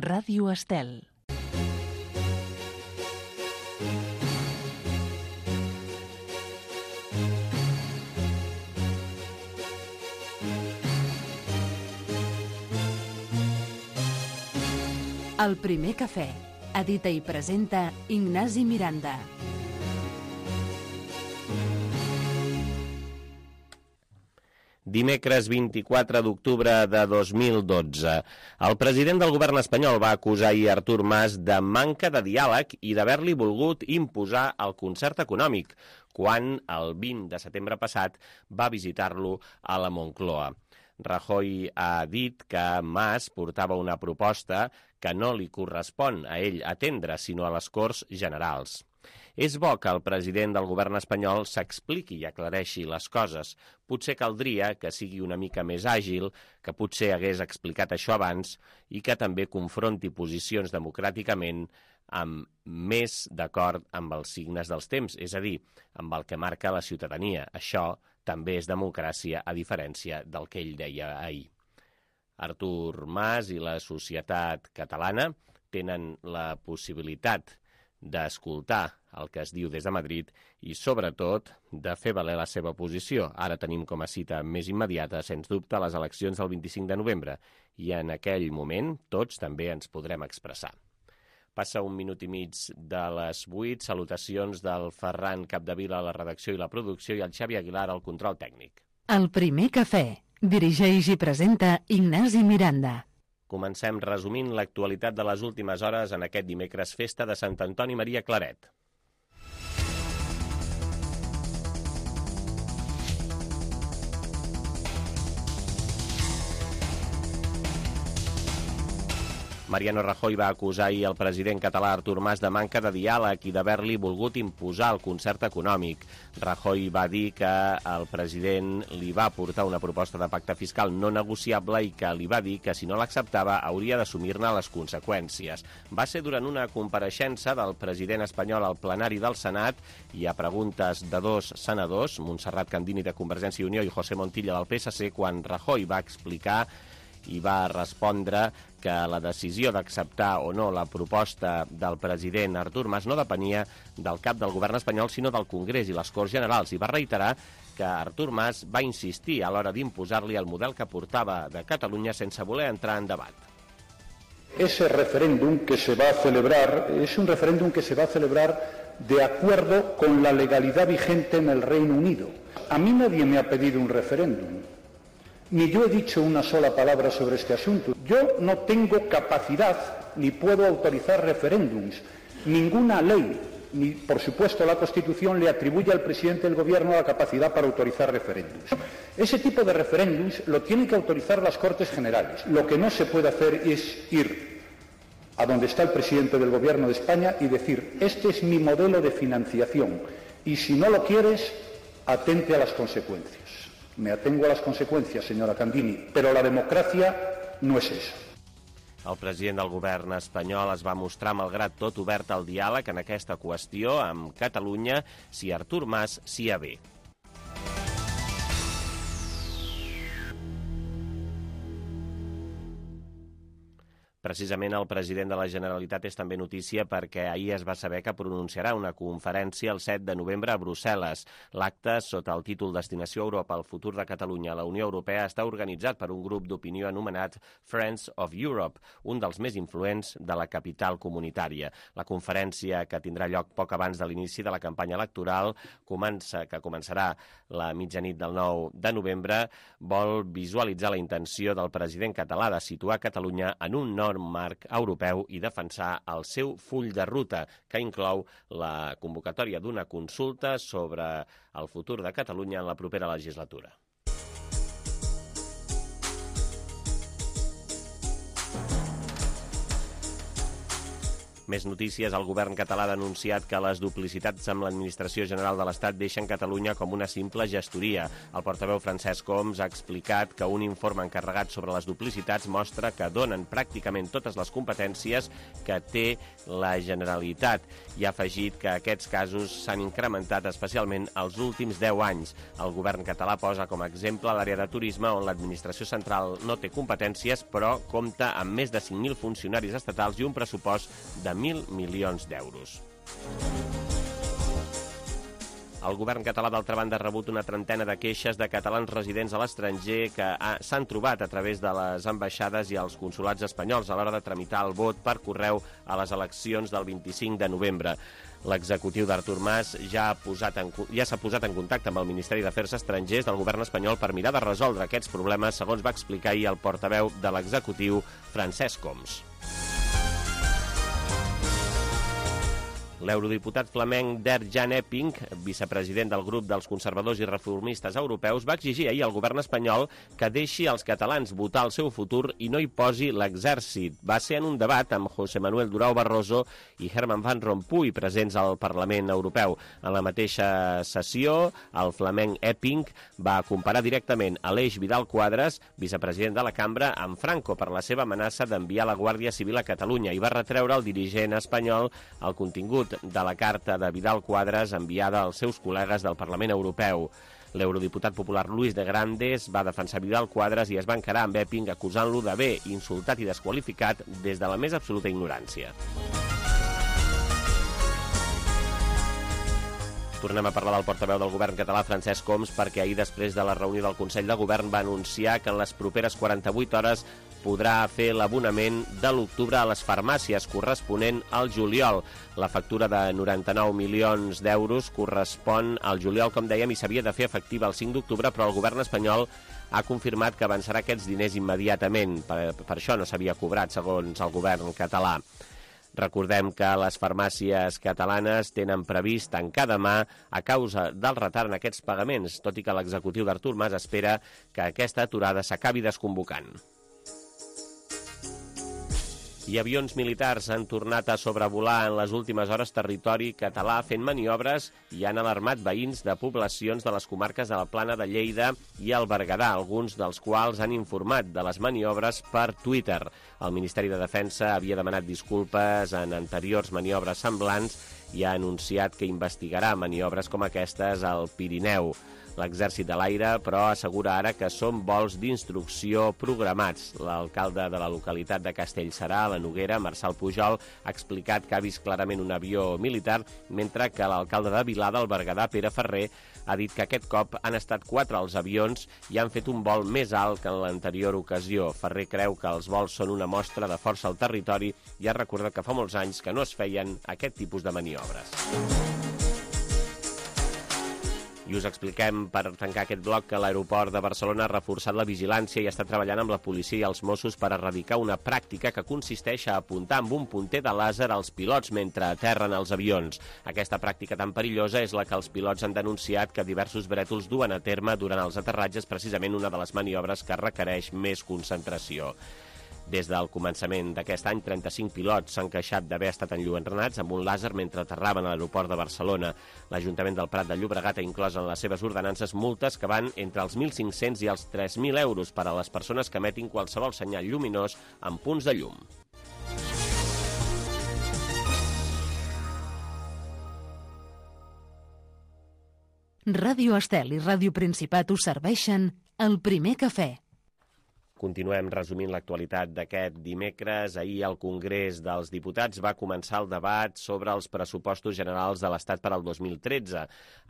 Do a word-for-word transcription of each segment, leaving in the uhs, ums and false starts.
Ràdio Estel. El primer cafè. Edita i presenta Ignasi Miranda. Dimecres vint-i-quatre d'octubre de dos mil dotze. El president del govern espanyol va acusar ahir Artur Mas de manca de diàleg i d'haver-li volgut imposar el concert econòmic, quan el vint de setembre passat va visitar-lo a la Moncloa. Rajoy ha dit que Mas portava una proposta que no li correspon a ell atendre, sinó a les Corts Generals. És bo que el president del govern espanyol s'expliqui i aclareixi les coses. Potser caldria que sigui una mica més àgil, que potser hagués explicat això abans i que també confronti posicions democràticament amb més d'acord amb els signes dels temps, és a dir, amb el que marca la ciutadania. Això també és democràcia, a diferència del que ell deia ahir. Artur Mas i la societat catalana tenen la possibilitat d'escoltar el que es diu des de Madrid i, sobretot, de fer valer la seva posició. Ara tenim com a cita més immediata, sens dubte, les eleccions del vint-i-cinc de novembre, i en aquell moment tots també ens podrem expressar. Passa un minut i mig de les vuit. Salutacions del Ferran Capdevila a la redacció i la producció i el Xavi Aguilar al control tècnic. El primer cafè. Dirigeix i presenta Ignasi Miranda. Comencem resumint l'actualitat de les últimes hores en aquest dimecres, festa de Sant Antoni Maria Claret. Mariano Rajoy va acusar ahir el president català Artur Mas de manca de diàleg i d'haver-li volgut imposar el concert econòmic. Rajoy va dir que el president li va portar una proposta de pacte fiscal no negociable i que li va dir que si no l'acceptava hauria d'assumir-ne les conseqüències. Va ser durant una compareixença del president espanyol al plenari del Senat i a preguntes de dos senadors, Montserrat Candini de Convergència i Unió i José Montilla del P S C, quan Rajoy va explicar i va respondre que la decisió d'acceptar o no la proposta del president Artur Mas no depenia del cap del govern espanyol, sinó del Congrés i les Corts Generals, i va reiterar que Artur Mas va insistir a l'hora d'imposar-li el model que portava de Catalunya sense voler entrar en debat. Ese referéndum que se va a celebrar es un referéndum que se va a celebrar de acuerdo con la legalidad vigente en el Reino Unido. A mí nadie me ha pedido un referéndum. Ni yo he dicho una sola palabra sobre este asunto. Yo no tengo capacidad ni puedo autorizar referéndums. Ninguna ley, ni por supuesto la Constitución, le atribuye al presidente del Gobierno la capacidad para autorizar referéndums. Ese tipo de referéndums lo tienen que autorizar las Cortes Generales. Lo que no se puede hacer es ir a donde está el presidente del Gobierno de España y decir: este es mi modelo de financiación y si no lo quieres, atente a las consecuencias. Me atengo a las consecuencias, señora Candini, però la democràcia no és eso. El president del govern espanyol es va mostrar, malgrat tot, obert al diàleg en aquesta qüestió amb Catalunya si Artur Mas s'hi avé. Precisament el president de la Generalitat és també notícia perquè ahir es va saber que pronunciarà una conferència el set de novembre a Brussel·les. L'acte, sota el títol Destinació Europa, el futur de Catalunya a la Unió Europea, està organitzat per un grup d'opinió anomenat Friends of Europe, un dels més influents de la capital comunitària. La conferència, que tindrà lloc poc abans de l'inici de la campanya electoral, comença, que començarà la mitjanit del nou de novembre, vol visualitzar la intenció del president català de situar Catalunya en un nou marc europeu i defensar el seu full de ruta, que inclou la convocatòria d'una consulta sobre el futur de Catalunya en la propera legislatura. Més notícies. El govern català ha denunciat que les duplicitats amb l'Administració General de l'Estat deixen Catalunya com una simple gestoria. El portaveu Francesc Homs ha explicat que un informe encarregat sobre les duplicitats mostra que donen pràcticament totes les competències que té la Generalitat i ha afegit que aquests casos s'han incrementat especialment els últims deu anys. El govern català posa com a exemple l'àrea de turisme, on l'Administració Central no té competències, però compta amb més de cinc mil funcionaris estatals i un pressupost de mil milions d'euros. El govern català, d'altra banda, ha rebut una trentena de queixes de catalans residents a l'estranger que s'han trobat a través de les ambaixades i els consulats espanyols a l'hora de tramitar el vot per correu a les eleccions del vint-i-cinc de novembre. L'executiu d'Artur Mas ja ha posat en, ja s'ha posat en contacte amb el Ministeri d'Afers Estrangers del govern espanyol per mirar de resoldre aquests problemes, segons va explicar ahir el portaveu de l'executiu, Francesc Homs. L'eurodiputat flamenc Dert-Jan Epping, vicepresident del grup dels conservadors i reformistes europeus, va exigir ahir al govern espanyol que deixi als catalans votar el seu futur i no hi posi l'exèrcit. Va ser en un debat amb José Manuel Durão Barroso i Herman Van Rompuy, presents al Parlament Europeu. En la mateixa sessió, el flamenc Epping va comparar directament Aleix Vidal Quadras, vicepresident de la cambra, amb Franco per la seva amenaça d'enviar la Guàrdia Civil a Catalunya i va retreure al dirigent espanyol el contingut de la carta de Vidal Quadras enviada als seus col·legues del Parlament Europeu. L'eurodiputat popular Luis de Grandes va defensar Vidal Quadras i es va encarar amb Epping acusant-lo d'haver insultat i desqualificat des de la més absoluta ignorància. Tornem a parlar del portaveu del govern català, Francesc Homs, perquè ahir, després de la reunió del Consell de Govern, va anunciar que en les properes quaranta-vuit hores podrà fer l'abonament de l'octubre a les farmàcies corresponent al juliol. La factura de noranta-nou milions d'euros correspon al juliol, com dèiem, i s'havia de fer efectiva el cinc d'octubre, però el govern espanyol ha confirmat que avançarà aquests diners immediatament. Per, per això no s'havia cobrat, segons el govern català. Recordem que les farmàcies catalanes tenen previst tancar demà a causa del retard en aquests pagaments, tot i que l'executiu d'Artur Mas espera que aquesta aturada s'acabi desconvocant. I avions militars han tornat a sobrevolar en les últimes hores territori català fent maniobres i han alarmat veïns de poblacions de les comarques de la Plana de Lleida i el Berguedà, alguns dels quals han informat de les maniobres per Twitter. El Ministeri de Defensa havia demanat disculpes en anteriors maniobres semblants i ha anunciat que investigarà maniobres com aquestes al Pirineu. L'exèrcit de l'aire, però, assegura ara que són vols d'instrucció programats. L'alcalde de la localitat de Castellserà, a la Noguera, Marçal Pujol, ha explicat que ha vist clarament un avió militar, mentre que l'alcalde de Vilada, al Berguedà, Pere Ferrer, ha dit que aquest cop han estat quatre els avions i han fet un vol més alt que en l'anterior ocasió. Ferrer creu que els vols són una mostra de força al territori i ha recordat que fa molts anys que no es feien aquest tipus de maniobres. I us expliquem, per tancar aquest bloc, que l'aeroport de Barcelona ha reforçat la vigilància i està treballant amb la policia i els Mossos per erradicar una pràctica que consisteix a apuntar amb un punter de làser als pilots mentre aterren els avions. Aquesta pràctica tan perillosa és la que els pilots han denunciat que diversos brètols duen a terme durant els aterratges, precisament una de les maniobres que requereix més concentració. Des del començament d'aquest any, trenta-cinc pilots s'han queixat d'haver estat enlluernats amb un làser mentre aterraven a l'aeroport de Barcelona. L'Ajuntament del Prat de Llobregat ha inclòs en les seves ordenances multes que van entre els mil cinc-cents i els tres mil euros per a les persones que emetin qualsevol senyal lluminós amb punts de llum. Ràdio Estel i Ràdio Principat us serveixen el primer cafè. Continuem resumint l'actualitat d'aquest dimecres. Ahir al Congrés dels Diputats va començar el debat sobre els pressupostos generals de l'Estat per al dos mil tretze,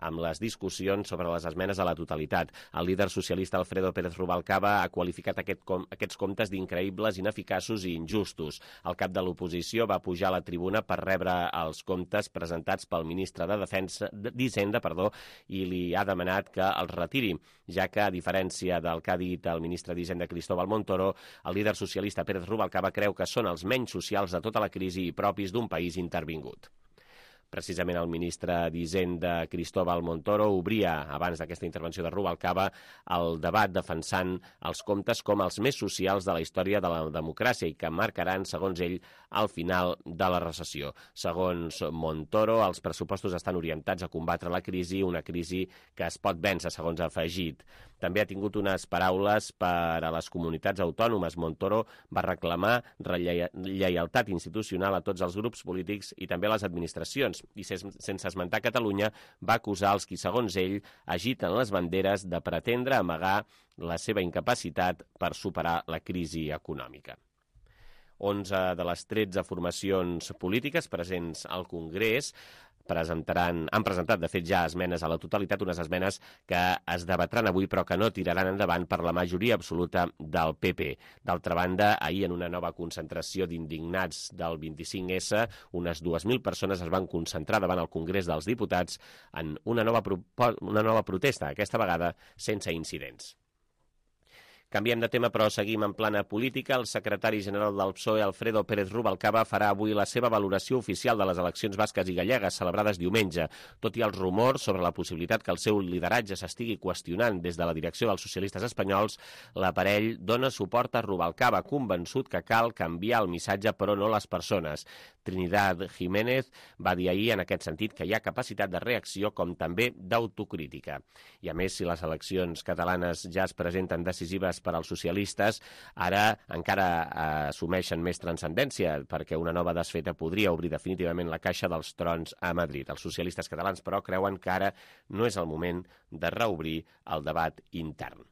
amb les discussions sobre les esmenes a la totalitat. El líder socialista Alfredo Pérez Rubalcaba ha qualificat aquest com, aquests comptes d'increïbles, ineficaços i injustos. El cap de l'oposició va pujar a la tribuna per rebre els comptes presentats pel ministre de Defensa d'Hisenda, perdó, i li ha demanat que els retiri, ja que, a diferència del que ha dit el ministre d'Hisenda Cristóbal Montoro, el líder socialista Pérez Rubalcaba creu que són els menys socials de tota la crisi i propis d'un país intervingut. Precisament el ministre d'Hisenda, Cristóbal Montoro, obria, abans d'aquesta intervenció de Rubalcaba, el debat defensant els comptes com els més socials de la història de la democràcia i que marcaran, segons ell, al final de la recessió. Segons Montoro, els pressupostos estan orientats a combatre la crisi, una crisi que es pot vèncer, segons ha afegit. També ha tingut unes paraules per a les comunitats autònomes. Montoro va reclamar lleialtat institucional a tots els grups polítics i també a les administracions, i sense esmentar Catalunya va acusar els qui, segons ell, agiten les banderes de pretendre amagar la seva incapacitat per superar la crisi econòmica. onze de les tretze formacions polítiques presents al Congrés presentaran, han presentat, de fet, ja esmenes a la totalitat, unes esmenes que es debatran avui però que no tiraran endavant per la majoria absoluta del P P. D'altra banda, ahir, en una nova concentració d'indignats del vint-i-cinc essa, unes dues mil persones es van concentrar davant el Congrés dels Diputats en una nova, una nova protesta, aquesta vegada sense incidents. Canviem de tema, però seguim en plana política. El secretari general del P S O E, Alfredo Pérez Rubalcaba, farà avui la seva valoració oficial de les eleccions basques i gallegues celebrades diumenge. Tot i els rumors sobre la possibilitat que el seu lideratge s'estigui qüestionant des de la direcció dels socialistes espanyols, l'aparell dona suport a Rubalcaba, convençut que cal canviar el missatge, però no les persones. Trinidad Jiménez va dir ahir en aquest sentit que hi ha capacitat de reacció com també d'autocrítica. I a més, si les eleccions catalanes ja es presenten decisives per als socialistes, ara encara eh, assumeixen més transcendència, perquè una nova desfeta podria obrir definitivament la caixa dels trons a Madrid. Els socialistes catalans, però, creuen que ara no és el moment de reobrir el debat intern.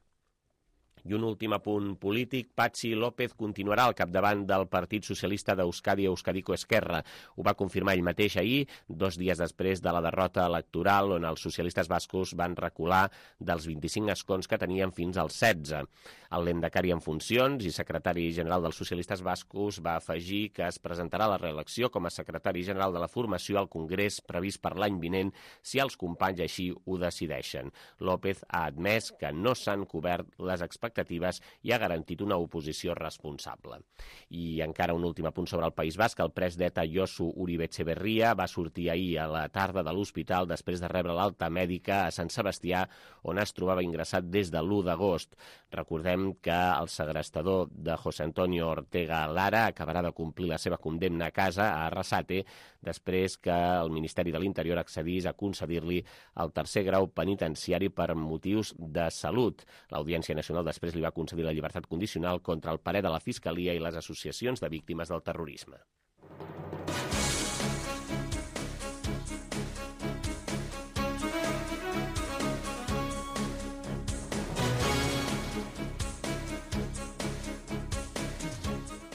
I un últim apunt polític, Patxi López continuarà al capdavant del Partit Socialista d'Euskadi, Euskadiko Esquerra. Ho va confirmar ell mateix ahir, dos dies després de la derrota electoral, on els socialistes bascos van recular dels vint-i-cinc escons que tenien fins als setze. El lehendakari en funcions i secretari general dels socialistes bascos va afegir que es presentarà la reelecció com a secretari general de la formació al Congrés previst per l'any vinent si els companys així ho decideixen. López ha admès que no s'han cobert les expectatives i ha garantit una oposició responsable. I encara un últim apunt sobre el País Basc. El pres d'ETA Josu Uribe Etxeberria va sortir ahir a la tarda de l'hospital després de rebre l'alta mèdica a Sant Sebastià, on es trobava ingressat des de l'u d'agost. Recordem que el segrestador de José Antonio Ortega Lara acabarà de complir la seva condemna a casa, a Arrasate, després que el Ministeri de l'Interior accedís a concedir-li el tercer grau penitenciari per motius de salut. L'Audiència Nacional després li va concedir la llibertat condicional contra el parer de la Fiscalia i les associacions de víctimes del terrorisme.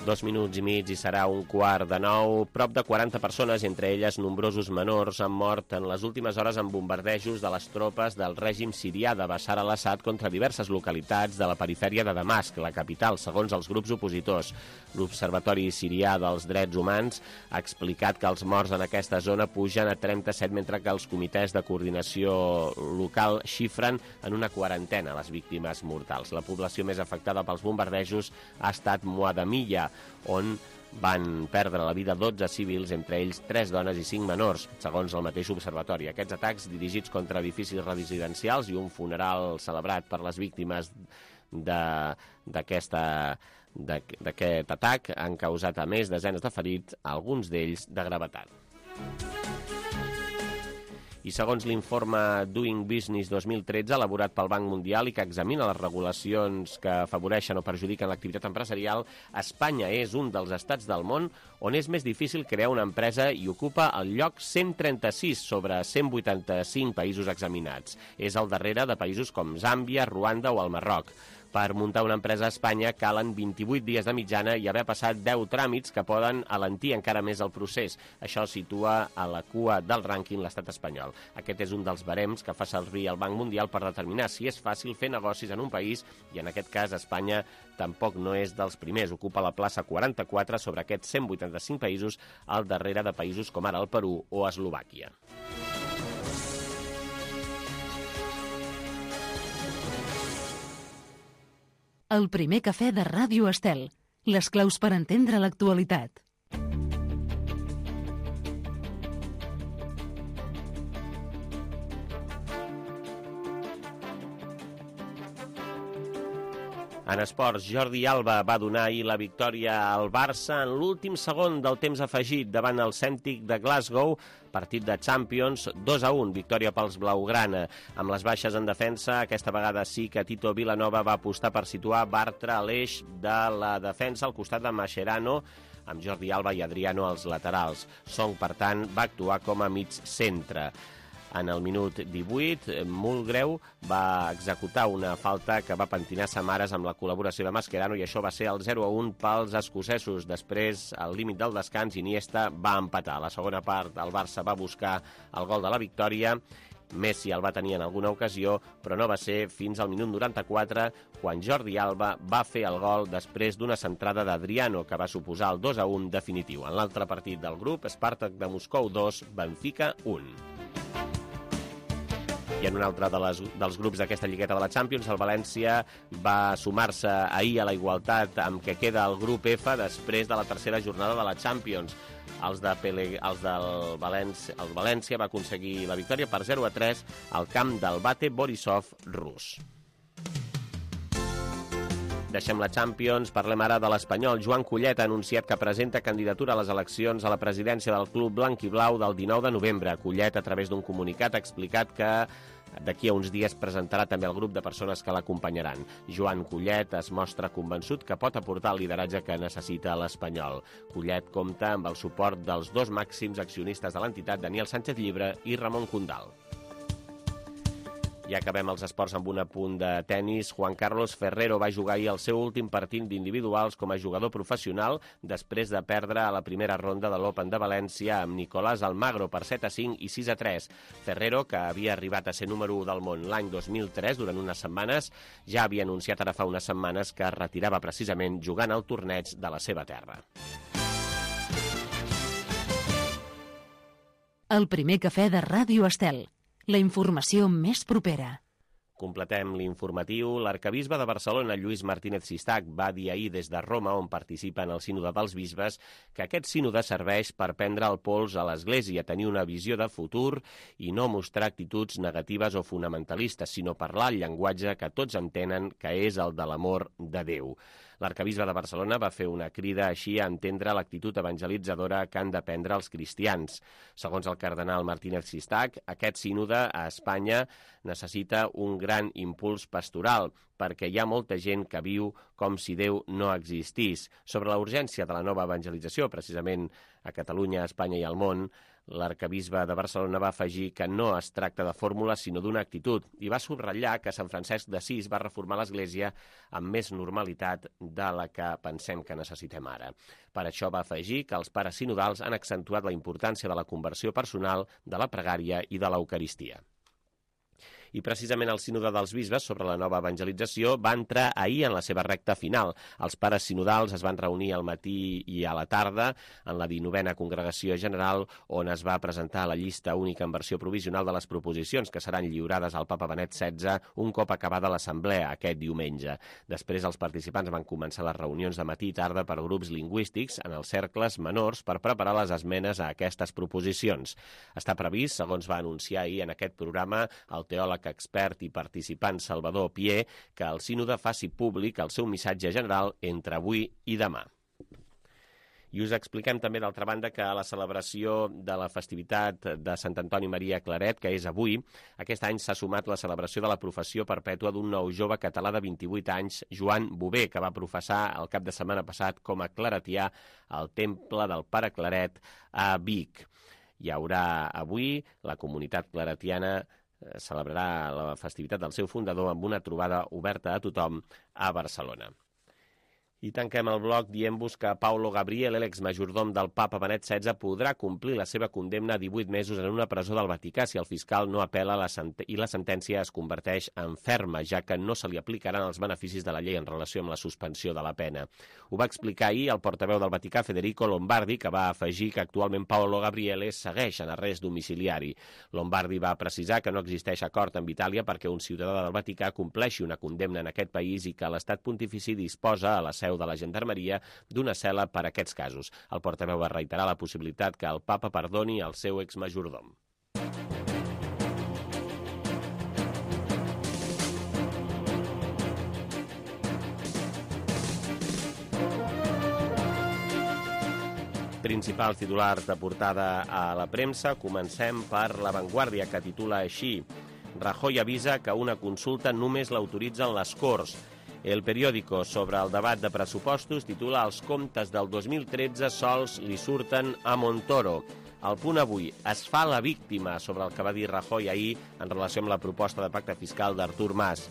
Dos minuts i mig i serà un quart de nou. Prop de quaranta persones, entre elles nombrosos menors, han mort en les últimes hores en bombardejos de les tropes del règim sirià de Bashar al-Assad contra diverses localitats de la perifèria de Damasc, la capital, segons els grups opositors. L'Observatori Sirià dels Drets Humans ha explicat que els morts en aquesta zona pugen a trenta-set, mentre que els comitès de coordinació local xifren en una quarantena les víctimes mortals. La població més afectada pels bombardejos ha estat Muadamiyya, on van perdre la vida dotze civils, entre ells tres dones i cinc menors, segons el mateix observatori. Aquests atacs dirigits contra edificis residencials i un funeral celebrat per les víctimes d'aquest atac han causat, a més, desenes de ferits, alguns d'ells de gravetat. I segons l'informe Doing Business dos mil tretze, elaborat pel Banc Mundial i que examina les regulacions que afavoreixen o perjudiquen l'activitat empresarial, Espanya és un dels estats del món on és més difícil crear una empresa i ocupa el lloc cent trenta-sis sobre cent vuitanta-cinc països examinats. És al darrere de països com Zàmbia, Ruanda o el Marroc. Per muntar una empresa a Espanya calen vint-i-vuit dies de mitjana i haver passat deu tràmits que poden alentir encara més el procés. Això situa a la cua del rànquing l'estat espanyol. Aquest és un dels barems que fa servir el Banc Mundial per determinar si és fàcil fer negocis en un país, i en aquest cas Espanya tampoc no és dels primers. Ocupa la plaça quaranta-quatre sobre aquests cent vuitanta-cinc països, al darrere de països com ara el Perú o Eslovàquia. El primer cafè de Ràdio Estel. Les claus per entendre l'actualitat. En esports, Jordi Alba va donar ahir la victòria al Barça en l'últim segon del temps afegit davant el Celtic de Glasgow, partit de Champions, dos a un, victòria pels blaugrana. Amb les baixes en defensa, aquesta vegada sí que Tito Vilanova va apostar per situar Bartra a l'eix de la defensa al costat de Mascherano, amb Jordi Alba i Adriano als laterals. Song, per tant, va actuar com a mig centre. En el minut divuit, Mulgreu va executar una falta que va pentinar Samaras amb la col·laboració de Mascherano i això va ser el zero a un pels escocesos. Després, al límit del descans, Iniesta va empatar. A la segona part, el Barça va buscar el gol de la victòria. Messi el va tenir en alguna ocasió, però no va ser fins al minut noranta-quatre, quan Jordi Alba va fer el gol després d'una centrada d'Adriano, que va suposar el dos a un definitiu. En l'altre partit del grup, Spartak de Moscou dos, Benfica un. I en un altre de les, dels grups d'aquesta lligueta de la Champions, el València va sumar-se ahir a la igualtat amb què queda el grup F després de la tercera jornada de la Champions. Els, de Pele, els del València, el València va aconseguir la victòria per zero a tres al camp del Bate Borisov rus. Deixem la Champions, parlem ara de l'Espanyol. Joan Collet ha anunciat que presenta candidatura a les eleccions a la presidència del club blanc i blau del dinou de novembre. Collet, a través d'un comunicat, ha explicat que d'aquí a uns dies presentarà també el grup de persones que l'acompanyaran. Joan Collet es mostra convençut que pot aportar el lideratge que necessita l'Espanyol. Collet compta amb el suport dels dos màxims accionistes de l'entitat, Daniel Sánchez Llibre i Ramon Condal. I acabem els esports amb un apunt de tennis. Juan Carlos Ferrero va jugar ahir el seu últim partit d'individuals com a jugador professional després de perdre a la primera ronda de l'Open de València amb Nicolás Almagro per set a cinc i sis a tres. Ferrero, que havia arribat a ser número u del món l'any dos mil tres durant unes setmanes, ja havia anunciat ara fa unes setmanes que es retirava precisament jugant al torneig de la seva terra. El primer cafè de Ràdio Estel. La informació més propera. Completem l'informatiu. L'arcabisbe de Barcelona, Lluís Martínez Sistac, va dir ahir des de Roma, on participa en el sínode dels bisbes, que aquest sínode serveix per prendre el pols a l'Església, tenir una visió de futur i no mostrar actituds negatives o fonamentalistes, sinó parlar el llenguatge que tots entenen que és el de l'amor de Déu. L'arcabisbe de Barcelona va fer una crida així a entendre l'actitud evangelitzadora que han de prendre els cristians. Segons el cardenal Martínez Sistac, aquest sínode a Espanya necessita un gran impuls pastoral, perquè hi ha molta gent que viu com si Déu no existís. Sobre la urgència de la nova evangelització, precisament a Catalunya, a Espanya i al món, l'arcabisbe de Barcelona va afegir que no es tracta de fórmules sinó d'una actitud i va subratllar que Sant Francesc d'Assís va reformar l'Església amb més normalitat de la que pensem que necessitem ara. Per això va afegir que els pares sinodals han accentuat la importància de la conversió personal, de la pregària i de l'Eucaristia. I precisament el sínode dels bisbes sobre la nova evangelització va entrar ahir en la seva recta final. Els pares sinodals es van reunir al matí i a la tarda en la dinovena congregació general, on es va presentar la llista única en versió provisional de les proposicions que seran lliurades al papa Benet setze un cop acabada l'assemblea aquest diumenge. Després els participants van començar les reunions de matí i tarda per grups lingüístics en els cercles menors per preparar les esmenes a aquestes proposicions. Està previst, segons va anunciar ahir en aquest programa el teòleg expert i participant Salvador Pier, que el sínode faci públic el seu missatge general entre avui i demà. I us expliquem també, d'altra banda, que a la celebració de la festivitat de Sant Antoni Maria Claret, que és avui, aquest any s'ha sumat la celebració de la professió perpètua d'un nou jove català de vint-i-vuit anys, Joan Bové, que va professar el cap de setmana passat com a claretià al Temple del Pare Claret a Vic. Hi haurà avui la comunitat claretiana celebrarà la festivitat del seu fundador amb una trobada oberta a tothom a Barcelona. I tanquem el bloc dient-vos que Paolo Gabriel, l'exmajordom del papa Benet setze, podrà complir la seva condemna a divuit mesos en una presó del Vaticà si el fiscal no apel·la la i la sentència es converteix en ferma, ja que no se li aplicaran els beneficis de la llei en relació amb la suspensió de la pena. Ho va explicar ahir el portaveu del Vaticà, Federico Lombardi, que va afegir que actualment Paolo Gabriel segueix en arrest domiciliari. Lombardi va precisar que no existeix acord amb Itàlia perquè un ciutadà del Vaticà compleixi una condemna en aquest país i que l'estat pontifici disposa a la de la Gendarmeria d'una cel·la per a aquests casos. El portaveu va reiterar la possibilitat que el papa perdoni el seu exmajordom. Principals titulars de portada a la premsa. Comencem per La Vanguardia, que titula així: Rajoy avisa que una consulta només l'autoritzen les Corts. El periòdico, sobre el debat de pressupostos, titula Els comptes del dos mil tretze sols li surten a Montoro. El Punt Avui: es fa la víctima, sobre el que va dir Rajoy ahir en relació amb la proposta de pacte fiscal d'Artur Mas.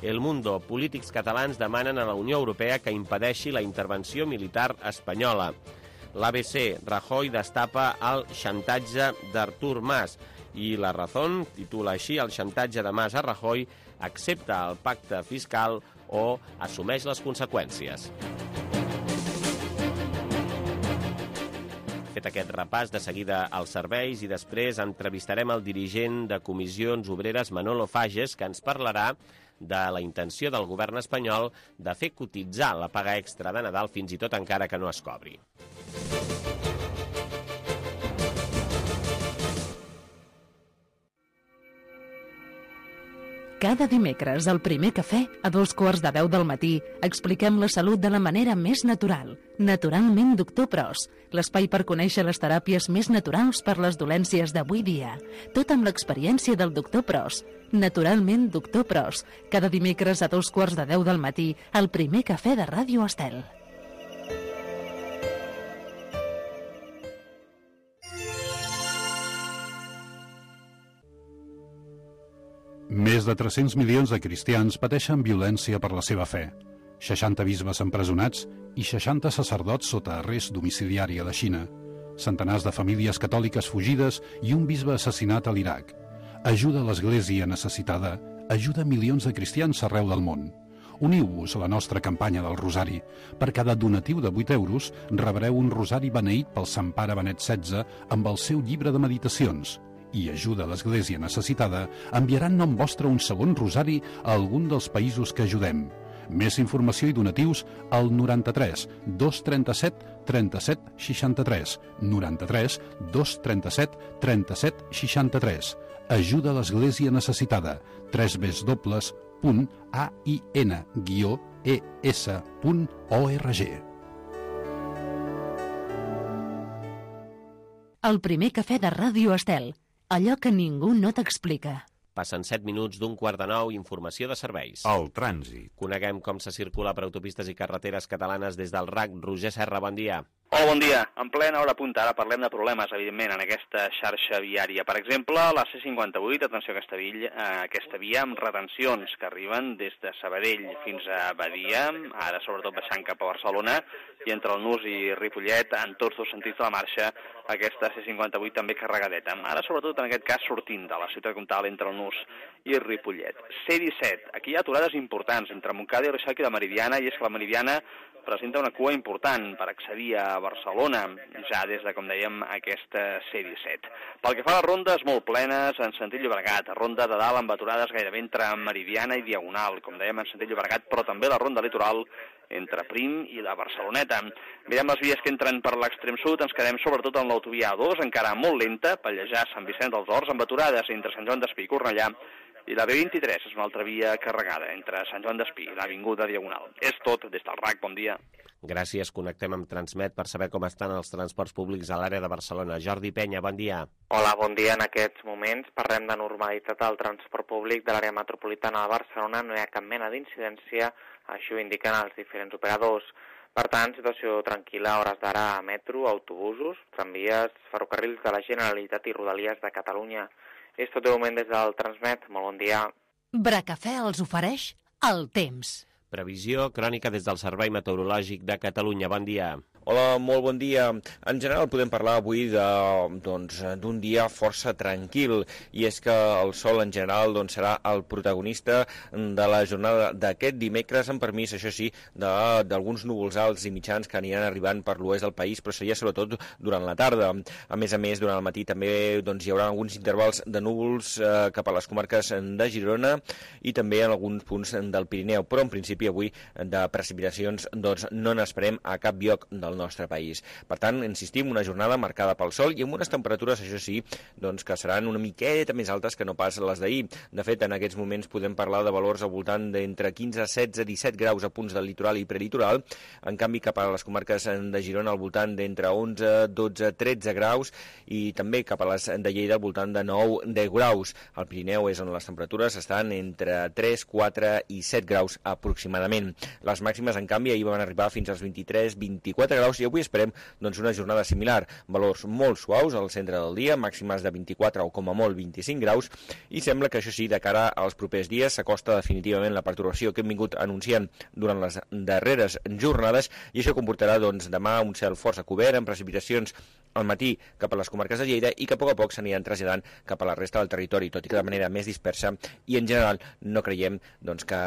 El Mundo: polítics catalans demanen a la Unió Europea que impedeixi la intervenció militar espanyola. L'A B C: Rajoy destapa el xantatge d'Artur Mas. I La Razón titula així: el xantatge de Mas a Rajoy, accepta el pacte fiscal o assumeix les conseqüències. Fet aquest repàs, de seguida als serveis, i després entrevistarem el dirigent de Comissions Obreres, Manolo Fages, que ens parlarà de la intenció del govern espanyol de fer cotitzar la paga extra de Nadal, fins i tot encara que no es cobri. Cada dimecres, al Primer Cafè, a dos quarts de deu del matí, expliquem la salut de la manera més natural. Naturalment, doctor Pros, l'espai per conèixer les teràpies més naturals per les dolències d'avui dia. Tot amb l'experiència del doctor Pros. Naturalment, doctor Pros, cada dimecres a dos quarts de deu del matí, al Primer Cafè de Ràdio Estel. Més de tres-cents milions de cristians pateixen violència per la seva fe. seixanta bisbes empresonats i seixanta sacerdots sota arrest domiciliari a la Xina. Centenars de famílies catòliques fugides i un bisbe assassinat a l'Iraq. Ajuda a l'Església necessitada, ajuda milions de cristians arreu del món. Uniu-vos a la nostra campanya del Rosari. Per cada donatiu de vuit euros rebreu un rosari beneït pel Sant Pare Benet setze amb el seu llibre de meditacions. I ajuda a l'Església necessitada, enviaran nom vostre un segon rosari a algun dels països que ajudem. Més informació i donatius al noranta-tres dos trenta-set trenta-set seixanta-tres, noranta-tres dos trenta-set trenta-set seixanta-tres. Ajuda a l'Església necessitada, w w w punt a i n guió e s punt org. El Primer Cafè de Ràdio Estel. Allò que ningú no t'explica. Passen set minuts d'un quart de nou, informació de serveis. El trànsit. Coneguem com se circula per autopistes i carreteres catalanes des del R A C. Roger Serra, bon dia. Hola, bon dia. En plena hora punta, ara parlem de problemes, evidentment, en aquesta xarxa viària. Per exemple, la C cinquanta-vuit, atenció a aquesta, villa, a aquesta via amb retencions que arriben des de Sabadell fins a Badia, ara sobretot baixant cap a Barcelona, i entre el Nus i Ripollet, en tots dos sentits de la marxa, aquesta C cinquanta-vuit també carregadeta. Ara, sobretot, en aquest cas, sortint de la ciutat comtal entre el Nus i Ripollet. C disset, aquí hi ha aturades importants entre Montcada i Reixac i la Meridiana, i és que la Meridiana presenta una cua important per accedir a Barcelona, ja des de, com dèiem, aquesta C disset. Pel que fa a les rondes molt plenes, en sentit Llobregat, ronda de dalt amb aturades gairebé entre Meridiana i Diagonal, com dèiem, en sentit Llobregat, però també la ronda litoral entre Prim i la Barceloneta. Mirem les vies que entren per l'extrem sud, ens quedem sobretot en l'autovia A dos, encara molt lenta, Pallejà, Sant Vicenç dels Horts, amb aturades entre Sant Joan d'Espí i Cornellà, i la B vint-i-tres és una altra via carregada entre Sant Joan d'Espí i l'Avinguda Diagonal. És tot des del R A C, bon dia. Gràcies, connectem amb Transmet per saber com estan els transports públics a l'àrea de Barcelona. Jordi Penya, bon dia. Hola, bon dia. En aquests moments parlem de normalitat al transport públic de l'àrea metropolitana de Barcelona. No hi ha cap mena d'incidència, això ho indiquen els diferents operadors. Per tant, situació tranquil·la a hores d'ara a metro, autobusos, tramvies, ferrocarrils de la Generalitat i Rodalies de Catalunya. És tot de moment des del Transmet. Molt bon dia. Bracafè els ofereix el temps. Previsió crònica des del Servei Meteorològic de Catalunya. Bon dia. Hola, molt bon dia. En general podem parlar avui de, doncs, d'un dia força tranquil, i és que el sol en general doncs, serà el protagonista de la jornada d'aquest dimecres, amb permís, això sí, d'alguns núvols alts i mitjans que aniran arribant per l'oest del país, però seria sobretot durant la tarda. A més a més, durant el matí també doncs, hi haurà alguns intervals de núvols eh, cap a les comarques de Girona i també en alguns punts del Pirineu, però en principi avui de precipitacions doncs, no n'esperem a cap lloc del nostre país. Per tant, insistim, una jornada marcada pel sol i amb unes temperatures, això sí, doncs, que seran una miqueta més altes que no pas les d'ahir. De fet, en aquests moments podem parlar de valors al voltant d'entre quinze, setze, disset graus a punts del litoral i prelitoral. En canvi, cap a les comarques de Girona al voltant d'entre onze, dotze, tretze graus i també cap a les de Lleida al voltant de nou, deu graus. Al Pirineu és on les temperatures estan entre tres, quatre i set graus aproximadament. Les màximes, en canvi, ahir van arribar fins als vint-i-tres, vint-i-quatre graus i avui esperem doncs, una jornada similar. Valors molt suaus al centre del dia, màximes de vint-i-quatre o com a molt vint-i-cinc graus i sembla que això sí, de cara als propers dies s'acosta definitivament la pertorbació que hem vingut anunciant durant les darreres jornades i això comportarà doncs, demà un cel força cobert amb precipitacions al matí cap a les comarques de Lleida i que a poc a poc s'aniran traslladant cap a la resta del territori, tot i que de manera més dispersa i en general no creiem doncs, que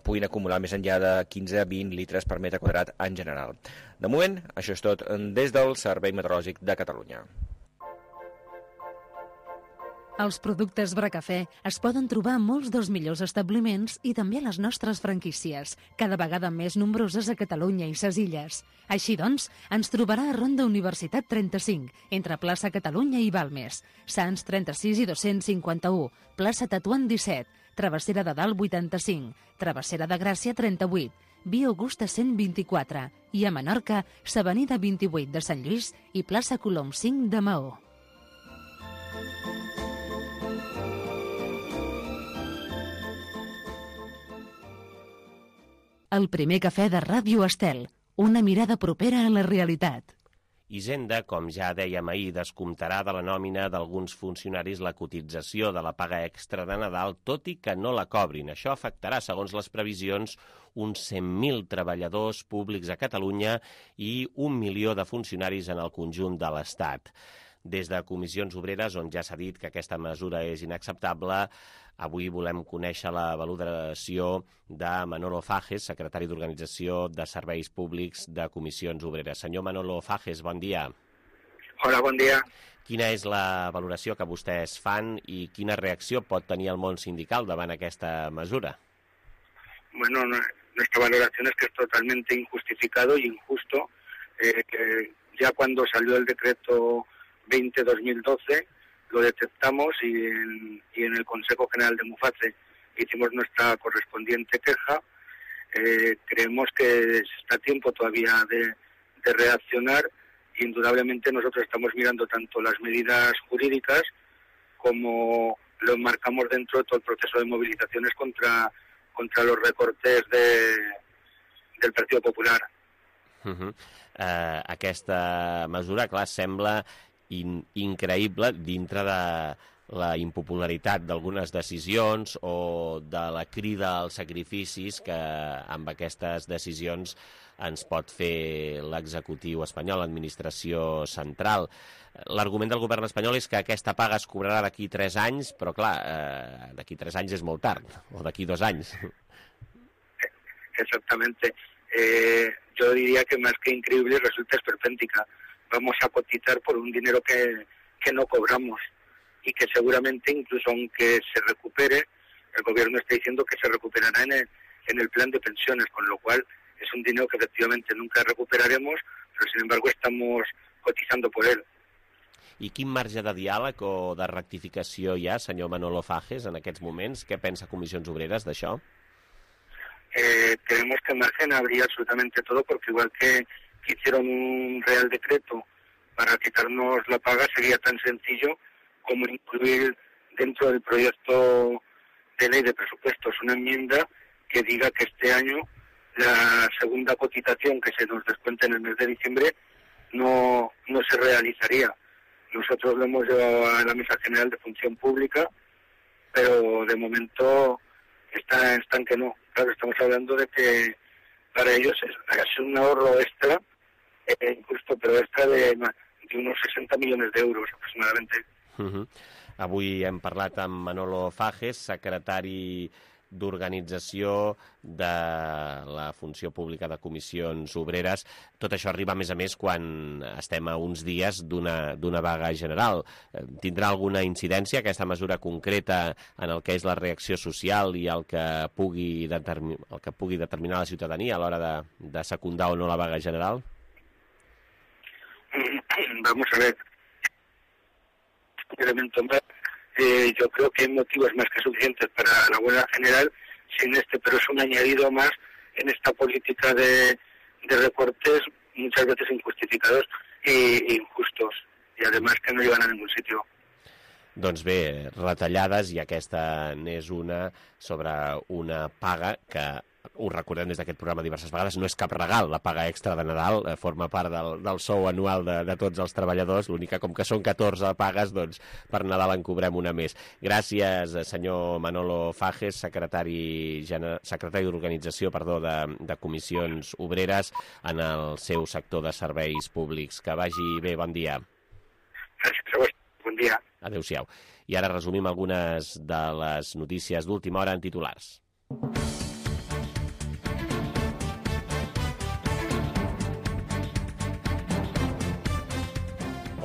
puguin acumular més enllà de quinze a vint litres per metre quadrat en general. De moment, això és tot des del Servei Meteorològic de Catalunya. Els productes Bracafè es poden trobar a molts dels millors establiments i també a les nostres franquícies, cada vegada més nombroses a Catalunya i ses Illes. Així doncs, ens trobarà a Ronda Universitat trenta-cinc, entre plaça Catalunya i Balmes, Sants trenta-sis i dos-cents cinquanta-u, plaça Tatuant disset, Travessera de Dalt vuitanta-cinc, Travessera de Gràcia trenta-vuit, Via Augusta cent vint-i-quatre i a Menorca, s'Avenida vint-i-vuit de Sant Lluís i plaça Colom cinc de Maó. El primer cafè de Ràdio Estel, una mirada propera a la realitat. Hisenda, com ja dèiem ahir, descomptarà de la nòmina d'alguns funcionaris la cotització de la paga extra de Nadal, tot i que no la cobrin. Això afectarà, segons les previsions, uns cent mil treballadors públics a Catalunya i un milió de funcionaris en el conjunt de l'Estat. Des de Comissions Obreres, on ja s'ha dit que aquesta mesura és inacceptable, avui volem conèixer la valoració de Manolo Fages, secretari d'Organització de Serveis Públics de Comissions Obreres. Senyor Manolo Fages, bon dia. Hola, bon dia. Quina és la valoració que vostès fan i quina reacció pot tenir el món sindical davant aquesta mesura? Bueno, nuestra valoración es que es totalmente injustificado y injusto, eh, que ya cuando salió el decreto veinte barra dos mil doce lo detectamos y en, y en el Consejo General de Muface hicimos nuestra correspondiente queja. Eh, creemos que está a tiempo todavía de, de reaccionar. Indudablemente nosotros estamos mirando tanto las medidas jurídicas como lo enmarcamos dentro de todo el proceso de movilizaciones contra, contra los recortes de, del Partido Popular. Uh-huh. Uh, aquesta mesura, clar, sembla in, increïble dintre de la impopularitat d'algunes decisions o de la crida als sacrificis que amb aquestes decisions ens pot fer l'executiu espanyol, l'administració central. L'argument del govern espanyol és que aquesta paga es cobrarà d'aquí tres anys, però clar, eh, d'aquí tres anys és molt tard, o d'aquí dos anys. Exactamente. Eh, yo diría que más que increíble resulta esperpéntica. Vamos a cotizar por un dinero que, que no cobramos y que seguramente incluso aunque se recupere, el gobierno está diciendo que se recuperará en el, en el plan de pensiones, con lo cual es un dinero que efectivamente nunca recuperaremos, pero sin embargo estamos cotizando por él. I quin marge de diàleg o de rectificació hi ha, senyor Manolo Fages, en aquests moments? Què pensa Comissions Obreres d'això? Eh, creemos que margen habría absolutamente todo, porque igual que, que hicieron un real decreto para quitarnos la paga, sería tan sencillo como incluir dentro del proyecto de ley de presupuestos una enmienda que diga que este año la segunda cotización que se nos descuente en el mes de diciembre no, no se realizaría. Nosotros lo hemos llevado a la Mesa General de Función Pública, pero de momento está, están que no. Claro, estamos hablando de que para ellos es, es un ahorro extra, eh, injusto, pero extra de, de unos sesenta millones de euros aproximadamente. Uh-huh. Avui hem parlat amb Manolo Fages, secretari d'Organització de la Funció Pública de Comissions Obreres. Tot això arriba, a més a més, quan estem a uns dies d'una d'una vaga general. Tindrà alguna incidència aquesta mesura concreta en el que és la reacció social i el que pugui, determi- el que pugui determinar la ciutadania a l'hora de, de secundar o no la vaga general? Vamos a ver, un elemento más. Eh, yo creo que hay motivos más que suficientes para la huelga general sin este, pero es un añadido más en esta política de, de recortes muchas veces injustificados e injustos, i además que no llevan a ningún sitio. Doncs bé, retallades, i aquesta n'és una sobre una paga que, ho recordem des d'aquest programa diverses vegades, no és cap regal, la paga extra de Nadal, eh, forma part del, del sou anual de, de tots els treballadors, l'única, com que són catorze pagues, doncs per Nadal en cobrem una més. Gràcies, senyor Manolo Fages, secretari, secretari d'Organització perdó, de, de Comissions Obreres en el seu sector de serveis públics. Que vagi bé, bon dia. Gràcies a vostè, bon dia. Adéu-siau. I ara resumim algunes de les notícies d'última hora en titulars.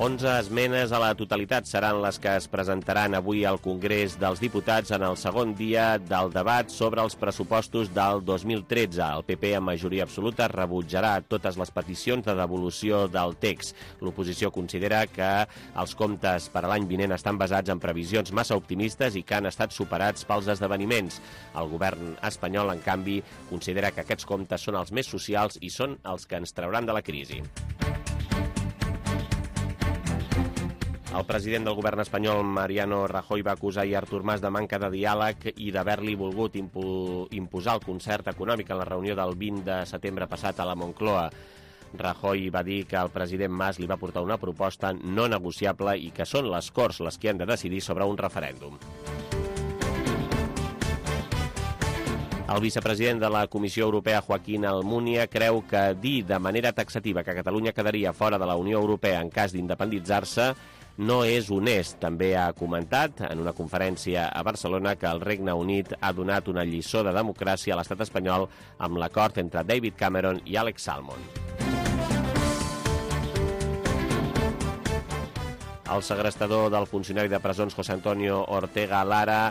onze esmenes a la totalitat seran les que es presentaran avui al Congrés dels Diputats en el segon dia del debat sobre els pressupostos del dos mil tretze. El P P, en majoria absoluta, rebutjarà totes les peticions de devolució del text. L'oposició considera que els comptes per a l'any vinent estan basats en previsions massa optimistes i que han estat superats pels esdeveniments. El govern espanyol, en canvi, considera que aquests comptes són els més socials i són els que ens trauran de la crisi. El president del govern espanyol, Mariano Rajoy, va acusar ahir Artur Mas de manca de diàleg i d'haver-li volgut impu imposar el concert econòmic en la reunió del vint de setembre passat a la Moncloa. Rajoy va dir que el president Mas li va portar una proposta no negociable i que són les Corts les que han de decidir sobre un referèndum. El vicepresident de la Comissió Europea, Joaquín Almunia, creu que dir de manera taxativa que Catalunya quedaria fora de la Unió Europea en cas d'independitzar-se no és honest. També ha comentat en una conferència a Barcelona que el Regne Unit ha donat una lliçó de democràcia a l'estat espanyol amb l'acord entre David Cameron i Alex Salmond. El segrestador del funcionari de presons José Antonio Ortega Lara,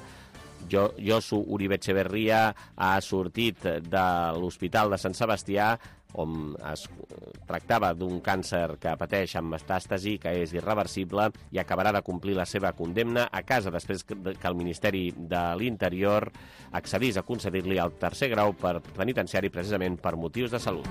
Josu Uribe Etxeberria, ha sortit de l'Hospital de Sant Sebastià, on es tractava d'un càncer que pateix amb metàstasi, que és irreversible, i acabarà de complir la seva condemna a casa després que el Ministeri de l'Interior accedís a concedir-li el tercer grau per penitenciari precisament per motius de salut.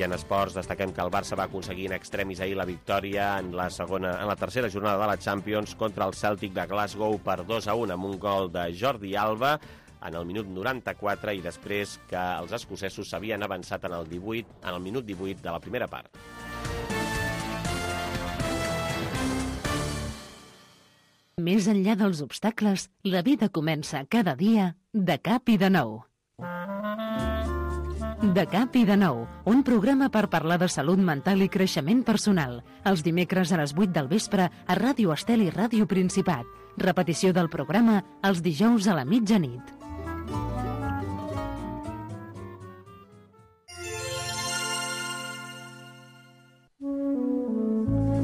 I en esports destaquem que el Barça va aconseguir in extremis ahir la victòria en la segona, en la tercera jornada de la Champions contra el Celtic de Glasgow per dos a un amb un gol de Jordi Alba en el minut noranta-quatre i després que els escocesos s'havien avançat en el, divuit, en el minut divuit de la primera part. Més enllà dels obstacles, la vida comença cada dia de cap i de nou. De cap i de nou, un programa per parlar de salut mental i creixement personal. Els dimecres a les vuit del vespre a Ràdio Estel i Ràdio Principat. Repetició del programa els dijous a la mitjanit.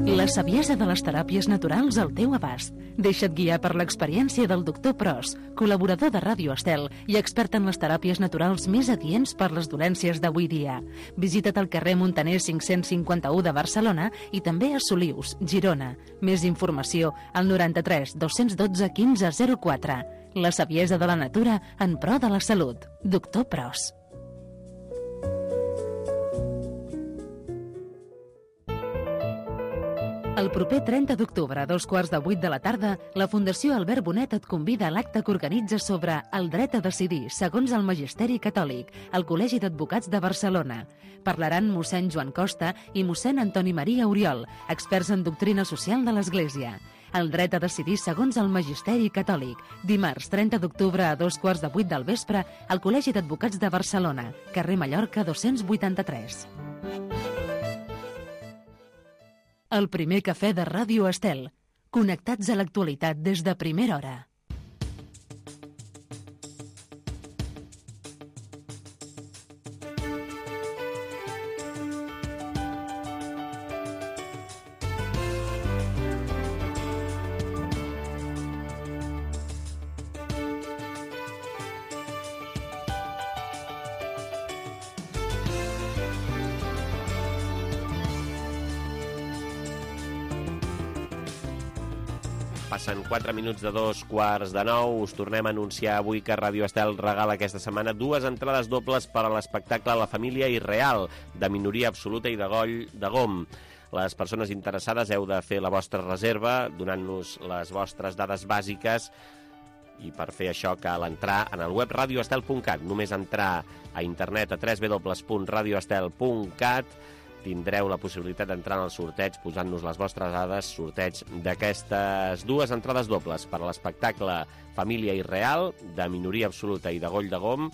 La saviesa de les teràpies naturals al teu abast. Deixa't guiar per l'experiència del doctor Pros, col·laborador de Ràdio Estel i expert en les teràpies naturals més adients per les dolències d'avui dia. Visita't al carrer Montaner cinc-cents cinquanta-u de Barcelona i també a Solius, Girona. Més informació al noranta-tres dos-cents dotze quinze zero quatre. La saviesa de la natura en pro de la salut. Doctor Pros. El proper trenta d'octubre, a dos quarts de vuit de la tarda, la Fundació Albert Bonet et convida a l'acte que organitza sobre el dret a decidir, segons el Magisteri Catòlic, al Col·legi d'Advocats de Barcelona. Parlaran mossèn Joan Costa i mossèn Antoni Maria Oriol, experts en doctrina social de l'Església. El dret a decidir segons el Magisteri Catòlic. Dimarts, trenta d'octubre, a dos quarts de vuit del vespre, al Col·legi d'Advocats de Barcelona, carrer Mallorca dos-cents vuitanta-tres. El primer cafè de Ràdio Estel. Connectats a l'actualitat des de primera hora. Passen quatre minuts de dos quarts de nou. Us tornem a anunciar avui que Ràdio Estel regala aquesta setmana dues entrades dobles per a l'espectacle La família irreal, de Minoria absoluta i de Goll de Gom. Les persones interessades heu de fer la vostra reserva donant-nos les vostres dades bàsiques, i per fer això cal entrar en el web radio estel punt cat. Només entrar a internet a w w w punt radio estel punt cat tindreu la possibilitat d'entrar en el sorteig posant-nos les vostres dades, sorteig d'aquestes dues entrades dobles per a l'espectacle Família Irreal, de Minoria absoluta i de Goll de Gom,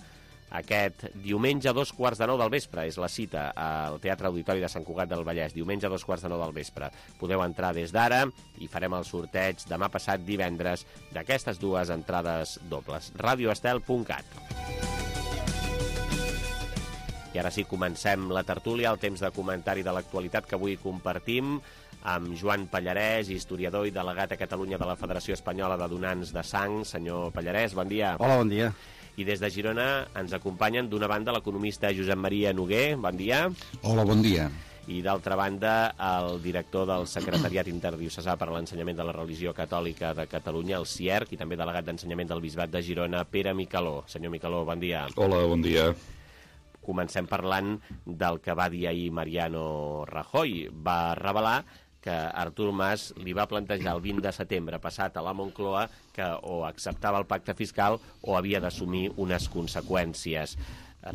aquest diumenge a dos quarts de nou del vespre. És la cita al Teatre Auditori de Sant Cugat del Vallès, diumenge a dos quarts de nou del vespre. Podeu entrar des d'ara i farem el sorteig demà passat divendres d'aquestes dues entrades dobles. radio estel punt cat. I ara sí, comencem la tertúlia, el temps de comentari de l'actualitat que avui compartim amb Joan Pallarès, historiador i delegat a Catalunya de la Federació Espanyola de Donants de Sang. Senyor Pallarès, bon dia. Hola, bon dia. I des de Girona ens acompanyen d'una banda l'economista Josep Maria Noguer, bon dia. Hola, bon dia. I d'altra banda el director del Secretariat Interdiocesà per a l'Ensenyament de la Religió Catòlica de Catalunya, el C I E R C, i també delegat d'Ensenyament del Bisbat de Girona, Pere Micaló. Senyor Micaló, bon dia. Hola, bon dia. Comencem parlant del que va dir ahir Mariano Rajoy. Va revelar que Artur Mas li va plantejar el vint de setembre passat a la Moncloa que o acceptava el pacte fiscal o havia d'assumir unes conseqüències.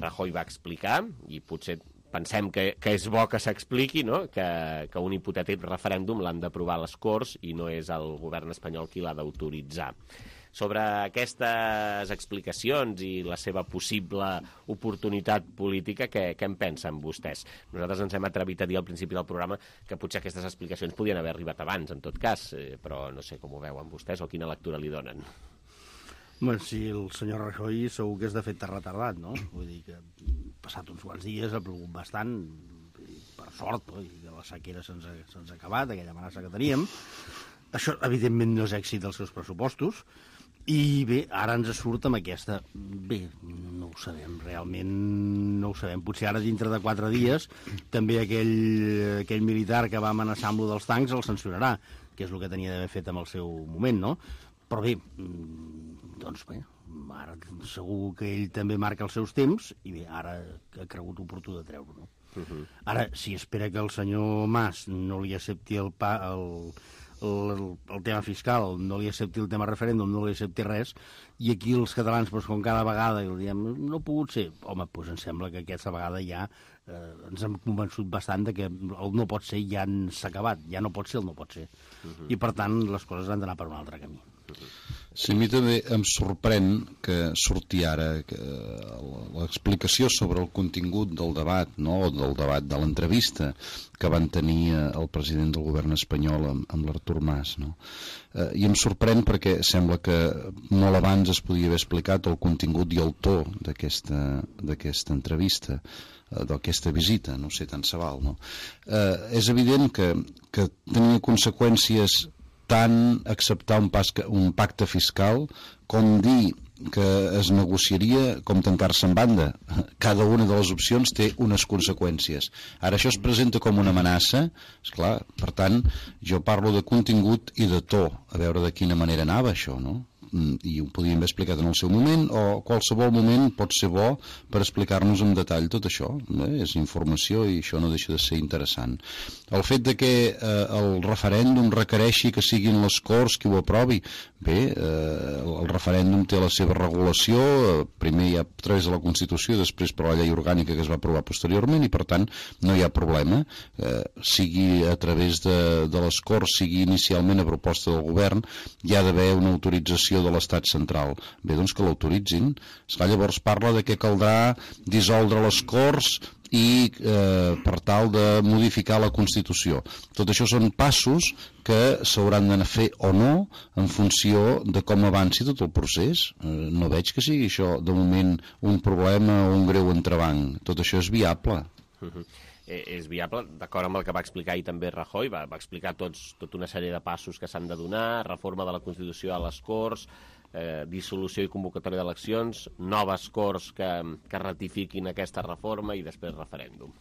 Rajoy va explicar, i potser pensem que, que és bo que s'expliqui, no? que, que un hipotètic referèndum l'han d'aprovar les Corts i no és el govern espanyol qui l'ha d'autoritzar. Sobre aquestes explicacions i la seva possible oportunitat política, què, què en pensen vostès? Nosaltres ens hem atrevit a dir al principi del programa que potser aquestes explicacions podien haver arribat abans, en tot cas, eh, però no sé com ho veuen vostès o quina lectura li donen. Bueno, si el senyor Rajoy segur que és de fet retardat, no? Vull dir que passat uns quants dies ha plogut bastant, per sort, no? I que la sequera se'ns ha, se'ns ha acabat, aquella amenaça que teníem. Això, evidentment, no és èxit dels seus pressupostos. I bé, ara ens surt amb aquesta... Bé, no ho sabem, realment no ho sabem. Potser ara, dintre de quatre dies, també aquell, aquell militar que va amenaçar amb lo dels tancs el sancionarà, que és el que tenia d'haver fet en el seu moment, no? Però bé, doncs bé, ara segur que ell també marca els seus temps i bé, ara ha cregut oportú de treure-ho, no? Uh-huh. Ara, si espera que el senyor Mas no li accepti el... Pa, el El, el tema fiscal, no li accepti el tema referèndum, no li accepti res, i aquí els catalans, doncs, com cada vegada i diem, no ha pogut ser, home, doncs em sembla que aquesta vegada ja eh, ens hem convençut bastant de que el no pot ser ja s'ha acabat, ja no pot ser el no pot ser. Uh-huh. I per tant les coses han d'anar per un altre camí. Uh-huh. Sí, a mi també em sorprèn que surti ara que l'explicació sobre el contingut del debat, no? O del debat de l'entrevista que van tenir el president del govern espanyol amb, amb l'Artur Mas, no? Eh, I em sorprèn perquè sembla que molt abans es podia haver explicat el contingut i el to d'aquesta d'aquesta entrevista, eh, d'aquesta visita, no sé, tant se val, no? Eh, és evident que, que tenia conseqüències tant acceptar un, pas, un pacte fiscal com dir que es negociaria com tancar-se en banda. Cada una de les opcions té unes conseqüències. Ara això es presenta com una amenaça, esclar, per tant, jo parlo de contingut i de to, a veure de quina manera anava això, no? I ho podríem haver explicat en el seu moment, o qualsevol moment pot ser bo per explicar-nos en detall tot això. Eh? És informació i això no deixa de ser interessant. El fet de que eh, el referèndum requereixi que siguin les Corts qui ho aprovi, bé, eh, el referèndum té la seva regulació, eh, primer hi ha a través de la Constitució, després per la llei orgànica que es va aprovar posteriorment, i per tant no hi ha problema, eh, sigui a través de, de les Corts, sigui inicialment a proposta del govern, hi ha d'haver una autorització de l'estat central. Bé, doncs que l'autoritzin. Llavors parla de que caldrà dissoldre les Corts i eh, per tal de modificar la Constitució. Tot això són passos que s'hauran d'anar a fer o no en funció de com avanci tot el procés. Eh, no veig que sigui això de moment un problema o un greu entrebanc. Tot això és viable. Uh-huh. És viable, d'acord amb el que va explicar ahir també Rajoy, va, va explicar tots, tota una sèrie de passos que s'han de donar, reforma de la Constitució a les Corts, eh, dissolució i convocatòria d'eleccions, noves Corts que, que ratifiquin aquesta reforma i després referèndum.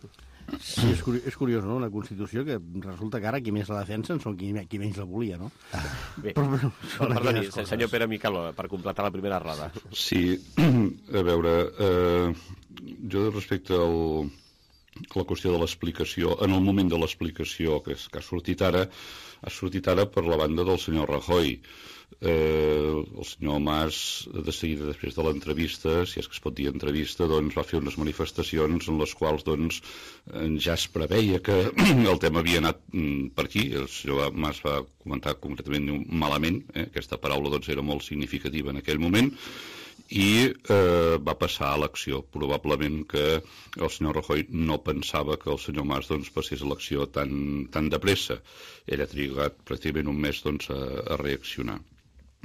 Sí, és curiós, és curiós, no?, una Constitució que resulta que ara qui més la defensen són qui, qui menys la volia, no? Ah, bé, però, però, perdoni, senyor Pere Miquel, per completar la primera roda. Sí, a veure, eh, jo respecte al, a la qüestió de l'explicació, en el moment de l'explicació que, que ha sortit ara, ha sortit ara per la banda del senyor Rajoy. Eh, el senyor Mas, de seguida després de l'entrevista, si és que es pot dir entrevista, doncs va fer unes manifestacions en les quals doncs, ja es preveia que el tema havia anat per aquí. El senyor Mas va comentar concretament malament, eh? Aquesta paraula doncs, era molt significativa en aquell moment, i eh, va passar a l'acció. Probablement que el senyor Rajoy no pensava que el senyor Mas doncs, passés a l'acció tan, tan de pressa. Ell ha trigat pràcticament un mes doncs, a, a reaccionar.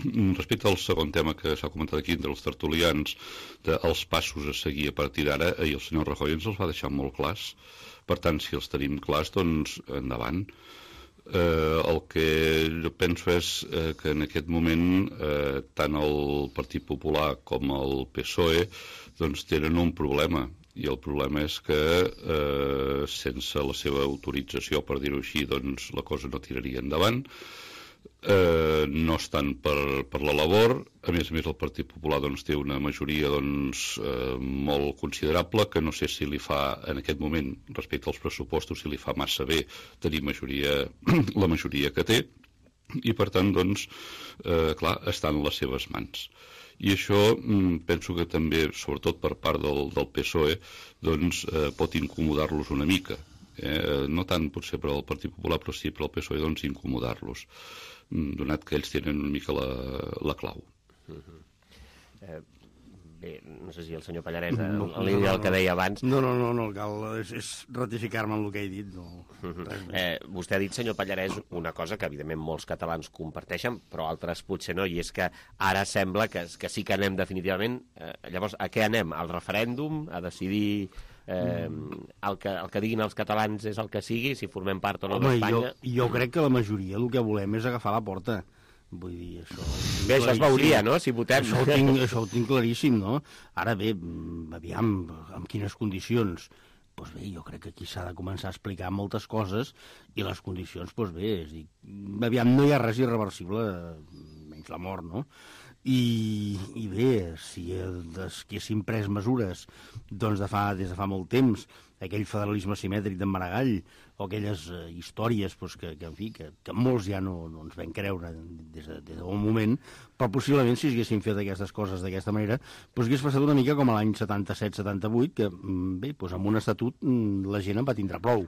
Respecte al segon tema que s'ha comentat aquí entre els tertulians, dels passos a seguir a partir d'ara, i el senyor Rajoy ens els va deixar molt clars. Per tant, si els tenim clars, doncs endavant. Eh, el que jo penso és eh, que en aquest moment eh, tant el Partit Popular com el P S O E doncs, tenen un problema, i el problema és que eh, sense la seva autorització, per dir-ho així, doncs la cosa no tiraria endavant. Eh, no estan per, per la labor. A més a més el Partit Popular doncs, té una majoria doncs, eh, molt considerable, que no sé si li fa en aquest moment respecte als pressupostos si li fa massa bé tenir majoria, la majoria que té, i per tant doncs, eh, clar, està en les seves mans. I això mm, penso que també, sobretot per part del, del P S O E, doncs, eh, pot incomodar-los una mica. Eh, no tant potser per al Partit Popular, però sí per al P S O E doncs, incomodar-los, donat que ells tenen una mica la, la clau. Uh-huh. eh, bé, no sé si el senyor Pallarès, en no, no, línia del no, que deia abans... No, no, no, no cal, és, és ratificar-me en el que he dit. No. Uh-huh. eh, vostè ha dit, senyor Pallarès, una cosa que evidentment molts catalans comparteixen, però altres potser no, i és que ara sembla que, que sí que anem definitivament... Eh, llavors, a què anem? Al referèndum? A decidir... Eh, el, que, el que diguin els catalans és el que sigui, si formem part o no d'Espanya. Jo, jo crec que la majoria el que volem és agafar la porta. Vull dir, això... Bé, això es veuria, no?, si votem. Això ho tinc, això ho tinc claríssim, no? Ara bé, aviam, amb quines condicions? Doncs bé, jo crec que aquí s'ha de començar a explicar moltes coses, i les condicions, doncs bé, és dir, aviam, no hi ha res irreversible, menys la mort, no? I, i bé, si haguéssim pres mesures doncs de fa, des de fa molt temps, aquell federalisme simètric d'en Maragall, o aquelles uh, històries doncs, que, que, en fi, que, que molts ja no, no ens vam creure des de, des d'un moment, però possiblement si haguéssim fet aquestes coses d'aquesta manera, doncs hagués passat una mica com a l'any setanta-set setanta-vuit, que bé, doncs amb un estatut la gent en va tindre prou.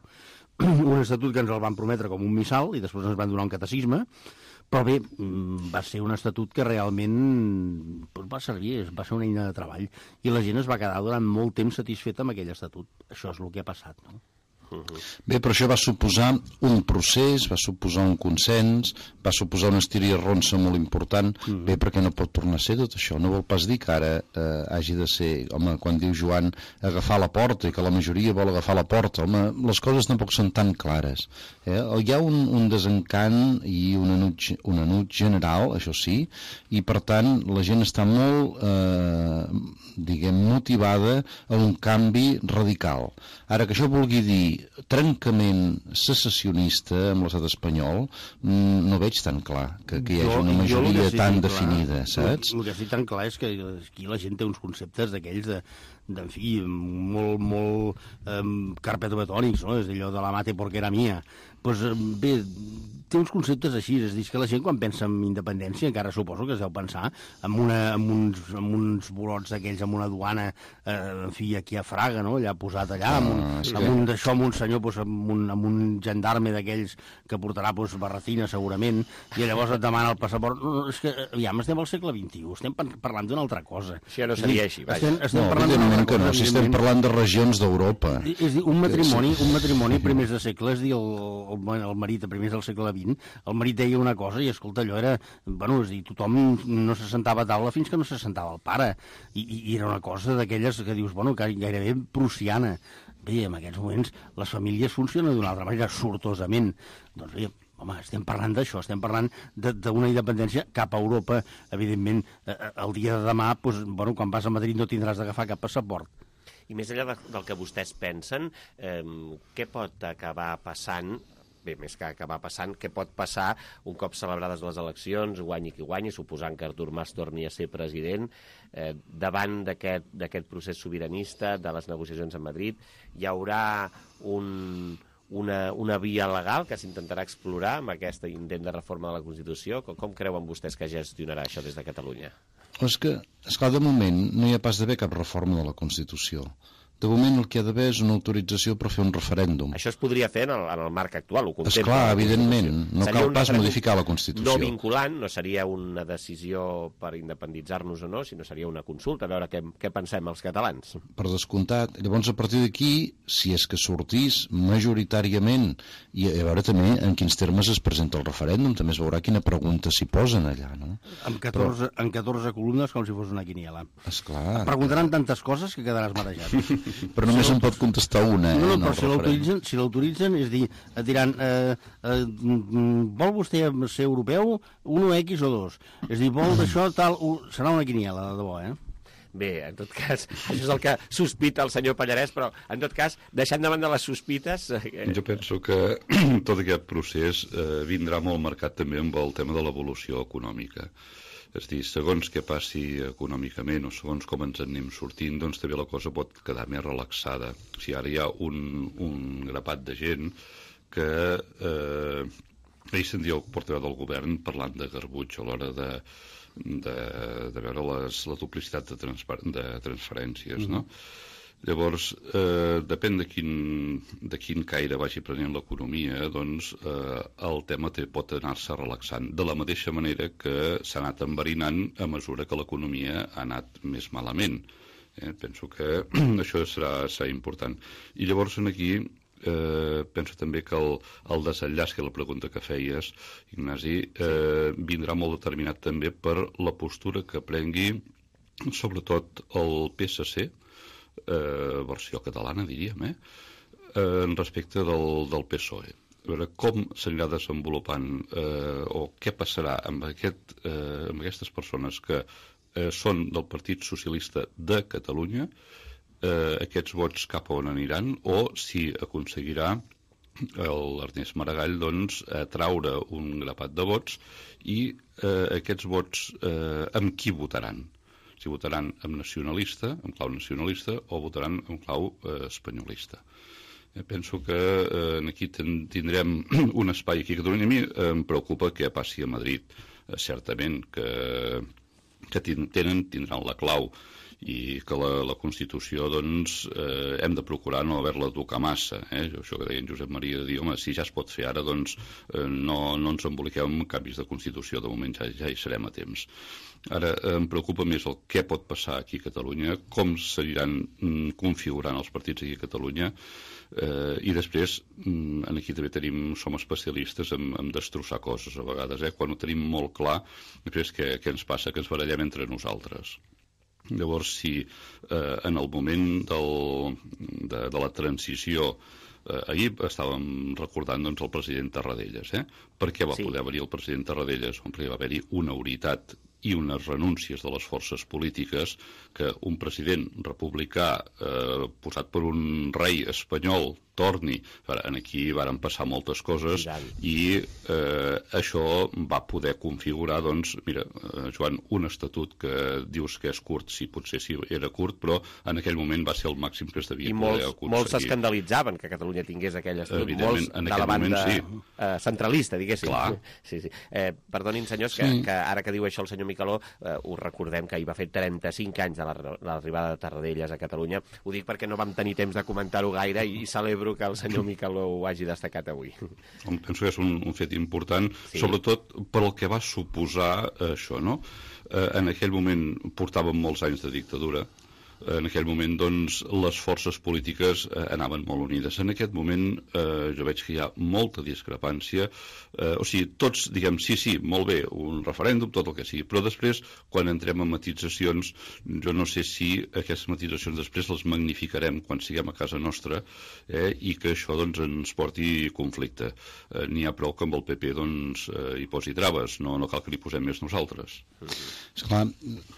Un estatut que ens el van prometre com un missal i després ens van donar un catecisme, però bé, va ser un estatut que realment doncs, va servir, va ser una eina de treball, i la gent es va quedar durant molt temps satisfeta amb aquell estatut. Això és el que ha passat, no? Bé, però això va suposar un procés, va suposar un consens, va suposar una estiria ronça molt important. Mm. Bé, perquè no pot tornar a ser tot això. No vol pas dir que ara eh, hagi de ser, home, quan diu Joan, agafar la porta, i que la majoria vol agafar la porta. Home, les coses tampoc són tan clares. Eh? Hi ha un, un desencant i un enut, un enut general, això sí, i per tant la gent està molt, eh, diguem, motivada a un canvi radical. Ara, que això vulgui dir trencament secessionista amb l'estat espanyol, no veig tan clar que, que hi hagi una majoria sí tan definida, clar, saps? El, el que sí tan clar és que aquí la gent té uns conceptes d'aquells de, de, en fi, molt, molt um, carpetobetònics, no? És allò de la mate porque era mía. Pues, bé, té uns conceptes així, és a dir, que la gent quan pensa en independència, encara suposo que es deu pensar en, una, en, uns, en uns bolots aquells, amb una duana, eh, en fi, aquí a Fraga, no?, allà posat allà, amb un, ah, sí. amb un d'això, amb un senyor, pues, amb, un, amb un gendarme d'aquells que portarà pues, barretina, segurament, i llavors et demana el passaport. No, no, és que, aviam, estem al segle vint-i-u, estem parlant d'una altra cosa. Això no seria així, vaja. Estem, estem no, evidentment que no, si estem parlant de regions d'Europa. És dir, un matrimoni, un matrimoni a primers de segle, és dir, el el, el marit a primers del segle vint, el marit deia una cosa i, escolta, allò era... Bueno, és dir, tothom no se sentava a taula fins que no se sentava el pare. I, i era una cosa d'aquelles que dius, bueno, gairebé prussiana. Bé, en aquests moments les famílies funcionen d'una altra manera, sortosament. Doncs bé, home, estem parlant d'això, estem parlant d'una independència cap a Europa. Evidentment, eh, el dia de demà, doncs, bueno, quan vas a Madrid no tindràs d'agafar cap passaport. I més enllà de, del que vostès pensen, eh, què pot acabar passant, bé, més que acabar passant, què pot passar un cop celebrades les eleccions, guanyi qui guanyi, suposant que Artur Mas torni a ser president, eh, davant d'aquest procés sobiranista, de les negociacions a Madrid, hi haurà un... Una, una via legal que s'intentarà explorar amb aquest intent de reforma de la Constitució? Com, com creuen vostès que gestionarà això des de Catalunya? És que, esclar, de moment no hi ha pas d'haver cap reforma de la Constitució. De moment el que hi ha d'haver és una autorització per fer un referèndum. Això es podria fer en el, en el marc actual, ho contempla. Esclar, evidentment, no cal pas modificar la Constitució. No vinculant, no seria una decisió per independitzar-nos o no, sinó seria una consulta, a veure què, què pensem els catalans. Per descomptat. Llavors, a partir d'aquí, si és que sortís majoritàriament, i a veure també en quins termes es presenta el referèndum, també es veurà quina pregunta s'hi posen allà, no? Amb catorze, Però... amb catorze columnes, com si fos una quiniela. Esclar. Et preguntaran tantes coses que quedaràs marejat. Però només si en pot contestar una. No, no, eh, però si l'autoritzen, si l'autoritzen, és dir, et diran, eh, eh, vol vostè ser europeu, un o X o dos? És dir, vol d'això tal... Serà una quiniela, de debò, eh? Bé, en tot cas, això és el que sospita el senyor Pallarès, però, en tot cas, deixant davant de les sospites... Eh... Jo penso que tot aquest procés eh, vindrà molt marcat també amb el tema de l'evolució econòmica. És dir, segons què passi econòmicament o segons com ens anem sortint, doncs també la cosa pot quedar més relaxada. O sigui, ara hi ha un, un grapat de gent que... Eh, ahir sentia el portaveu del govern parlant de garbuig a l'hora de, de, de veure les, la duplicitat de, transfer, de transferències, no? Mm-hmm. Llavors, eh, depèn de quin, de quin caire vagi prenent l'economia, doncs eh, el tema té, pot anar-se relaxant. De la mateixa manera que s'ha anat enverinant a mesura que l'economia ha anat més malament. Eh, penso que això serà, serà important. I llavors aquí eh, penso també que el, el desenllaç, que la pregunta que feies, Ignasi, eh, vindrà molt determinat també per la postura que prengui sobretot el P S C, Eh, versió catalana, diríem, eh? Eh, respecte del, del P S O E. A veure com s'anirà desenvolupant eh, o què passarà amb, aquest, eh, amb aquestes persones que eh, són del Partit Socialista de Catalunya, eh, aquests vots cap a on aniran, o si aconseguirà l'Ernest Maragall doncs, atraure un grapat de vots i eh, aquests vots eh, amb qui votaran. Si votaran amb nacionalista, amb clau nacionalista, o votaran amb clau eh, espanyolista. Eh, penso que eh, aquí ten, tindrem un espai aquí a Catalunya. A mi eh, em preocupa què passi a Madrid. Eh, certament que, que tenen, tindran la clau i que la, la Constitució, doncs, eh, hem de procurar no haver-la tocar massa. Eh? Això que deia en Josep Maria, de dir, home, si ja es pot fer ara, doncs eh, no, no ens emboliquem amb canvis de Constitució, de moment ja, ja hi serem a temps. Ara, eh, em preocupa més el què pot passar aquí a Catalunya, com s'aniran mm, configurant els partits aquí a Catalunya, eh, i després, mm, aquí també tenim, som especialistes en, en destrossar coses a vegades, eh? Quan ho tenim molt clar, després què, què ens passa? Que ens barallem entre nosaltres. Llavors, si eh, en el moment del, de, de la transició, eh, ahir estàvem recordant doncs, el president Tarradellas, eh? Per què va sí. poder venir el president Tarradellas? Perquè va haver-hi una unitat i unes renúncies de les forces polítiques que un president republicà eh, posat per un rei espanyol torni. Aquí varen passar moltes coses i eh, això va poder configurar, doncs, mira, eh, Joan, un estatut que dius que és curt, sí, potser sí era curt, però en aquell moment va ser el màxim que es devia I poder molts, aconseguir. I molts s'escandalitzaven que Catalunya tingués aquell estatut, molts de la banda moment, sí. eh, centralista, diguéssim. Clar. Sí, sí. Eh, perdonin, senyors, que, sí. que ara que diu això el senyor Micaló, eh, us recordem que hi va fer trenta-cinc anys de l'arribada de Tarradellas a Catalunya. Ho dic perquè no vam tenir temps de comentar-ho gaire i celebro que el senyor Micaló ho hagi destacat avui. Penso que és un, un fet important, sí. Sobretot per el que va suposar eh, això, no? Eh, en aquell moment portàvem molts anys de dictadura, en aquell moment doncs, les forces polítiques eh, anaven molt unides. En aquest moment eh, jo veig que hi ha molta discrepància, eh, o sigui, tots diguem sí, sí, molt bé, un referèndum, tot el que sigui, però després, quan entrem en matitzacions, jo no sé si aquestes matitzacions després les magnificarem quan siguem a casa nostra eh, i que això doncs, ens porti conflicte. Eh, N'hi ha prou que amb el P P doncs, eh, hi posi traves, no, no cal que li posem més nosaltres. Esclar,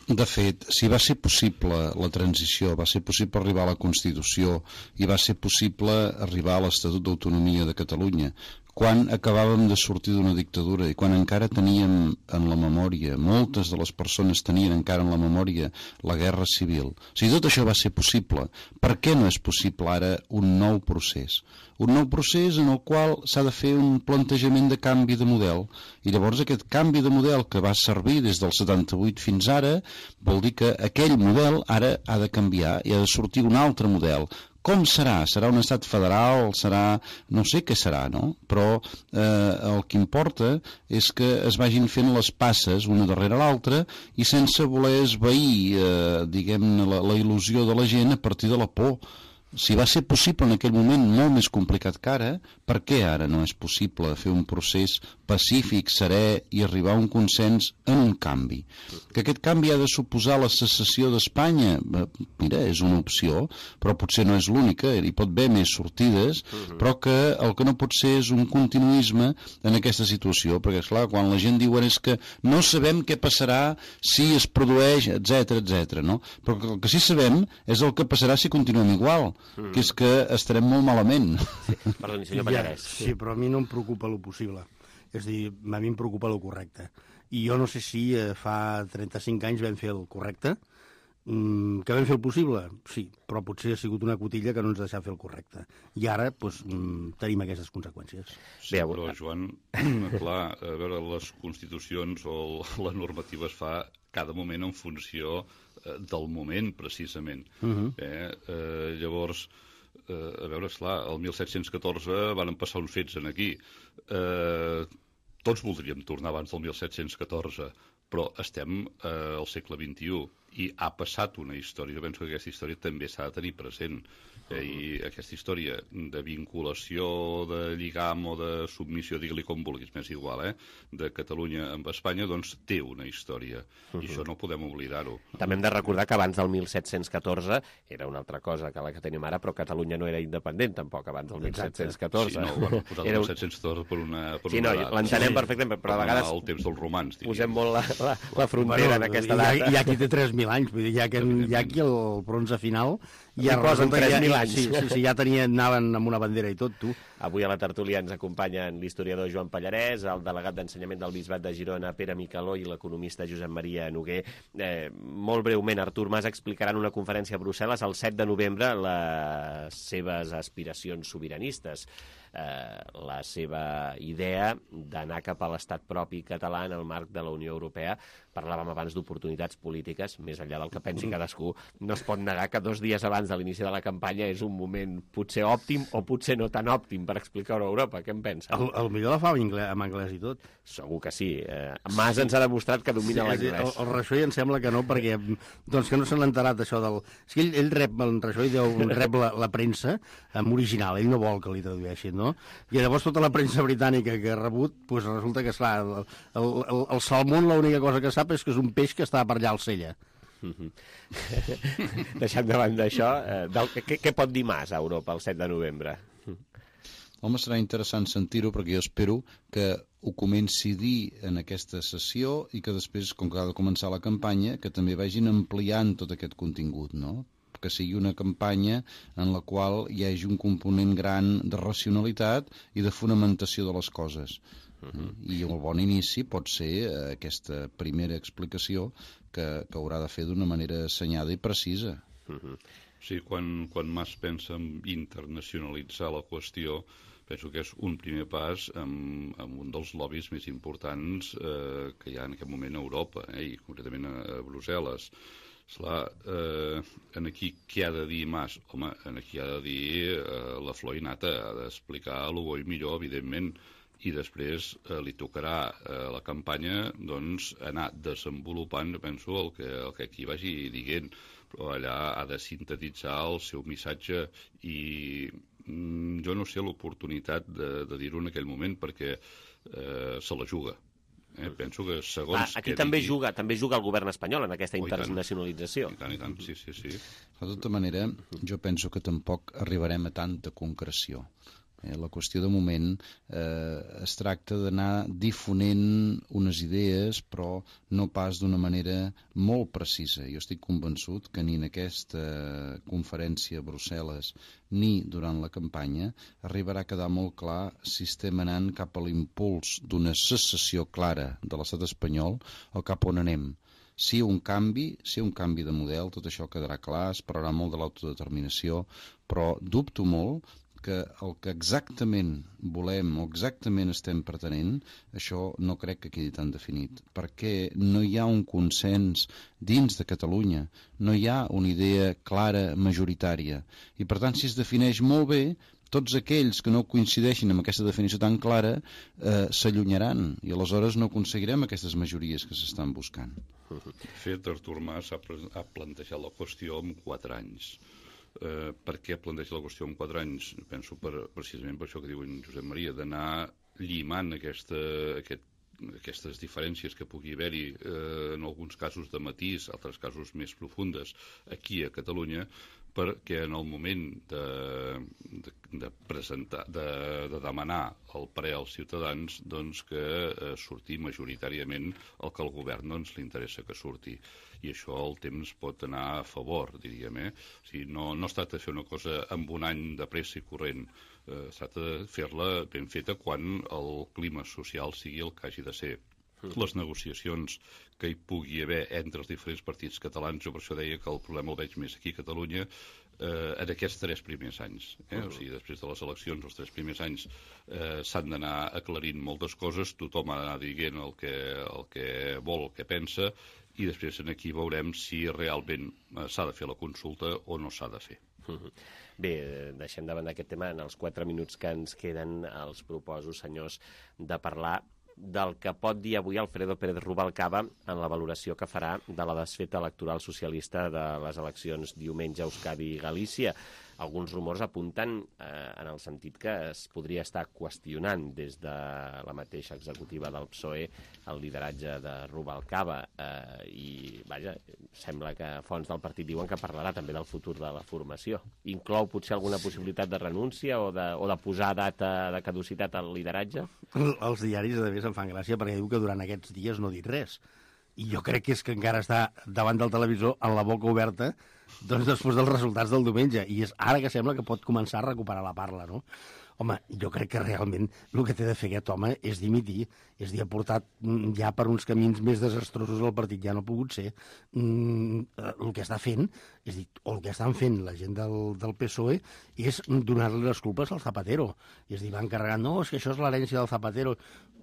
de fet, si va ser possible la transició, va ser possible arribar a la Constitució i va ser possible arribar a l'Estatut d'Autonomia de Catalunya, quan acabàvem de sortir d'una dictadura i quan encara teníem en la memòria, moltes de les persones tenien encara en la memòria la Guerra Civil. Si tot això va ser possible, per què no és possible ara un nou procés? Un nou procés en el qual s'ha de fer un plantejament de canvi de model. I llavors aquest canvi de model que va servir des del setanta-vuit fins ara vol dir que aquell model ara ha de canviar i ha de sortir un altre model. Com serà? Serà un estat federal? Serà... no sé què serà, no? Però eh, el que importa és que es vagin fent les passes una darrere l'altra i sense voler esvair, eh, diguem-ne, la, la il·lusió de la gent a partir de la por. Si va ser possible en aquell moment molt més complicat que ara, per què ara no és possible fer un procés pacífic, serè i arribar a un consens en un canvi? Que aquest canvi ha de suposar la secessió d'Espanya? Mira, és una opció, però potser no és l'única, hi pot haver més sortides, però que el que no pot ser és un continuisme en aquesta situació, perquè, esclar, quan la gent diu és que no sabem què passarà si es produeix, etcètera, etcètera, no? Però el que sí sabem és el que passarà si continuem igual, Mm. que és que estarem molt malament. Sí, perdoni, senyor Pallarès. Ja, sí, però a mi no em preocupa lo possible. És a dir, a mi em preocupa lo correcte. I jo no sé si eh, fa trenta-cinc anys vam fer el correcte, mm, que vam fer el possible, sí, però potser ha sigut una cotilla que no ens deixa fer el correcte. I ara, doncs, mm, tenim aquestes conseqüències. Sí, però, Joan, clar, a veure, les constitucions o la normativa es fa cada moment en funció del moment, precisament. Uh-huh. eh, eh, llavors, eh, a veure, esclar, el disset deu quatre van passar uns fets en aquí. Eh, tots voldríem tornar abans del disset deu quatre, però estem eh, al segle vint-i-u i ha passat una història. Jo penso que aquesta història també s'ha de tenir present. Eh, I aquesta història de vinculació, de lligam o de submissió, digue-li com vulguis, m'és igual, eh? de Catalunya amb Espanya, doncs té una història. Uh-huh. I això no podem oblidar-ho. També hem de recordar que abans del disset deu quatre era una altra cosa que la que tenim ara, però Catalunya no era independent tampoc abans del disset deu quatre. Sí, no, ho van posar el disset deu quatre per una... Per sí, no, l'entenem sí. perfectament, però a vegades... El temps dels romans, diríem. Posem molt la, la, la frontera bueno, en aquesta data. Hi ha, hi ha qui té tres mil anys, vull dir, hi ha, que, hi ha qui el bronze final ja posen tres mil anys. Sí, sí, sí, ja tenien, anaven amb una bandera i tot, tu. Avui a la tertúlia ens acompanyen l'historiador Joan Pallarès, el delegat d'ensenyament del Bisbat de Girona, Pere Micaló, i l'economista Josep Maria Noguer. Eh, molt breument, Artur Mas explicarà en una conferència a Brussel·les el set de novembre les seves aspiracions sobiranistes. Eh, la seva idea d'anar cap a l'estat propi català en el marc de la Unió Europea. Parlàvem abans d'oportunitats polítiques, més enllà del que pensi cadascú. No es pot negar que dos dies abans de l'inici de la campanya és un moment potser òptim o potser no tan òptim per explicar-ho a Europa. Què en pensa? El, el millor la fa en anglès, en anglès i tot. Segur que sí. Eh, Mas ens ha demostrat que domina sí, l'anglès. El, el Rajoy em sembla que no, perquè doncs que no se n'ha enterat d'això del... És que ell, ell rep, el Rajoy deu, rep la, la premsa en original, ell no vol que li tradueixin, no? I llavors tota la premsa britànica que ha rebut, doncs resulta que, esclar, el, el, el, el salmón l'única cosa que sap és que és un peix que està per allà al Sella. Mm-hmm. Deixant davant d'això, eh, del, què, què pot dir Mas a Europa el set de novembre? Home, serà interessant sentir-ho, perquè jo espero que ho comenci a dir en aquesta sessió i que després, com que ha de començar la campanya, que també vagin ampliant tot aquest contingut, no? Que sigui una campanya en la qual hi hagi un component gran de racionalitat i de fonamentació de les coses. Uh-huh. I el bon inici pot ser eh, aquesta primera explicació que, que haurà de fer d'una manera assenyada i precisa. Uh-huh. Sí, quan, quan Mas pensa en internacionalitzar la qüestió, penso que és un primer pas amb, amb un dels lobbies més importants eh, que hi ha en aquest moment a Europa, eh, i concretament a, a Brussel·les. Esclar, eh, en aquí què ha de dir Mas? Home, en aquí ha de dir eh, la flor i nata, ha d'explicar el bo i millor, evidentment, i després eh, li tocarà eh, la campanya doncs, anar desenvolupant, penso, el que, el que aquí vagi dient. però allà ha de sintetitzar el seu missatge i mm, jo no sé l'oportunitat de, de dir-ho en aquell moment perquè eh, se la juga. Eh, penso que segons... Ah, aquí que també digui... juga també juga el govern espanyol en aquesta oh, internacionalització. I tant, i tant, sí, sí, sí. De tota manera, jo penso que tampoc arribarem a tanta concreció. Eh, la qüestió de moment eh, es tracta d'anar difonent unes idees, però no pas d'una manera molt precisa. Jo estic convençut que ni en aquesta conferència a Brussel·les ni durant la campanya arribarà a quedar molt clar si estem anant cap a l'impuls d'una secessió clara de l'estat espanyol o cap on anem. Si un canvi, si un canvi de model, tot això quedarà clar, es parlarà molt de l'autodeterminació, però dubto molt que el que exactament volem o exactament estem pretenent, això no crec que quedi tan definit, perquè no hi ha un consens dins de Catalunya, no hi ha una idea clara, majoritària, i per tant si es defineix molt bé, tots aquells que no coincideixin amb aquesta definició tan clara eh, s'allunyaran i aleshores no aconseguirem aquestes majories que s'estan buscant. De fet, Artur Mas ha, ha plantejat la qüestió en quatre anys. Eh, per què planteja la qüestió en quatre anys? Penso per, precisament per això que diu en Josep Maria, d'anar llimant aquesta, aquest, aquestes diferències que pugui haver-hi eh, en alguns casos de matís, altres casos més profundes aquí a Catalunya, perquè en el moment de, de, de presentar, de, de demanar el parer als ciutadans, doncs que eh, surti majoritàriament el que al govern doncs, li interessa que surti. I això el temps pot anar a favor, diríem. Eh? O sigui, no, no es tracta de fer una cosa amb un any de pressa i corrent, eh, es tracta de fer-la ben feta quan el clima social sigui el que hagi de ser. Les negociacions que hi pugui haver entre els diferents partits catalans, jo per això deia que el problema el veig més aquí a Catalunya, eh, en aquests tres primers anys. Eh? O sigui, després de les eleccions, els tres primers anys eh, s'han d'anar aclarint moltes coses, tothom ha d'anar dient el que, el que vol, el que pensa, i després aquí veurem si realment eh, s'ha de fer la consulta o no s'ha de fer. Bé, deixem davant d'aquest tema. En els quatre minuts que ens queden els proposo, senyors, de parlar del que pot dir avui Alfredo Pérez Rubalcaba en la valoració que farà de la desfeta electoral socialista de les eleccions diumenge a Euskadi i Galícia. Alguns rumors apunten eh, en el sentit que es podria estar qüestionant des de la mateixa executiva del P S O E el lideratge de Rubalcaba eh, i, vaja, sembla que fonts del partit diuen que parlarà també del futur de la formació. Inclou potser alguna possibilitat de renúncia o de, o de posar data de caducitat al lideratge? Els diaris, a més, em fan gràcia perquè diu que durant aquests dies no ha dit res. I jo crec que és que encara està davant del televisor amb la boca oberta doncs després dels resultats del diumenge. I és ara que sembla que pot començar a recuperar la parla, no? Home, jo crec que realment el que té de fer aquest home és dimitir, és dir, ha portat ja per uns camins més desastrosos el partit, ja no ha pogut ser. Mm, el que està fent, és dir, o el que estan fent la gent del, del P S O E és donar-li les culpes al Zapatero. És dir, van carregant, no, és que això és l'herència del Zapatero.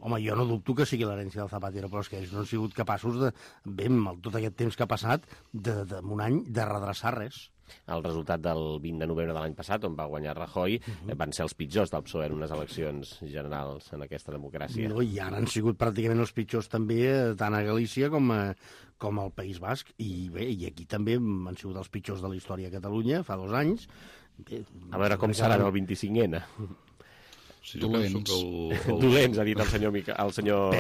Home, jo no dubto que sigui l'herència del Zapatero, però és que ells no han sigut capaços de, bé, amb tot aquest temps que ha passat, de, de, un any, de redreçar res. El resultat del vint de novembre de l'any passat, on va guanyar Rajoy, uh-huh. van ser els pitjors del P S O E en unes eleccions generals en aquesta democràcia. No, i ara han sigut pràcticament els pitjors també tant a Galícia com, a, com al País Basc. I bé, i aquí també han sigut els pitjors de la història a Catalunya, fa dos anys. Bé, a veure com serà el vint-i-cinc ene. Sí, jo penso que el, el... Dolents, ha dit el senyor, Mica... el senyor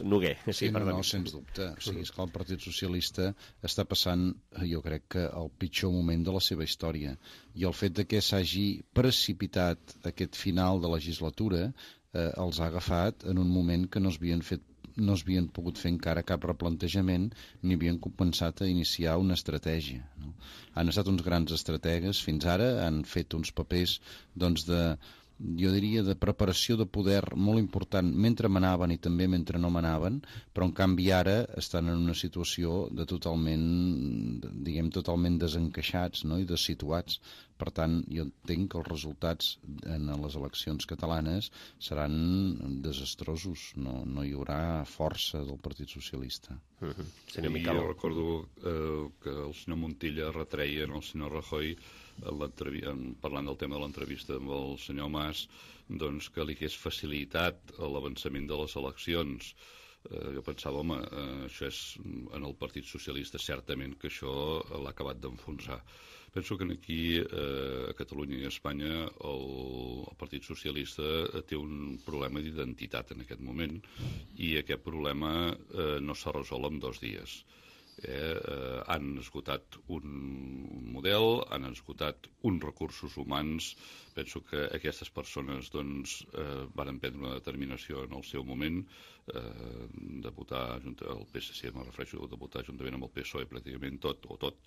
Noguer. Sí, sí no, no, sens dubte. O sigui, és que el Partit Socialista està passant, jo crec que el pitjor moment de la seva història. I el fet de que s'hagi precipitat aquest final de legislatura eh, els ha agafat en un moment que no s'havien fet no s'havien pogut fer encara cap replantejament ni havien començat a iniciar una estratègia. No? Han estat uns grans estrategues fins ara, han fet uns papers doncs, de jo diria, de preparació de poder molt important mentre manaven i també mentre no manaven, però en canvi ara estan en una situació de totalment, diguem, totalment desencaixats, no? I dessituats. Per tant, jo entenc que els resultats en les eleccions catalanes seran desastrosos. No, no hi haurà força del Partit Socialista. Uh-huh. Sí, jo recordo eh, que el senyor Montilla retreia al senyor Rajoy en parlant del tema de l'entrevista amb el senyor Mas, doncs que li hagués facilitat l'avançament de les eleccions. eh, jo pensava, home, eh, això és en el Partit Socialista, certament que això l'ha acabat d'enfonsar. Penso que aquí, eh, a Catalunya i a Espanya, el, el Partit Socialista té un problema d'identitat en aquest moment i aquest problema eh, no s'ha resolt en dos dies. Eh, eh, han esgotat un, un model, han esgotat uns recursos humans. Penso que aquestes persones doncs, eh, van prendre una determinació en el seu moment eh, de votar el P S C, me refereixo, de votar juntament amb el P S O E pràcticament tot o tot,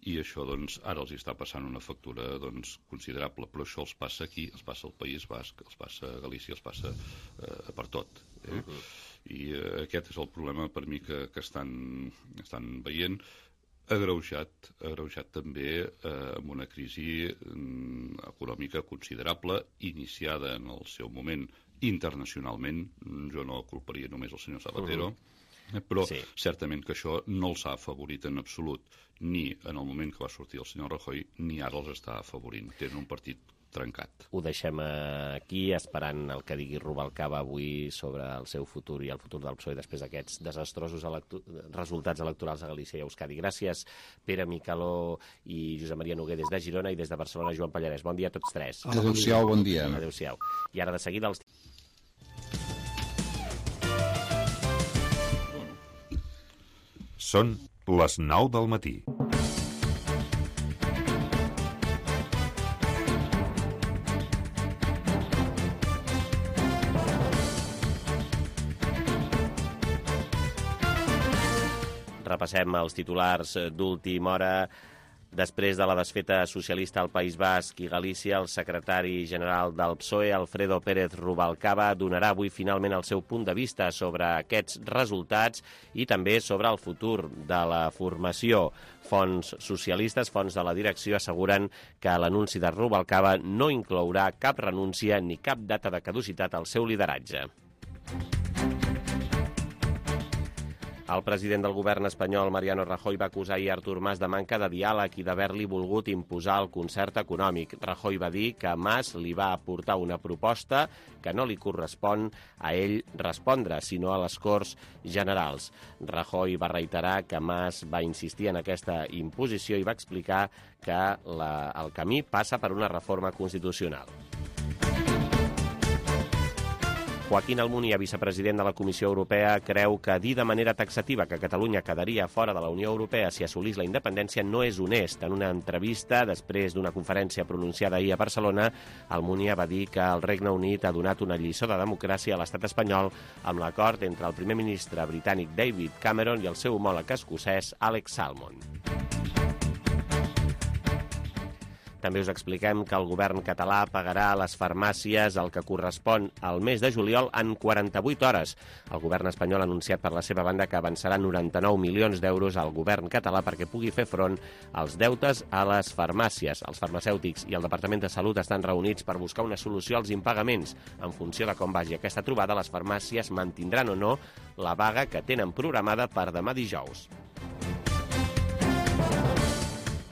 i això doncs, ara els està passant una factura doncs, considerable, però això els passa aquí, els passa al País Basc, els passa a Galícia, els passa eh, per tot. Eh? Uh-huh. I eh, aquest és el problema per mi que, que estan, estan veient, agreujat, agreujat també eh, amb una crisi mm, econòmica considerable, iniciada en el seu moment internacionalment. Jo no culparia només el senyor Zapatero, uh-huh. però sí. Certament que això no els ha afavorit en absolut, ni en el moment que va sortir el senyor Rajoy, ni ara els està afavorint. Tenen un partit trencat. Ho deixem aquí, esperant el que digui Rubalcaba avui sobre el seu futur i el futur del P S O E després d'aquests desastrosos electu resultats electorals a Galícia i a Euskadi. Gràcies, Pere Micaló i Josep Maria Noguer des de Girona i des de Barcelona, Joan Pallarès. Bon dia a tots tres. Adéu-siau, bon dia. Adéu-siau. I ara de seguida els... Són les nou del matí. Repassem els titulars d'última hora. Després de la desfeta socialista al País Basc i Galícia, el secretari general del P S O E, Alfredo Pérez Rubalcaba, donarà avui finalment el seu punt de vista sobre aquests resultats i també sobre el futur de la formació. Fonts socialistes, fonts de la direcció, asseguren que l'anunci de Rubalcaba no inclourà cap renúncia ni cap data de caducitat al seu lideratge. El president del govern espanyol, Mariano Rajoy, va acusar ahir Artur Mas de manca de diàleg i d'haver-li volgut imposar el concert econòmic. Rajoy va dir que Mas li va aportar una proposta que no li correspon a ell respondre, sinó a les Corts Generals. Rajoy va reiterar que Mas va insistir en aquesta imposició i va explicar que la, el camí passa per una reforma constitucional. Joaquín Almunia, vicepresident de la Comissió Europea, creu que dir de manera taxativa que Catalunya quedaria fora de la Unió Europea si assolís la independència no és honest. En una entrevista, després d'una conferència pronunciada ahir a Barcelona, Almunia va dir que el Regne Unit ha donat una lliçó de democràcia a l'estat espanyol amb l'acord entre el primer ministre britànic David Cameron i el seu homòleg escocès Alex Salmond. També us expliquem que el govern català pagarà a les farmàcies el que correspon al mes de juliol en quaranta-vuit hores. El govern espanyol ha anunciat per la seva banda que avançarà noranta-nou milions d'euros al govern català perquè pugui fer front als deutes a les farmàcies. Els farmacèutics i el Departament de Salut estan reunits per buscar una solució als impagaments. En funció de com vagi aquesta trobada, les farmàcies mantindran o no la vaga que tenen programada per demà dijous.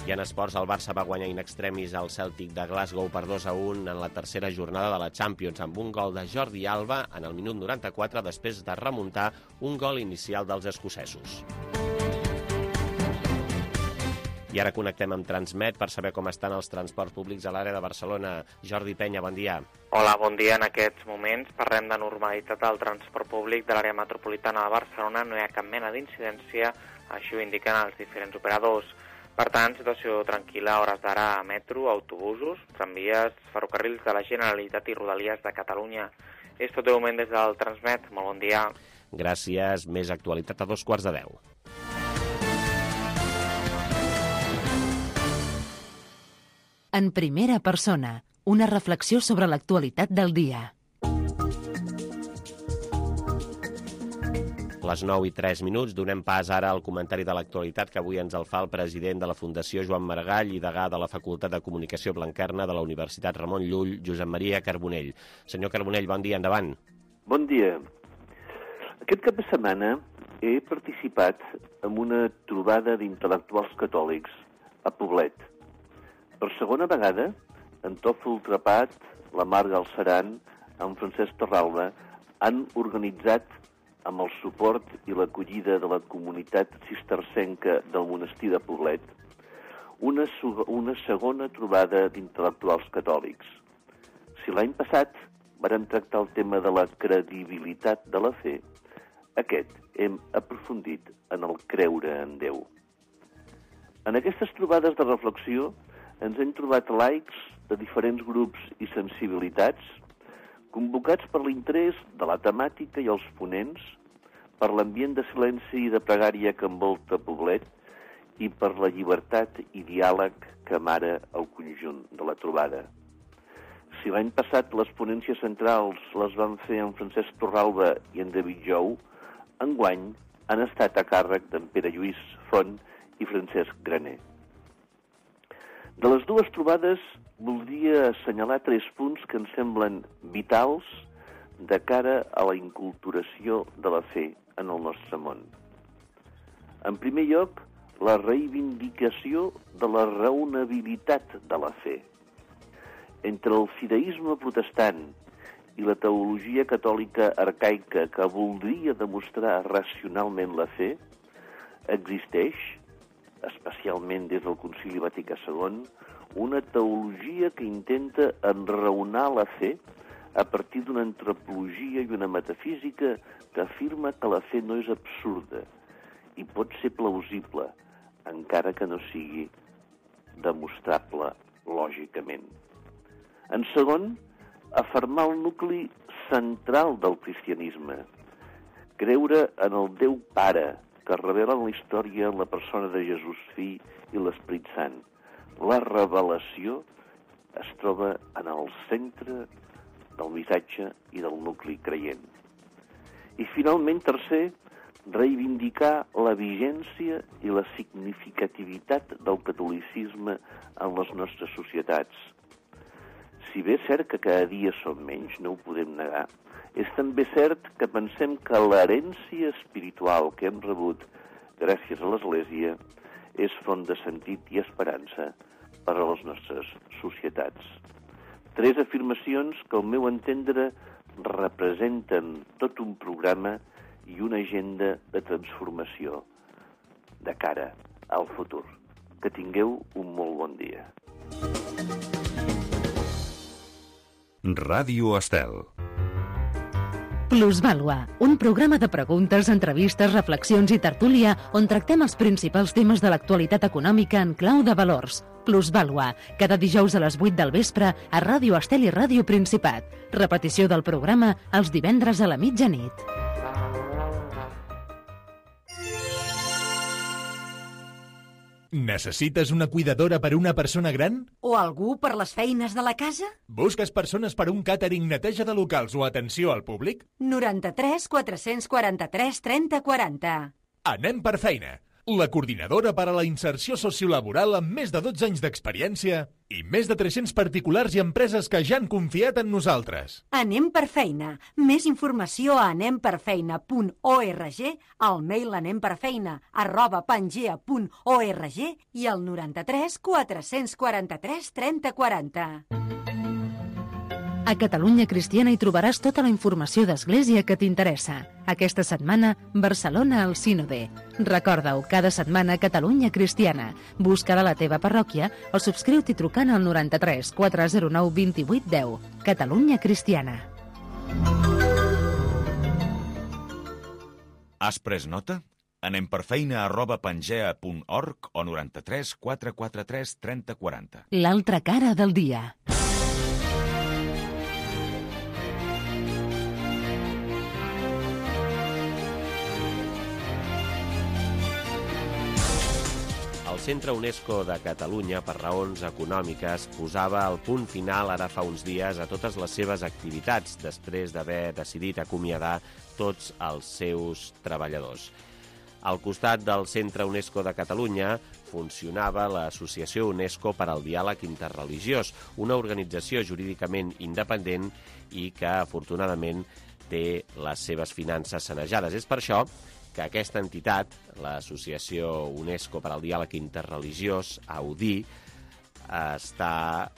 I en esports, el Barça va guanyar in extremis al Celtic de Glasgow per dos a un en la tercera jornada de la Champions, amb un gol de Jordi Alba en el minut noranta-quatre després de remuntar un gol inicial dels escocesos. I ara connectem amb Transmet per saber com estan els transports públics a l'àrea de Barcelona. Jordi Penya, bon dia. Hola, bon dia. En aquests moments parlem de normalitat al transport públic de l'àrea metropolitana de Barcelona. No hi ha cap mena d'incidència, així ho indiquen els diferents operadors. Per tant, situació tranquil·la a hores d'ara a metro, autobusos, tramvies, ferrocarrils de la Generalitat i Rodalies de Catalunya. És tot de moment des del Transmet. Molt bon dia. Gràcies. Més actualitat a dos quarts de deu. En primera persona, una reflexió sobre l'actualitat del dia. Les nou i tres minuts, donem pas ara al comentari de l'actualitat que avui ens el fa el president de la Fundació Joan Maragall i degà de la Facultat de Comunicació Blanquerna de la Universitat Ramon Llull, Josep Maria Carbonell. Senyor Carbonell, bon dia, endavant. Bon dia. Aquest cap de setmana he participat en una trobada d'intel·lectuals catòlics a Poblet. Per segona vegada, en Tòfol Trepat, la Mar Galceran, en Francesc Torralba han organitzat amb el suport i l'acollida de la comunitat cistercenca del monestir de Poblet, una, una segona trobada d'intel·lectuals catòlics. Si l'any passat vàrem tractar el tema de la credibilitat de la fe, aquest hem aprofundit en el creure en Déu. En aquestes trobades de reflexió ens hem trobat laics de diferents grups i sensibilitats, convocats per l'interès de la temàtica i els ponents, per l'ambient de silenci i de pregària que envolta Poblet i per la llibertat i diàleg que amara el conjunt de la trobada. Si l'any passat les ponències centrals les van fer en Francesc Torralba i en David Jou, enguany han estat a càrrec d'en Pere Lluís Font i Francesc Graner. De les dues trobades voldria assenyalar tres punts que ens semblen vitals de cara a la inculturació de la fe en el nostre món. En primer lloc, la reivindicació de la raonabilitat de la fe. Entre el fideisme protestant i la teologia catòlica arcaica que voldria demostrar racionalment la fe, existeix, especialment des del Concili Vaticà segon, una teologia que intenta enraonar la fe a partir d'una antropologia i una metafísica que afirma que la fe no és absurda i pot ser plausible, encara que no sigui demostrable lògicament. En segon, afirmar el nucli central del cristianisme, creure en el Déu Pare, que revela en la història la persona de Jesús Fill i l'Esperit Sant. La revelació es troba en el centre del missatge i del nucli creient. I finalment, tercer, reivindicar la vigència i la significativitat del catolicisme en les nostres societats. Si bé és cert que cada dia som menys, no ho podem negar, és també cert que pensem que l'herència espiritual que hem rebut gràcies a l'Església és font de sentit i esperança per a les nostres societats. Tres afirmacions que, al meu entendre, representen tot un programa i una agenda de transformació de cara al futur. Que tingueu un molt bon dia. Ràdio Estel. Plusvàlua, un programa de preguntes, entrevistes, reflexions i tertúlia on tractem els principals temes de l'actualitat econòmica en clau de valors. Plusvàlua, cada dijous a les vuit del vespre a Ràdio Estel i Ràdio Principat. Repetició del programa els divendres a la mitjanit. Necessites una cuidadora per a una persona gran? O algú per les feines de la casa? Busques persones per a un càtering, neteja de locals o atenció al públic? noranta-tres quatre-cents quaranta-tres trenta quaranta. Anem per feina. La coordinadora per a la inserció sociolaboral amb més de dotze anys d'experiència i més de tres-cents particulars i empreses que ja han confiat en nosaltres. Anem per feina. Més informació a anem per feina punt org, al mail anemperfeina arroba pangea punt org i al noranta-tres quatre-cents quaranta-tres trenta quaranta. A Catalunya Cristiana hi trobaràs tota la informació d'Església que t'interessa. Aquesta setmana, Barcelona al Sínode. Recorda-ho, cada setmana Catalunya Cristiana. Busca-la a la teva parròquia o subscriu-t'hi trucant al noranta-tres quatre zero nou vint vuit deu. Catalunya Cristiana. Has pres nota? Anem per feina arroba pangea punt org o noranta-tres quatre quaranta-tres trenta quaranta. L'altra cara del dia. El Centre UNESCO de Catalunya, per raons econòmiques, posava el punt final ara fa uns dies a totes les seves activitats, després d'haver decidit acomiadar tots els seus treballadors. Al costat del Centre UNESCO de Catalunya funcionava l'Associació UNESCO per al Diàleg Interreligiós, una organització jurídicament independent i que, afortunadament, té les seves finances sanejades. És per això que aquesta entitat, l'Associació UNESCO per al Diàleg Interreligiós, A U D I, està,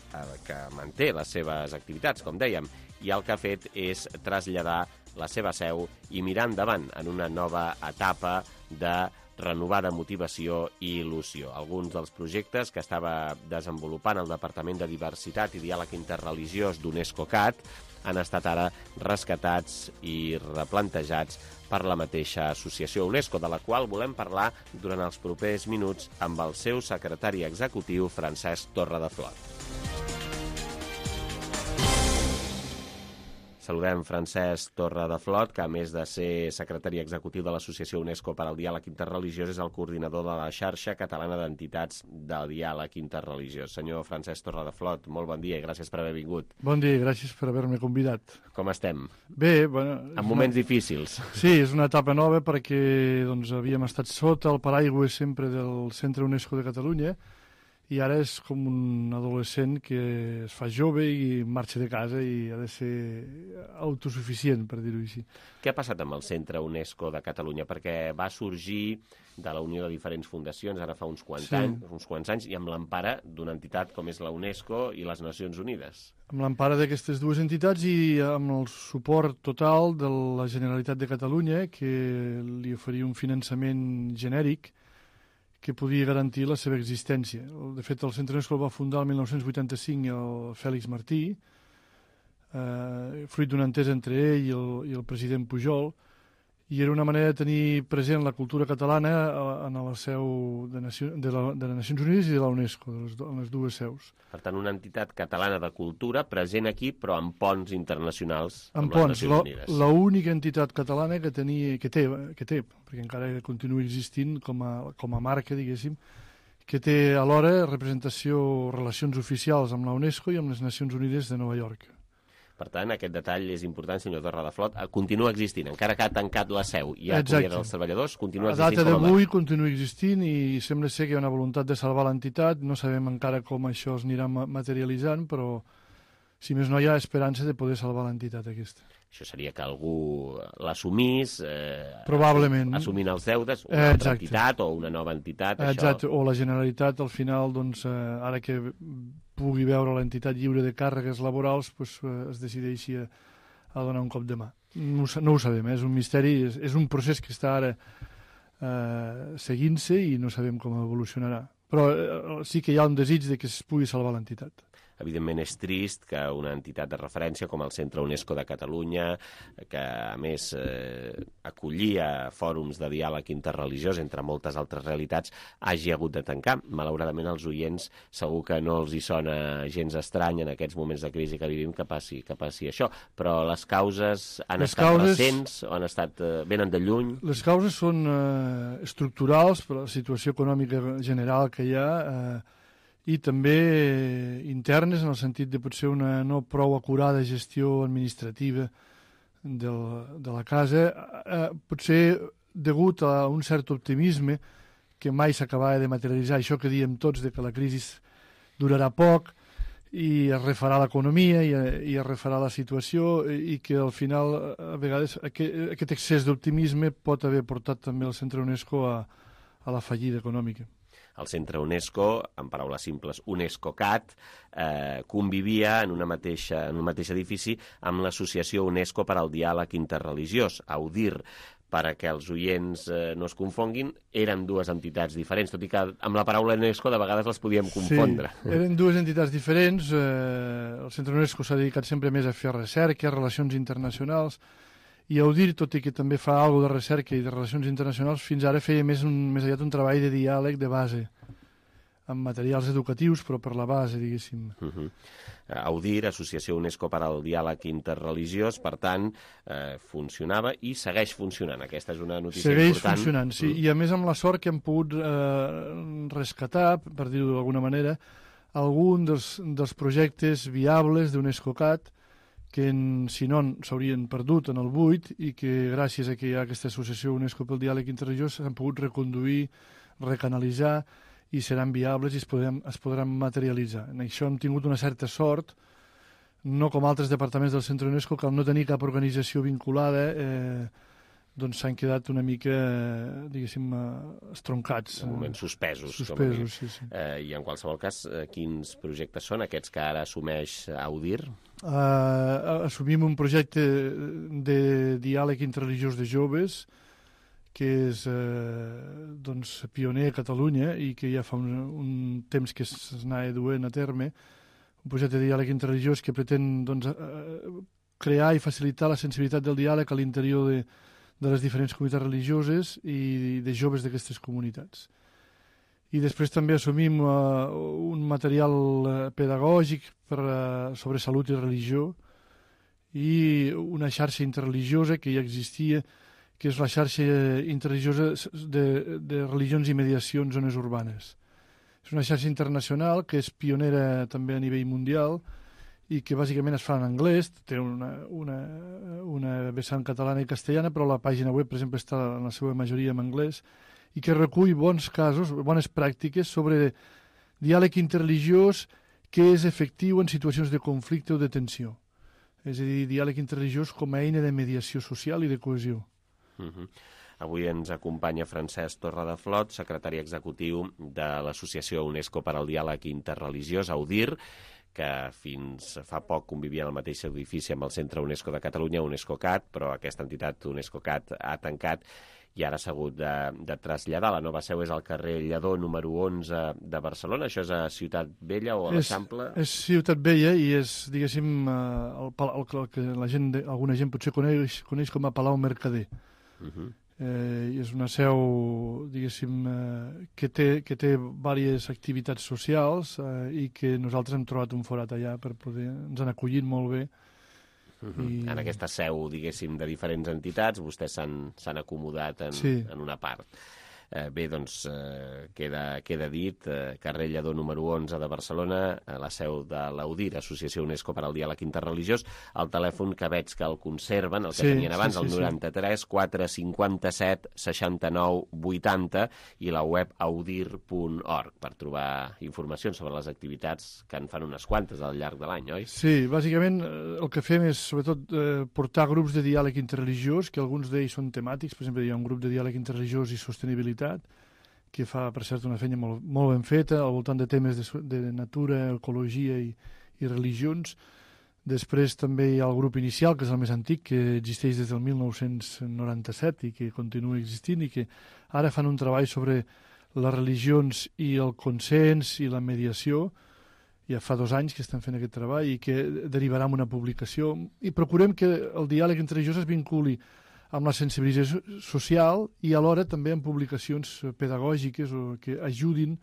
que manté les seves activitats, com dèiem, i el que ha fet és traslladar la seva seu i mirar endavant en una nova etapa de renovada motivació i il·lusió. Alguns dels projectes que estava desenvolupant el Departament de Diversitat i Diàleg Interreligiós d'UNESCOCAT han estat ara rescatats i replantejats per la mateixa associació UNESCO, de la qual volem parlar durant els propers minuts amb el seu secretari executiu, Francesc Torredeflot. Saludem Francesc Torredeflot, que a més de ser secretari executiu de l'Associació UNESCO per al Diàleg Interreligiós és el coordinador de la xarxa catalana d'entitats del diàleg interreligiós. Senyor Francesc Torredeflot, molt bon dia i gràcies per haver vingut. Bon dia i gràcies per haver-me convidat. Com estem? Bé, bueno... En moments una... difícils. Sí, és una etapa nova perquè doncs, havíem estat sota el paraigua sempre del Centre UNESCO de Catalunya i ara és com un adolescent que es fa jove i marxa de casa i ha de ser autosuficient, per dir-ho així. Què ha passat amb el Centre UNESCO de Catalunya? Perquè va sorgir de la unió de diferents fundacions ara fa uns quants, sí. anys, uns quants anys i amb l'empara d'una entitat com és la UNESCO i les Nacions Unides. Amb l'empara d'aquestes dues entitats i amb el suport total de la Generalitat de Catalunya, que li oferia un finançament genèric que podia garantir la seva existència. De fet, el Centre UNESCO el va fundar el mil nou-cents vuitanta-cinc el Fèlix Martí, eh, fruit d'una entesa entre ell i el, i el president Pujol, i era una manera de tenir present la cultura catalana en la seu de, Nació, de, la, de les Nacions Unides i de la UNESCO, de les, en les dues seus. Per tant, una entitat catalana de cultura present aquí, però amb ponts internacionals amb, amb ponts, les Nacions Unides. L'única entitat catalana que, tenia, que, té, que té, perquè encara continua existint com a, com a marca, diguéssim, que té alhora representació, relacions oficials amb la UNESCO i amb les Nacions Unides de Nova York. Per tant, aquest detall és important, senyor Torredeflot. Continua existint, encara que ha tancat la seu i ha acomiadat dels treballadors, continua existint com a marca. A data d'avui continua existint i sembla ser que hi ha una voluntat de salvar l'entitat. No sabem encara com això es anirà materialitzant, però si més no hi ha esperança de poder salvar l'entitat aquesta. Això seria que algú l'assumís, eh, probablement assumint els deutes, una Exacte. altra entitat o una nova entitat. Exacte, això... o la Generalitat al final, doncs, eh, ara que pugui veure l'entitat lliure de càrregues laborals, pues, eh, es decideixi a, a donar un cop de mà. No, no ho sabem, eh? És un misteri, és, és un procés que està ara eh, seguint-se i no sabem com evolucionarà. Però eh, sí que hi ha un desig de que es pugui salvar l'entitat. Evidentment és trist que una entitat de referència com el Centre UNESCO de Catalunya, que a més eh, acollia fòrums de diàleg interreligiós entre moltes altres realitats, hagi hagut de tancar. Malauradament als oients segur que no els hi sona gens estrany en aquests moments de crisi que vivim que passi, que passi això, però les causes han les estat causes... recents o han estat, eh, venen de lluny? Les causes són eh, estructurals per la situació econòmica general que hi ha, eh, i també internes en el sentit de potser una no prou acurada gestió administrativa del, de la casa, eh, potser degut a un cert optimisme que mai s'acabava de materialitzar, això que diem tots de que la crisi durarà poc i es refarà l'economia i, i es refarà la situació i que al final a vegades aquest, aquest excés d'optimisme pot haver portat també el Centre UNESCO a, a la fallida econòmica. El Centre UNESCO, en paraules simples, UNESCOCAT, eh, convivia en, una mateixa, en un mateix edifici amb l'Associació UNESCO per al Diàleg Interreligiós, AUDIR, perquè els oients eh, no es confonguin, eren dues entitats diferents, tot i que amb la paraula UNESCO de vegades les podíem confondre. Sí, eren dues entitats diferents. Eh, el Centre UNESCO s'ha dedicat sempre més a fer recerca, relacions internacionals, i AUDIR, tot i que també fa alguna de recerca i de relacions internacionals, fins ara feia més, un, més aviat un treball de diàleg de base, amb materials educatius, però per la base, diguéssim. Uh -huh. AUDIR, Associació UNESCO per al Diàleg Interreligiós, per tant, eh, funcionava i segueix funcionant. Aquesta és una notícia segueix important. Segueix funcionant, sí, mm. i a més amb la sort que hem pogut eh, rescatar, per dir-ho d'alguna manera, algun dels, dels projectes viables d'UNESCOCAT, que en, si no s'haurien perdut en el buit i que gràcies a que hi ha aquesta associació UNESCO pel diàleg interreligiós s'han pogut reconduir, recanalitzar i seran viables i es podran, es podran materialitzar. En això hem tingut una certa sort, no com altres departaments del Centre UNESCO, que al no tenir cap organització vinculada eh, doncs s'han quedat una mica, diguéssim, estroncats. De moment suspesos. Suspesos, sí, sí. Eh, I en qualsevol cas, eh, quins projectes són aquests que ara assumeix Audir? Uh, assumim un projecte de diàleg interreligiós de joves que és eh, doncs, pioner a Catalunya i que ja fa un, un temps que s'anava duent a terme, un projecte de diàleg interreligiós que pretén doncs, eh, crear i facilitar la sensibilitat del diàleg a l'interior de, de les diferents comunitats religioses i de joves d'aquestes comunitats. I després també assumim uh, un material uh, pedagògic per, uh, sobre salut i religió i una xarxa interreligiosa que ja existia, que és la xarxa interreligiosa de, de religions i mediacions zones urbanes. És una xarxa internacional que és pionera també a nivell mundial i que bàsicament es fa en anglès, té una, una, una vessant catalana i castellana, però la pàgina web, per exemple, està en la seva majoria en anglès, i que recull bons casos, bones pràctiques sobre diàleg interreligiós que és efectiu en situacions de conflicte o de tensió. És a dir, diàleg interreligiós com a eina de mediació social i de cohesió. Uh-huh. Avui ens acompanya Francesc Torradeflot, secretari executiu de l'Associació UNESCO per al Diàleg Interreligiós, Audir, que fins fa poc convivia en el mateix edifici amb el Centre UNESCO de Catalunya, UNESCO-CAT, però aquesta entitat UNESCO-CAT ha tancat i ara s'ha hagut de, de traslladar. La nova seu és al carrer Lledó, número onze de Barcelona. Això és a Ciutat Vella o a l'Eixample? És, és Ciutat Vella i és, diguéssim, el, el, el que la gent, alguna gent potser coneix, coneix com a Palau Mercader. Uh-huh. Eh, és una seu, diguéssim, eh, que té, que té diverses activitats socials eh, i que nosaltres hem trobat un forat allà per poder... Ens han acollit molt bé. Uh-huh. I... En aquesta seu, diguéssim, de diferents entitats, vostès s'han acomodat en, sí. en una part. Eh, bé, doncs, eh, queda, queda dit, eh, carrer Lledó número onze de Barcelona, eh, la seu de l'Audir, Associació UNESCO per al Diàleg Interreligiós, el telèfon que veig que el conserven, el que sí, tenien abans, sí, sí, el noranta-tres quatre cinquanta-set seixanta-nou vuitanta i la web audir punt org per trobar informacions sobre les activitats que en fan unes quantes al llarg de l'any, oi? Sí, bàsicament el que fem és sobretot eh, portar grups de diàleg interreligiós, que alguns d'ells són temàtics, per exemple hi ha un grup de diàleg interreligiós i sostenibilitat que fa, per cert, una feina molt, molt ben feta al voltant de temes de, de natura, ecologia i, i religions. Després també hi ha el grup inicial, que és el més antic, que existeix des del mil nou-cents noranta-set i que continua existint i que ara fan un treball sobre les religions i el consens i la mediació. Ja fa dos anys que estan fent aquest treball i que derivarà en una publicació. I procurem que el diàleg interreligiós es vinculi amb la sensibilització social i alhora també amb publicacions pedagògiques o que ajudin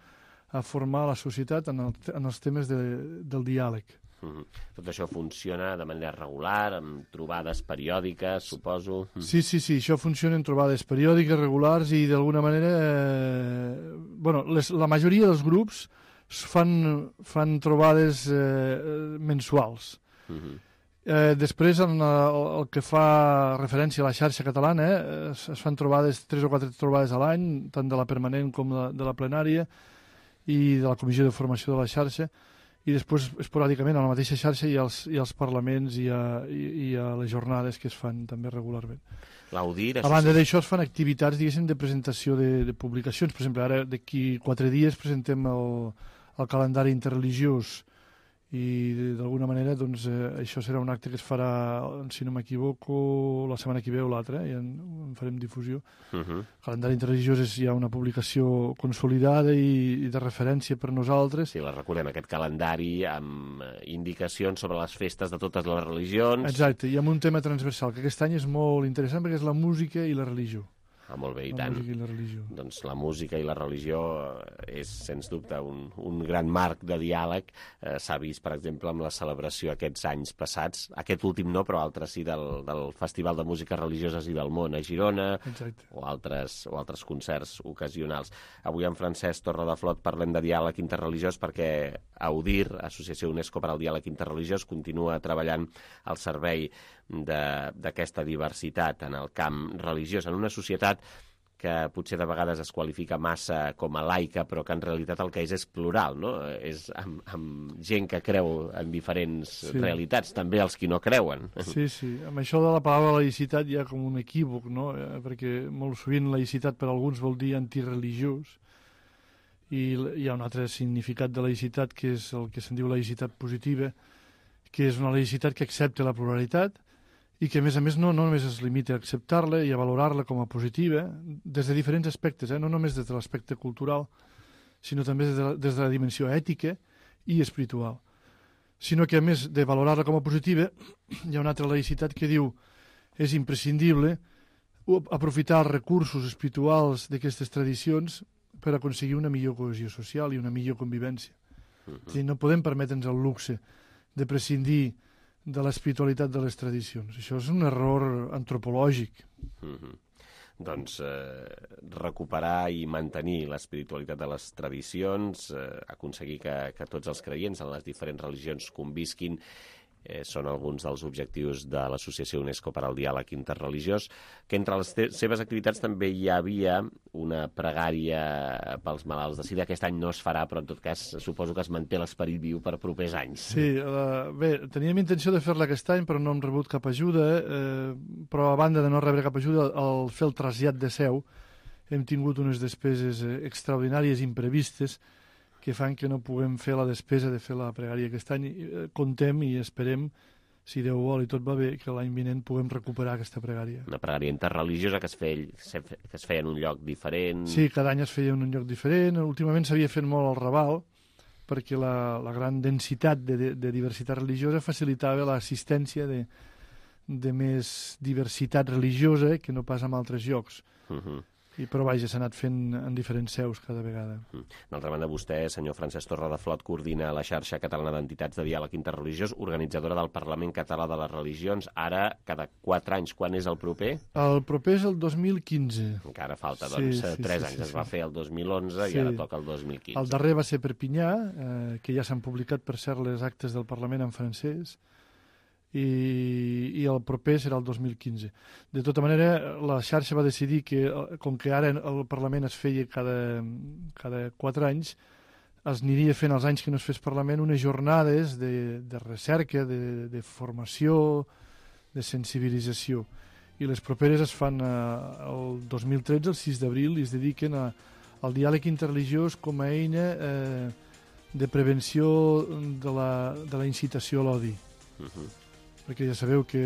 a formar la societat en, el, en els temes de, del diàleg. Mm-hmm. Tot això funciona de manera regular, amb trobades periòdiques, suposo? Mm. Sí, sí, sí, això funciona en trobades periòdiques, regulars i d'alguna manera... Eh, bueno, les, la majoria dels grups fan, fan trobades eh, mensuals. Mm-hmm. Eh, després, en el, el que fa referència a la xarxa catalana, eh, es, es fan trobades, tres o quatre trobades a l'any, tant de la permanent com de, de la plenària i de la comissió de formació de la xarxa, i després, esporàdicament, a la mateixa xarxa hi ha els, hi ha els parlaments i hi ha, i, i hi ha les jornades que es fan també regularment. L'Audir... A banda d'això es fan activitats, diguéssim, de presentació de, de publicacions. Per exemple, ara d'aquí quatre dies presentem el, el calendari interreligiós i d'alguna manera doncs, eh, això serà un acte que es farà, si no m'equivoco, la setmana que ve o l'altra, ja en, en farem difusió. Uh-huh. El calendari interreligiós és ja una publicació consolidada i, i de referència per nosaltres. Sí, la recordem, aquest calendari amb indicacions sobre les festes de totes les religions. Exacte, i amb un tema transversal, que aquest any és molt interessant perquè és la música i la religió. Ah, molt bé, i la tant. Música i la religió. Doncs la música i la religió és, sens dubte, un, un gran marc de diàleg. Eh, S'ha vist, per exemple, amb la celebració aquests anys passats, aquest últim no, però altres sí, del, del Festival de Músiques Religioses i del Món a Girona, o altres, o altres concerts ocasionals. Avui amb Francesc Torradeflot parlem de diàleg interreligiós perquè Audir, Associació UNESCO per al Diàleg Interreligiós, continua treballant al servei d'aquesta diversitat en el camp religiós, en una societat que potser de vegades es qualifica massa com a laica, però que en realitat el que és és plural, no? És amb, amb gent que creu en diferents sí. realitats, també els qui no creuen. Sí, sí. Amb això de la paraula laïcitat hi ha com un equívoc, no? Perquè molt sovint laïcitat per alguns vol dir antireligiós, i hi ha un altre significat de laïcitat que és el que se'n diu laïcitat positiva, que és una laïcitat que accepta la pluralitat i que, a més a més, no, no només es limita a acceptar-la i a valorar-la com a positiva des de diferents aspectes, eh? No només des de l'aspecte cultural, sinó també des de, la, des de la dimensió ètica i espiritual. Sinó que, a més de valorar-la com a positiva, hi ha una altra laïcitat que diu és imprescindible aprofitar els recursos espirituals d'aquestes tradicions per aconseguir una millor cohesió social i una millor convivència. Uh-huh. És a dir, no podem permetre'ns el luxe de prescindir de l'espiritualitat de les tradicions. Això és un error antropològic. Uh-huh. Doncs eh, recuperar i mantenir l'espiritualitat de les tradicions, eh, aconseguir que, que tots els creients en les diferents religions convisquin, Eh, són alguns dels objectius de l'Associació UNESCO per al Diàleg Interreligiós, que entre les seves activitats també hi havia una pregària pels malalts de sida. Aquest any no es farà, però en tot cas suposo que es manté l'esperit viu per propers anys. Sí, uh, bé, teníem intenció de fer-la aquest any, però no hem rebut cap ajuda, eh, però a banda de no rebre cap ajuda, al fer el trasllat de seu hem tingut unes despeses extraordinàries imprevistes que fan que no puguem fer la despesa de fer la pregària aquest any. Contem i esperem, si Déu vol i tot va bé, que l'any vinent puguem recuperar aquesta pregària. Una pregària interreligiosa que es feia, que es feia en un lloc diferent. Sí, cada any es feia en un lloc diferent. Últimament s'havia fet molt al Raval, perquè la, la gran densitat de, de, de diversitat religiosa facilitava l'assistència de, de més diversitat religiosa que no pas en altres llocs. Uh-huh. I, però vaja, s'ha anat fent en diferents seus cada vegada. D'altra banda, vostè, senyor Francesc Torradeflot, coordina la xarxa catalana d'entitats de diàleg interreligiós, organitzadora del Parlament Català de les Religions, ara cada quatre anys. Quan és el proper? El proper és el dos mil quinze. Encara falta, doncs, sí, sí, tres sí, anys. Sí, sí. Es va fer el dos mil onze sí. I ara toca el dos mil quinze. El darrer va ser Perpinyà, eh, que ja s'han publicat, per cert, les actes del Parlament en francès, I, i el proper serà el dos mil quinze. De tota manera, la xarxa va decidir que, com que ara el Parlament es feia cada, cada quatre anys, es aniria fent els anys que no es fes Parlament unes jornades de, de recerca, de, de formació, de sensibilització. I les properes es fan eh, el dos mil tretze, el sis d'abril, i es dediquen a, al diàleg interreligiós com a eina eh, de prevenció de la, de la incitació a l'odi. Uh-huh. Perquè ja sabeu que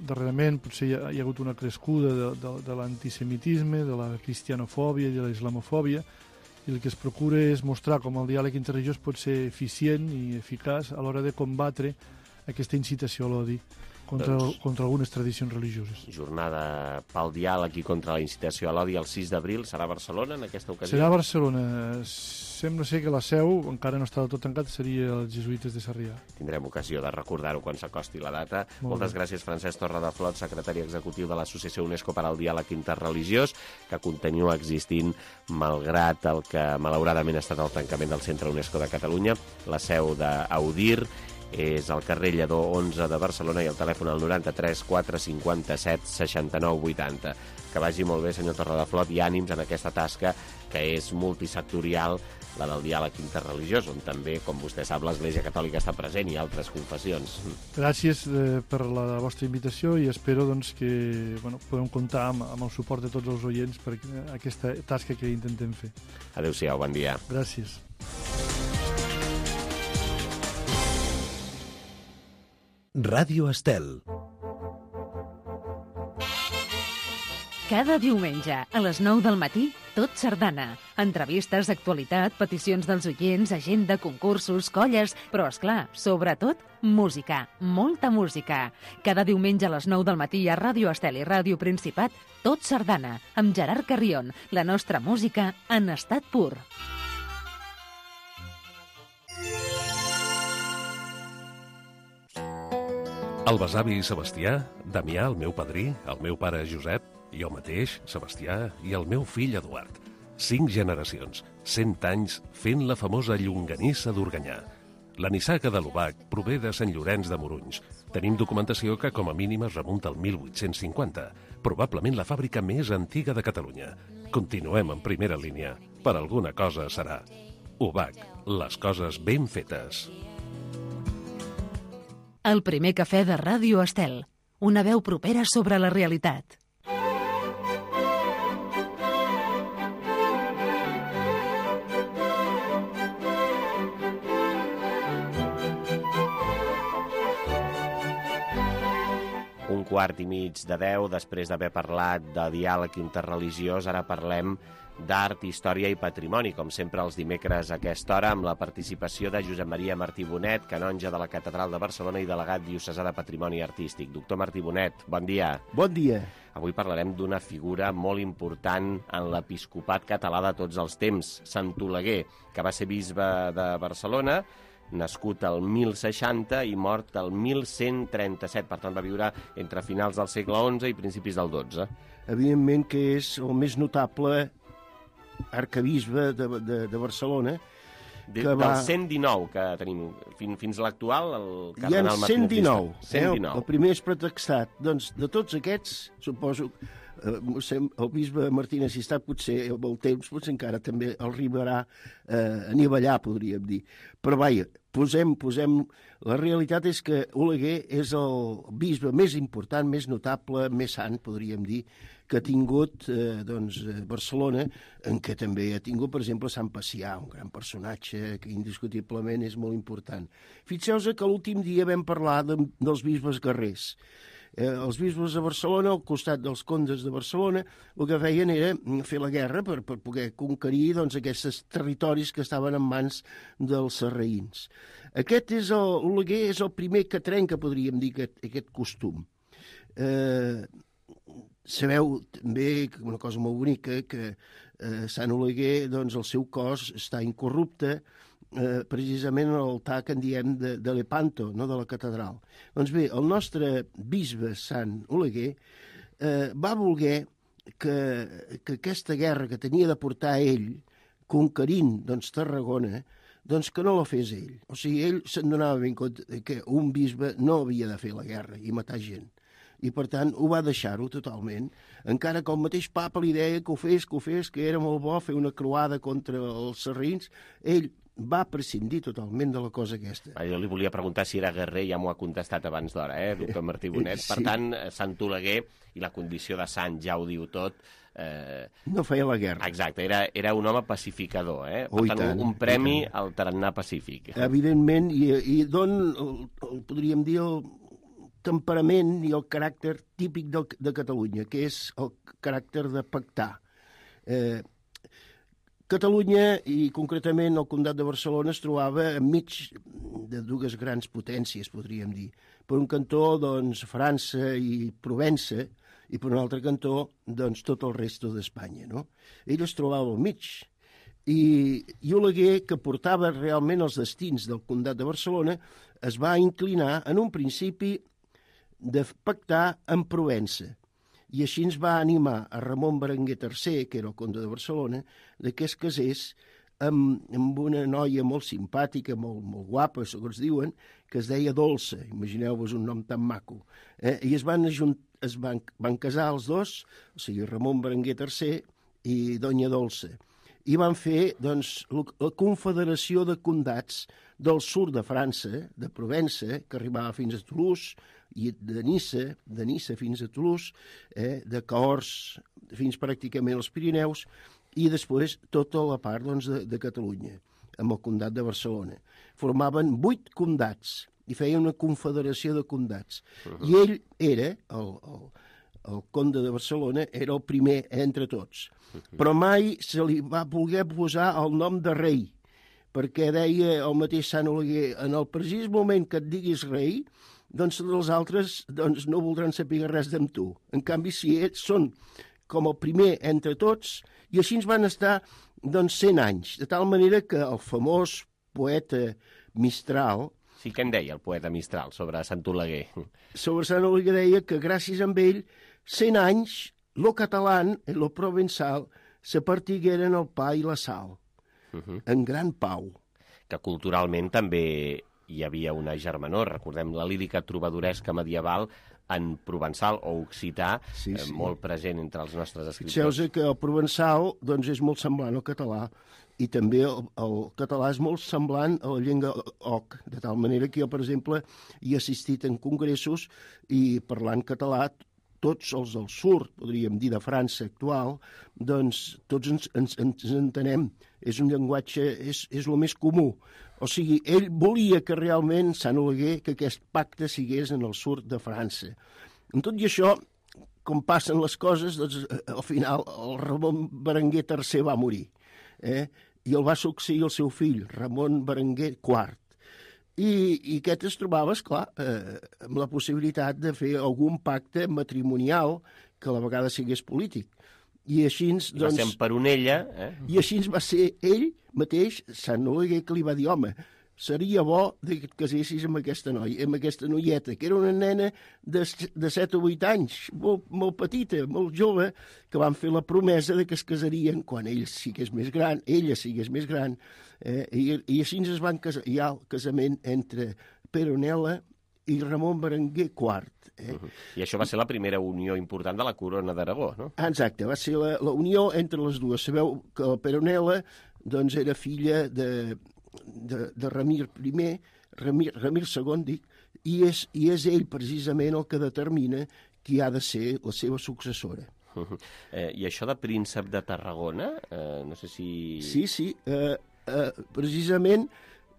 darrerament potser hi ha, hi ha hagut una crescuda de, de, de l'antisemitisme, de la cristianofòbia i de la islamofòbia, i el que es procura és mostrar com el diàleg interreligiós pot ser eficient i eficaç a l'hora de combatre aquesta incitació a l'odi contra, doncs, contra algunes tradicions religioses. Jornada pel diàleg i contra la incitació a l'odi el sis d'abril. Serà a Barcelona en aquesta ocasió? Serà a Barcelona. Sembla ser que la seu, encara no està del tot tancat, seria els jesuïtes de Sarrià. Tindrem ocasió de recordar-ho quan s'acosti la data. Molt Moltes bé. gràcies, Francesc Torradeflot, secretari executiu de l'Associació UNESCO per al Diàleg Interreligiós, que continua existint malgrat el que malauradament ha estat el tancament del Centre UNESCO de Catalunya. La seu d'Audir és al carrer Lledó onze de Barcelona i el telèfon al noranta-tres quatre cinquanta-set seixanta-nou vuitanta. Que vagi molt bé, senyor Torradeflot, i ànims en aquesta tasca que és multisectorial, la del diàleg interreligiós, on també, com vostè sap, l'Església Catòlica està present i altres confessions. Gràcies eh, per la vostra invitació i espero doncs, que bueno, podem comptar amb, amb el suport de tots els oients per aquesta tasca que intentem fer. Adéu-siau, bon dia. Gràcies. Ràdio Estel. Cada diumenge, a les nou del matí, Tot Sardana. Entrevistes, actualitat, peticions dels oients, agenda, concursos, colles, però, és clar, sobretot, música. Molta música. Cada diumenge a les nou del matí a Ràdio Estel i Ràdio Principat, Tot Sardana, amb Gerard Carrion. La nostra música en estat pur. El besavi Sebastià, Damià, el meu padrí, el meu pare Josep, jo mateix, Sebastià, i el meu fill Eduard. Cinc generacions, cent anys, fent la famosa llonganissa d'Organyà. La nissaga de l'Obac prové de Sant Llorenç de Morunys. Tenim documentació que com a mínim es remunta al mil vuit-cents cinquanta, probablement la fàbrica més antiga de Catalunya. Continuem en primera línia. Per alguna cosa serà. U B A C, les coses ben fetes. El primer cafè de Ràdio Estel. Una veu propera sobre la realitat. Un quart i mig de deu, després d'haver parlat de diàleg interreligiós, ara parlem d'art, història i patrimoni, com sempre els dimecres a aquesta hora, amb la participació de Josep Maria Martí Bonet, canonge de la Catedral de Barcelona i delegat diocesà de Patrimoni Artístic. Doctor Martí Bonet, bon dia. Bon dia. Avui parlarem d'una figura molt important en l'episcopat català de tots els temps, Sant Oleguer, que va ser bisbe de Barcelona, nascut el mil seixanta i mort el mil cent trenta-set, per tant va viure entre finals del segle onze i principis del dotze. Evidentment que és el més notable arcabisbe de, de, de Barcelona. De, que va... Del cent dinou que tenim, fins, fins l'actual, el Hi cardenal ha cent dinou, cent dinou. Eh? El primer és pretextat. Doncs de tots aquests, suposo, eh, el bisbe Martí Assistat potser amb el temps potser encara també el arribarà eh, a nivellar, podríem dir. Però vaja, posem, posem... La realitat és que Oleguer és el bisbe més important, més notable, més sant, podríem dir, que ha tingut eh, doncs, Barcelona, en què també ha tingut, per exemple, Sant Pacià, un gran personatge que indiscutiblement és molt important. Fixeu-vos que l'últim dia vam parlar de, dels bisbes guerrers. Eh, els bisbes de Barcelona, al costat dels condes de Barcelona, el que feien era fer la guerra per, per poder conquerir doncs, aquests territoris que estaven en mans dels sarraïns. Aquest és el, Oleguer és el primer que trenca, podríem dir, aquest, aquest costum. Eh, sabeu també una cosa molt bonica, que eh, Sant Oleguer, doncs, el seu cos està incorrupte, eh, precisament a l'altar que en diem de, de Lepanto, no? De la catedral. Doncs bé, el nostre bisbe Sant Oleguer eh, va voler que, que aquesta guerra que tenia de portar ell, conquerint doncs, Tarragona, doncs que no la fes ell. O sigui, ell se'n donava ben compte que un bisbe no havia de fer la guerra i matar gent. I, per tant, ho va deixar-ho totalment, encara que el mateix papa li deia que ho fes, que ho fes, que era molt bo fer una croada contra els sarraïns, ell va prescindir totalment de la cosa aquesta. Ah, jo li volia preguntar si era guerrer, ja m'ho ha contestat abans d'hora, eh, doctor Martí Bonet. Sí. Per tant, Sant Oleguer, i la condició de sant ja ho diu tot... Eh... No feia la guerra. Exacte, era, era un home pacificador, eh? Per oh, tant, tant, un premi al tarannà pacífic. Evidentment, i, i don, el, el, podríem dir, el temperament i el caràcter típic de, de Catalunya, que és el caràcter de pactar. Eh, Catalunya, i concretament el Comtat de Barcelona, es trobava enmig de dues grans potències, podríem dir. Per un cantó, doncs, França i Provença, i per un altre cantó, doncs, tot el resto d'Espanya, no? Ell es trobava al mig. I, i Oleguer, que portava realment els destins del Comtat de Barcelona, es va inclinar en un principi de pactar amb Provença. I així ens va animar a Ramon Berenguer tercer, que era el comte de Barcelona, que es casés amb, amb una noia molt simpàtica, molt, molt guapa, segons diuen, que es deia Dolça. Imagineu-vos un nom tan maco. Eh? I es van, ajunt, es van, van casar els dos, o sigui, Ramon Berenguer tercer i Doña Dolça. I van fer, doncs, la confederació de condats del sud de França, de Provença, que arribava fins a Toulouse, i de Niça, de Niça fins a Toulouse, eh, de Cahors fins pràcticament als Pirineus, i després tota la part doncs, de, de Catalunya, amb el Comtat de Barcelona. Formaven vuit condats i feien una confederació de condats. Uh-huh. I ell era, el, el, el comte de Barcelona, era el primer entre tots. Uh-huh. Però mai se li va voler posar el nom de rei, perquè deia el mateix Sant Oleguer, en el precís moment que et diguis rei, doncs els altres doncs, no voldran saber res d'amb tu. En canvi, si ells són com el primer entre tots, i així ens van estar doncs, cent anys, de tal manera que el famós poeta Mistral... Sí, què en deia el poeta Mistral sobre Sant Oleguer? Sobre Sant Oleguer deia que gràcies a ell, cent anys, lo català i lo provençal se partigueren el pa i la sal, uh-huh. en gran pau. Que culturalment també hi havia una germanor. Recordem la lírica trobadoresca medieval en provençal o occità, Sí, eh, sí. molt present entre els nostres escriptors. Fixeu-vos que el provençal doncs, és molt semblant al català i també el, el català és molt semblant a la llengua oc, de tal manera que jo, per exemple, hi he assistit en congressos i parlant català, tots els del sud, podríem dir, de França actual, doncs tots ens, ens, ens entenem. És un llenguatge, és, és el més comú. O sigui, ell volia que realment Sant Oleguer, que aquest pacte sigués en el sud de França. En tot i això, com passen les coses, doncs, al final el Ramon Berenguer tercer va morir. Eh? I el va succeir el seu fill, Ramon Berenguer quart. I, i aquest es trobava, esclar, eh, amb la possibilitat de fer algun pacte matrimonial que a la vegada sigués polític. I així, doncs... I va ser en Peronella, eh? I així va ser ell mateix, Sant Oleguer, que li va dir, home, seria bo que et casessis amb aquesta noia, amb aquesta noieta, que era una nena de, de set o vuit anys, molt, molt petita, molt jove, que van fer la promesa de que es casarien quan ell sigués més gran, ella sigués més gran, eh, i, i així es van casar. Hi ha el casament entre Peronella i Ramon Berenguer quart. Eh? Uh -huh. I això va ser la primera unió important de la corona d'Aragó, no? Exacte, va ser la, la unió entre les dues. Sabeu que la Peronella doncs, era filla de, de, de Ramir I, Ramir, Ramir segon, dic, i és, i és ell precisament el que determina qui ha de ser la seva successora. Uh -huh. eh, I això de príncep de Tarragona, eh, no sé si... Sí, sí, eh, eh, precisament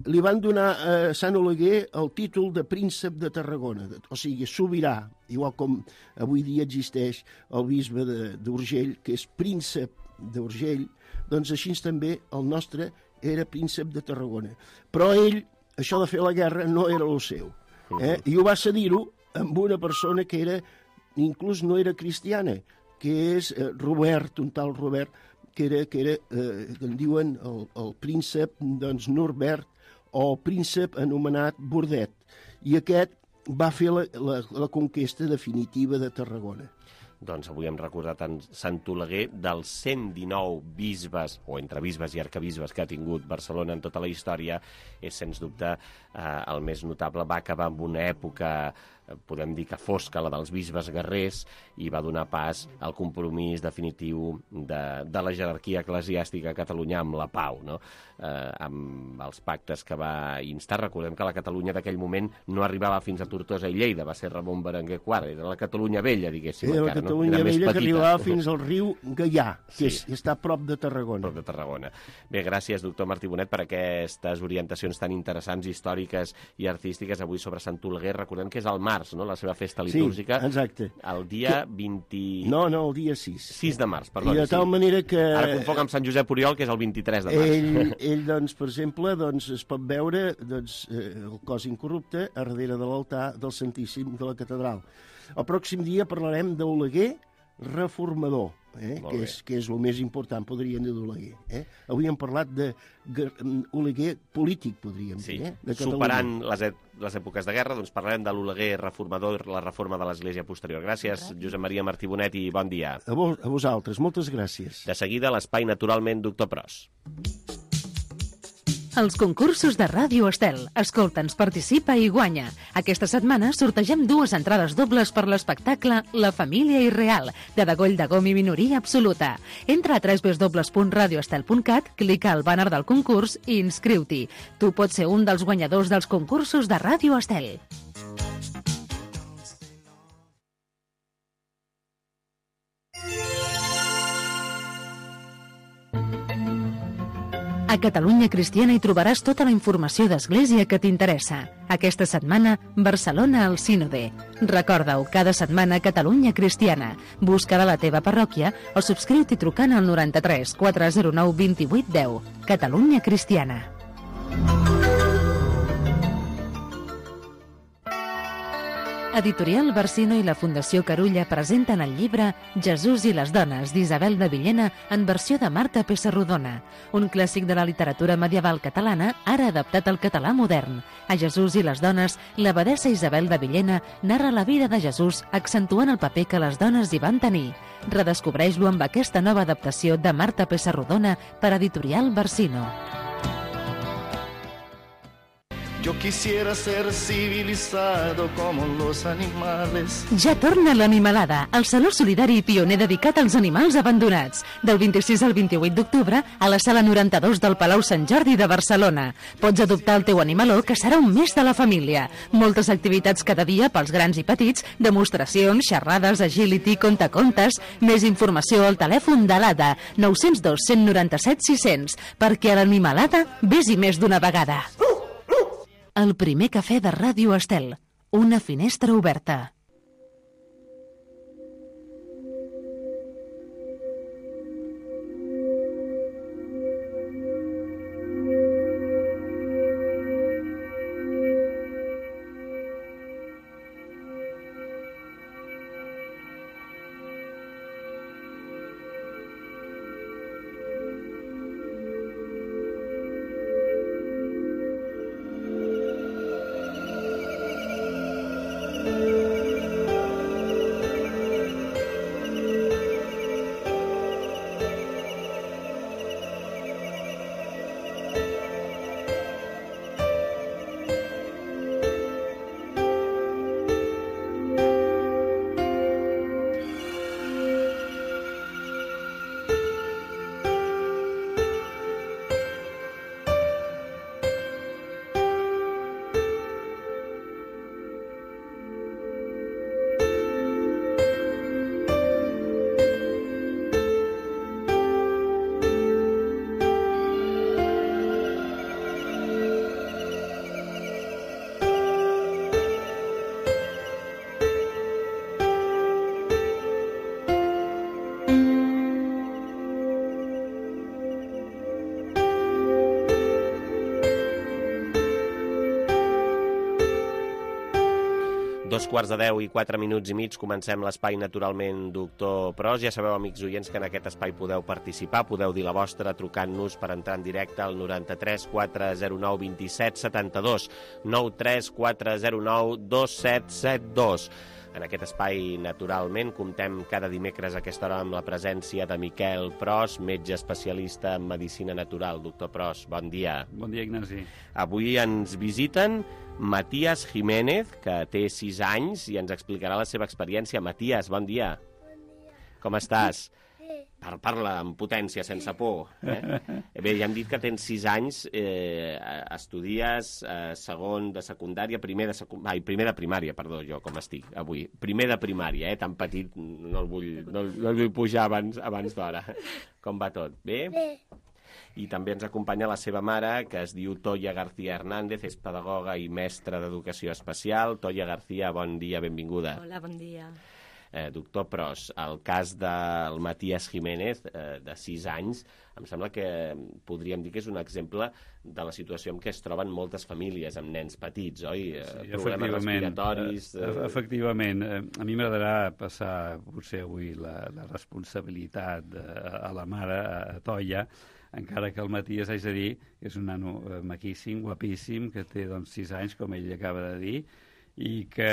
li van donar a Sant Oleguer el títol de príncep de Tarragona, o sigui, sobirà, igual com avui dia existeix el bisbe d'Urgell, que és príncep d'Urgell, doncs així també el nostre era príncep de Tarragona. Però ell, això de fer la guerra, no era el seu. Eh? I ho va cedir-ho amb una persona que era, inclús no era cristiana, que és eh, Robert, un tal Robert, que era, que era eh, que en diuen el, el príncep doncs, Norbert, o príncep anomenat Bordet. I aquest va fer la, la, la conquesta definitiva de Tarragona. Doncs avui hem recordat en Sant Oleguer dels cent dinou bisbes, o entre bisbes i arcabisbes que ha tingut Barcelona en tota la història. És, sens dubte, eh, el més notable. Va acabar amb una època, podem dir que fosca, la dels bisbes guerrers, i va donar pas al compromís definitiu de, de la jerarquia eclesiàstica a Catalunya amb la pau, no? Eh, amb els pactes que va instar. Recordem que la Catalunya d'aquell moment no arribava fins a Tortosa i Lleida, va ser Ramon Berenguer quart, era la Catalunya vella, diguéssim. Era la encara, Catalunya no? vella que arribava fins al riu Gaià, que Sí. és, està a prop de Tarragona. Prop de Tarragona. Bé, gràcies, doctor Martí Bonet, per aquestes orientacions tan interessants, històriques i artístiques avui sobre Sant Oleguer. Recordem que és al març, no?, la seva festa litúrgica. Sí, exacte. El dia Que... vint... No, no, el dia sis. sis de març, perdó. I de tal sí. manera que... Ara confoc amb Sant Josep Oriol, que és el vint-i-tres de març. Ell, ell doncs, per exemple, doncs, es pot veure doncs, eh, el cos incorrupte a darrere de l'altar del Santíssim de la Catedral. El pròxim dia parlarem d'Oleguer reformador, eh? que, és, que és el més important, podríem dir, d'Oleguer. Eh? Avui hem parlat d'Oleguer polític, podríem Sí. dir. Eh? De Catalunya. Superant les, e les èpoques de guerra, doncs parlarem de l'Oleguer reformador i la reforma de l'Església posterior. Gràcies, Josep Maria Martí Bonet, i bon dia. A, vos, a vosaltres, moltes gràcies. De seguida, l'espai Naturalment, doctor Pros. Els concursos de Ràdio Estel. Escolta'ns, participa i guanya. Aquesta setmana sortegem dues entrades dobles per l'espectacle La família irreal, de Degoll de Gom i minoria absoluta. Entra a w w w punt radio estel punt cat, clica al bàner del concurs i inscriu-t'hi. Tu pots ser un dels guanyadors dels concursos de Ràdio Estel. A Catalunya Cristiana hi trobaràs tota la informació d'Església que t'interessa. Aquesta setmana, Barcelona al Sínode. Recorda-ho, cada setmana Catalunya Cristiana. Busca-la a la teva parròquia o subscriu-t'hi trucant al noranta-tres quatre zero nou vint vuit deu. Catalunya Cristiana. Editorial Barsino i la Fundació Carulla presenten el llibre Jesús i les dones, d'Isabel de Villena, en versió de Marta Pessarrodona, un clàssic de la literatura medieval catalana, ara adaptat al català modern. A Jesús i les dones, l'abadessa Isabel de Villena narra la vida de Jesús, accentuant el paper que les dones hi van tenir. Redescobreix-lo amb aquesta nova adaptació de Marta Pessarrodona per Editorial Barsino. Yo quisiera ser civilizado como los animales. Ja torna l'Animalada, el saló solidari i pioner dedicat als animals abandonats. Del vint-i-sis al vint-i-vuit d'octubre a la sala noranta-dos del Palau Sant Jordi de Barcelona. Pots adoptar el teu animaló, que serà un mes de la família. Moltes activitats cada dia pels grans i petits, demostracions, xerrades, agility, contacontes. Més informació al telèfon de l'A D A, nou zero dos, cent noranta-set, sis cents, perquè a l'Animalada vés-hi més d'una vegada. El primer cafè de Ràdio Estel. Una finestra oberta. Dos quarts de deu i quatre minuts i mig comencem l'espai Naturalment Doctor Pros. Ja sabeu, amics oients, que en aquest espai podeu participar, podeu dir la vostra trucant-nos per entrar en directe al noranta-tres quatre zero nou dos set set dos, nou tres quatre zero nou dos set set dos. En aquest espai, naturalment, comptem cada dimecres a aquesta hora amb la presència de Miquel Pros, metge especialista en medicina natural. Doctor Pros, bon dia. Bon dia, Ignasi. Avui ens visiten Matías Jiménez, que té sis anys i ens explicarà la seva experiència. Matías, bon dia. Bon dia. Com estàs? Bé. Par Parla amb potència, sense por. Eh? Bé, ja hem dit que tens sis anys, eh, estudies eh, segon de secundària, primer de, secu... Ai, primer de primària, perdó, jo com estic avui. Primer de primària, eh? Tan petit, no el vull, no, no el vull pujar abans, abans d'hora. Com va tot? Bé? Bé. I també ens acompanya la seva mare, que es diu Toya García Hernández, és pedagoga i mestra d'educació especial. Toya García, bon dia, benvinguda. Hola, bon dia. Eh, doctor Pros, el cas del Matías Jiménez, eh, de sis anys, em sembla que podríem dir que és un exemple de la situació en què es troben moltes famílies amb nens petits, oi? Sí, problemes respiratoris... Eh, efectivament. Eh, a mi m'agradarà passar, potser avui, la, la responsabilitat eh, a la mare, a Toya, encara que el Matías, haig de dir, és un nano eh, maquíssim, guapíssim, que té doncs, sis anys, com ell acaba de dir, i que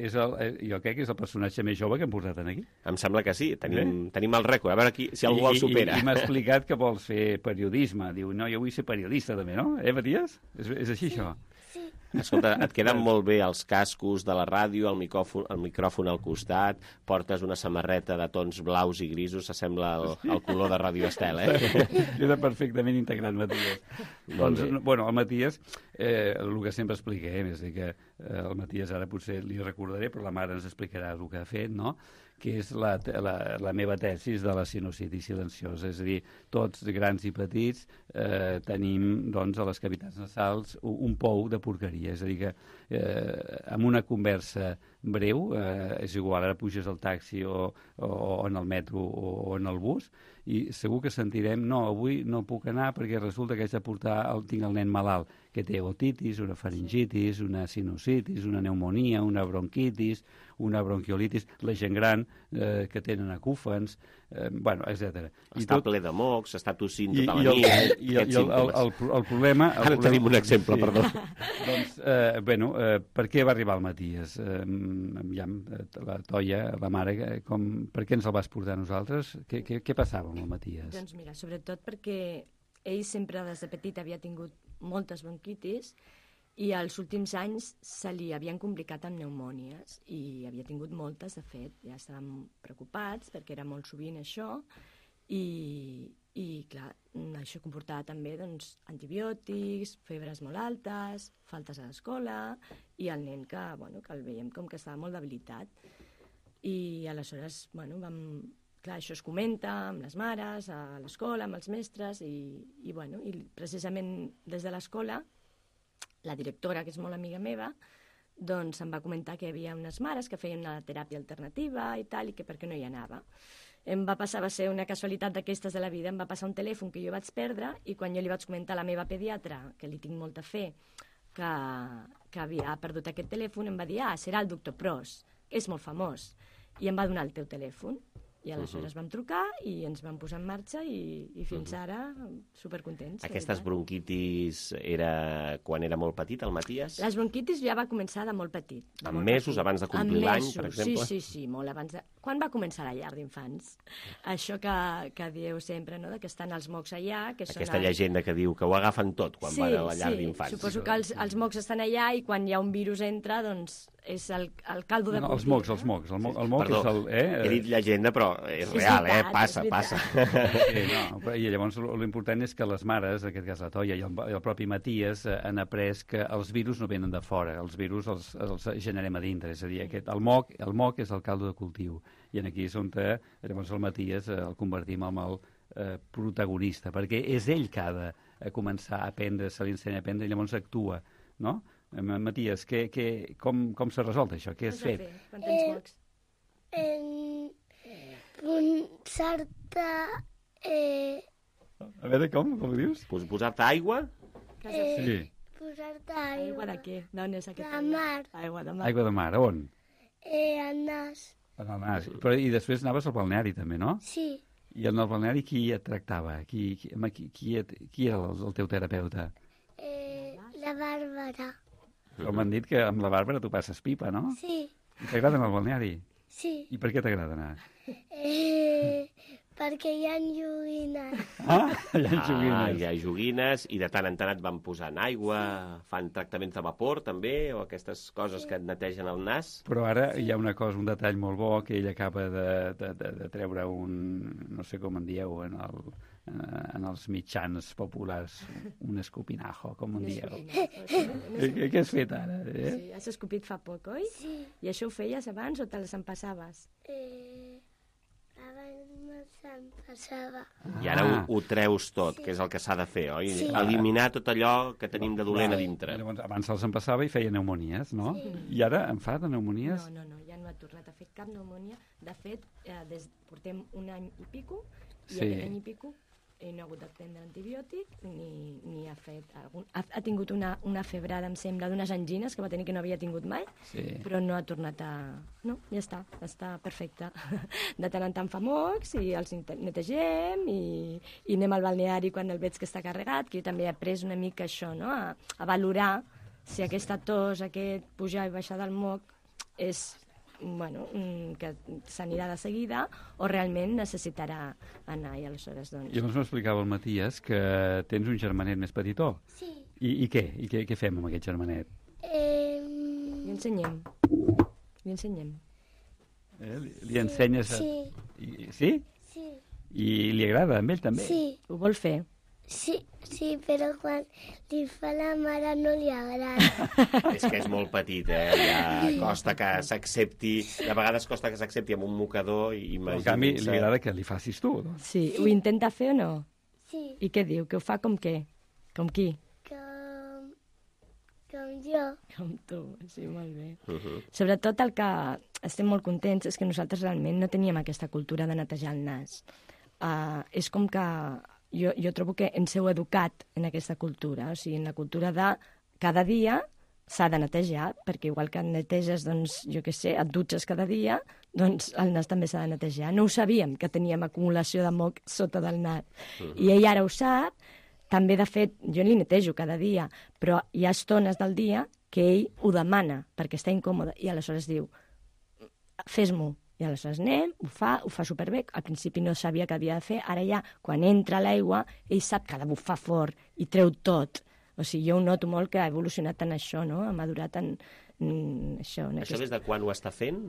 és el, jo crec que és el personatge més jove que hem portat aquí. Em sembla que sí, tenim, eh? tenim el rècord, a veure qui, si algú I, el supera. I, i m'ha explicat que vols fer periodisme. Diu, no, jo vull ser periodista també, no? Eh, Matías? És, és així, sí, això? Sí. Escolta, et queden molt bé els cascos de la ràdio, el micròfon, el micròfon al costat, portes una samarreta de tons blaus i grisos, s'assembla el, el color de Ràdio Estel, eh? Queda perfectament integrat, Matías. Doncs, bueno, el Matías, eh, el que sempre expliquem, és dir que eh, el Matías ara potser li recordaré, però la mare ens explicarà el que ha fet, no?, que és la, la, la meva tesis de la sinusitis silenciosa. És a dir, tots, grans i petits, eh, tenim doncs, a les cavitats nasals un, un pou de porqueria. És a dir, que eh, amb una conversa breu, eh, és igual, ara puges al taxi o, o, o en el metro o, o en el bus, i segur que sentirem, no, avui no puc anar perquè resulta que haig de portar, el, tinc el nen malalt, que té otitis, una faringitis, una sinusitis, una pneumonia, una bronquitis, una bronquiolitis, la gent gran eh, que tenen acúfens, eh, bueno, etcètera. Està tot... ple de mocs, està tossint tota la nit. I, i, el, i el, el, el, el problema... El Ara problema, tenim un exemple, sí. Perdó. Doncs, eh, bueno, eh, per què va arribar el Matías? Eh, ja, la Toya, la mare, com, per què ens el vas portar a nosaltres? Què, què, què passava amb el Matías? Doncs mira, sobretot perquè ell sempre des de petit havia tingut moltes bronquitis i als últims anys se li havien complicat amb pneumònies i havia tingut moltes, de fet, ja estàvem preocupats perquè era molt sovint això i, i clar, això comportava també doncs, antibiòtics, febres molt altes, faltes a l'escola i el nen que, bueno, que el veiem com que estava molt debilitat i aleshores bueno, vam, clar, això es comenta amb les mares, a l'escola, amb els mestres i, i, bueno, i precisament des de l'escola la directora, que és molt amiga meva, doncs em va comentar que hi havia unes mares que feien una teràpia alternativa i tal, i que per què no hi anava. Em va passar, va ser una casualitat d'aquestes de la vida, em va passar un telèfon que jo vaig perdre i quan jo li vaig comentar a la meva pediatra, que li tinc molta fe, que, que havia perdut aquest telèfon, em va dir, ah, serà el doctor Pros, que és molt famós, i em va donar el teu telèfon. I aleshores uh-huh. vam trucar i ens vam posar en marxa i, i fins uh-huh. ara supercontents. Aquestes bronquitis era quan era molt petit, el Matías? Les bronquitis ja va començar de molt petit. De amb molt mesos, petit. Abans de complir l'any, per exemple? Sí, sí, sí, molt abans de... Quan va començar la llar d'infants? Això que, que dieu sempre, no?, de que estan els mocs allà... Que Aquesta són el... llegenda que diu que ho agafen tot quan sí, van a la llar sí. d'infants. Suposo que els, els mocs estan allà i quan hi ha un virus entra, doncs és el, el caldo de no, cultiu. Els mocs, els mocs. El, mo, el moc Perdó, és el... Eh? he dit llegenda, però és sí, real, és veritat, eh? Passa, és passa. Sí, no, I llavors l'important és que les mares, en aquest cas la Toia i el, el propi Matías, eh, han après que els virus no venen de fora, els virus els, els generem a dintre, és a dir, aquest, el, moc, el moc és el caldo de cultiu, i aquí és on eh, llavors el Matías eh, el convertim en el eh, protagonista, perquè és ell que ha de eh, començar a aprendre, se li ensenya a aprendre, i llavors actua, no? Matías, que, que, com, com s'ha resolt això? Què has fet? Quan tens mocs? En posar-te... Eh... A veure, com? Com ho dius? Posar-te aigua? Eh, sí. Posar-te aigua. Aigua de què? D'on és aquest? De mar. Aigua de mar. Aigua de mar, on? Eh, al nas. En el nas. Però, I després anaves al balneari, també, no? Sí. I en el balneari qui et tractava? Qui, qui, qui, qui, et, qui era el, el teu terapeuta? Eh, la Bàrbara. Però m'han dit que amb la Bàrbara tu passes pipa, no? Sí. T'agrada anar al balneari? Sí. I per què t'agrada anar? Eh, perquè hi ha joguines. Ah, hi ha joguines. Ah, hi ha joguines, i de tant en tant et van posant aigua, fan tractaments de vapor, també, o aquestes coses que et netegen el nas. Però ara hi ha una cosa, un detall molt bo, que ell acaba de, de, de, de treure un, no sé com en dieu, en, el, en els mitjans populars, un escopinajo, com en dieu. Què, què has fet ara? Eh? Sí, has escopit fa poc, oi? Sí. I això ho feies abans o te les empassaves? Eh, abans me se'n passava. I ara ho, ho treus tot, sí. Que és el que s'ha de fer, oi? Sí. Eliminar tot allò que tenim de dolent a dintre. Llavors, abans se'ls empassava i feia pneumonies, no? Sí. I ara en fa de pneumonies? No, no, no, ja no ha tornat a fer cap pneumònia. De fet, eh, des, portem un any i pico, i sí. aquest any i pico ell no ha hagut de prendre antibiòtic ni, ni ha fet algun... Ha, ha tingut una, una febrada, em sembla, d'unes angines que va tenir que no havia tingut mai, sí. Però no ha tornat a... No, ja està, està perfecte. De tant en tant fa mocs i els netegem i, i anem al balneari quan el veig que està carregat, que jo també he après una mica això, no? A, a valorar si aquesta tos, aquest pujar i baixar del moc és... bueno, que s'anirà de seguida o realment necessitarà anar i aleshores doncs... I llavors m'explicava el Matías que tens un germanet més petitó. Sí. I, i què? I què, què fem amb aquest germanet? Eh... Li ensenyem. Li ensenyem. Eh? Li, li ensenyes... A... Sí. I, sí? Sí. I li agrada amb ell també? Sí. Ho vol fer? Sí, sí, però quan li fa la mare no li agrada. És que és molt petit, eh? Ja costa que s'accepti... De vegades costa que s'accepti amb un mocador i imagina't... En canvi, li agrada que li facis tu, doncs. Sí, sí. Ho intenta fer o no? Sí. I què diu? Que ho fa com què? Com qui? Com... com jo. Com tu, sí, molt bé. Uh-huh. Sobretot el que estem molt contents és que nosaltres realment no teníem aquesta cultura de netejar el nas. Uh, és com que... Jo, jo trobo que ens heu educat en aquesta cultura, o sigui, en la cultura de cada dia s'ha de netejar, perquè igual que et neteges, doncs, jo què sé, et dutxes cada dia, doncs el nas també s'ha de netejar. No ho sabíem, que teníem acumulació de moc sota del nas. Uh-huh. I ell ara ho sap, també, de fet, jo li netejo cada dia, però hi ha estones del dia que ell ho demana, perquè està incòmode, i aleshores diu, fes-m'ho. I aleshores anem, ho fa, ho fa superbé. Al principi no sabia què havia de fer, ara ja, quan entra l'aigua, ell sap que ha de bufar fort i treu tot. O sigui, jo ho noto molt que ha evolucionat en això, no? Ha madurat en, en això. En Això aquest... des de quan ho està fent?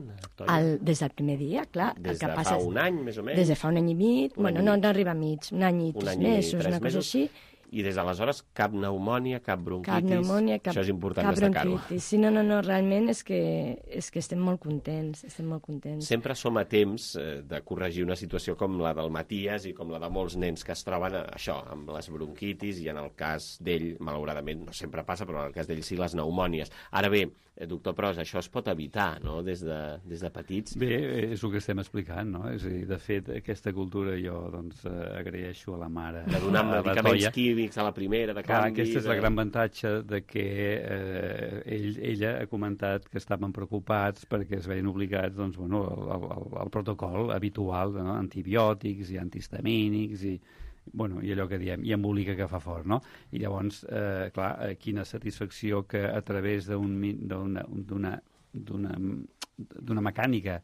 El, des del primer dia, clar. Des el que de passa fa és... un any, més o menys? Des de fa un any i mig. Un Bueno, any i no, mig. no arriba a mig. Un any i Un tres any i mesos, tres una cosa mesos. així. I des d'aleshores cap pneumònia, cap bronquitis... Cap pneumònia, cap, Això és important cap destacar-ho. bronquitis. Sí, no, no, no, realment és que, és que estem molt contents, estem molt contents. Sempre som a temps eh, de corregir una situació com la del Matías i com la de molts nens que es troben a, això, amb les bronquitis, i en el cas d'ell, malauradament, no sempre passa, però en el cas d'ell sí, les pneumònies. Ara bé, eh, doctor Pros, això es pot evitar, no?, des de, des de petits. Bé, és el que estem explicant, no? És a dir, de fet, aquesta cultura jo, doncs, eh, agraeixo a la mare. De donar a la medicaments Toia. químics a la primera, de Clar, canvi... aquesta és la de... gran avantatge de que eh, ell, ella ha comentat que estaven preocupats perquè es veien obligats, doncs, bueno, al, al, al protocol habitual, no? Antibiòtics i antihistamínics i, bueno, i allò que diem, i embolica que fa fort, no? I llavors, eh, clar, eh, quina satisfacció que a través d'una d'una d'una mecànica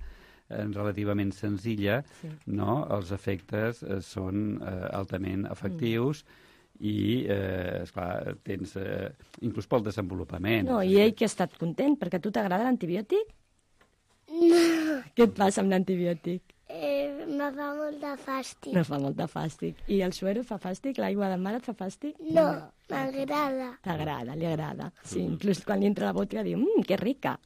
eh, relativament senzilla, Sí. no? Els efectes eh, són eh, altament efectius i, eh, esclar, tens... Eh, inclús pel desenvolupament. No, i ell que ha estat content, perquè a tu t'agrada l'antibiòtic? No, Què et passa amb l'antibiòtic? eh, me fa molt de fàstic. No fa molt de fàstic. I el suero fa fàstic? L'aigua de mar et fa fàstic? No, m'agrada. T'agrada, li agrada. Sí, inclús quan li entra la botiga diu, mmm, que rica.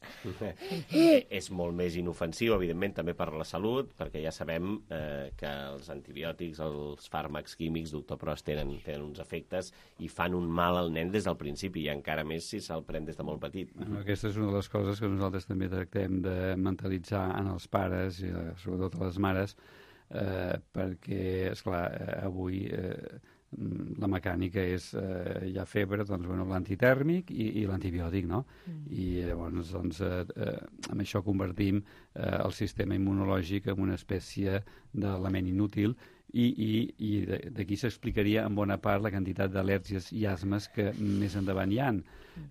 Eh, és molt més inofensiu, evidentment, també per la salut, perquè ja sabem eh, que els antibiòtics, els fàrmacs químics, doctor Pros, tenen, tenen uns efectes i fan un mal al nen des del principi, i encara més si se'l pren des de molt petit. Bueno, aquesta és una de les coses que nosaltres també tractem de mentalitzar en els pares, i eh, sobretot a les mares, eh, perquè, esclar, eh, avui eh, la mecànica és, eh, hi ha febre, doncs, bueno, l'antitèrmic i, i l'antibiòtic, no? Mm. I llavors, doncs, eh, eh, amb això convertim eh, el sistema immunològic en una espècie d'element inútil, i, i, i d'aquí s'explicaria en bona part la quantitat d'al·lèrgies i asmes que més endavant hi ha,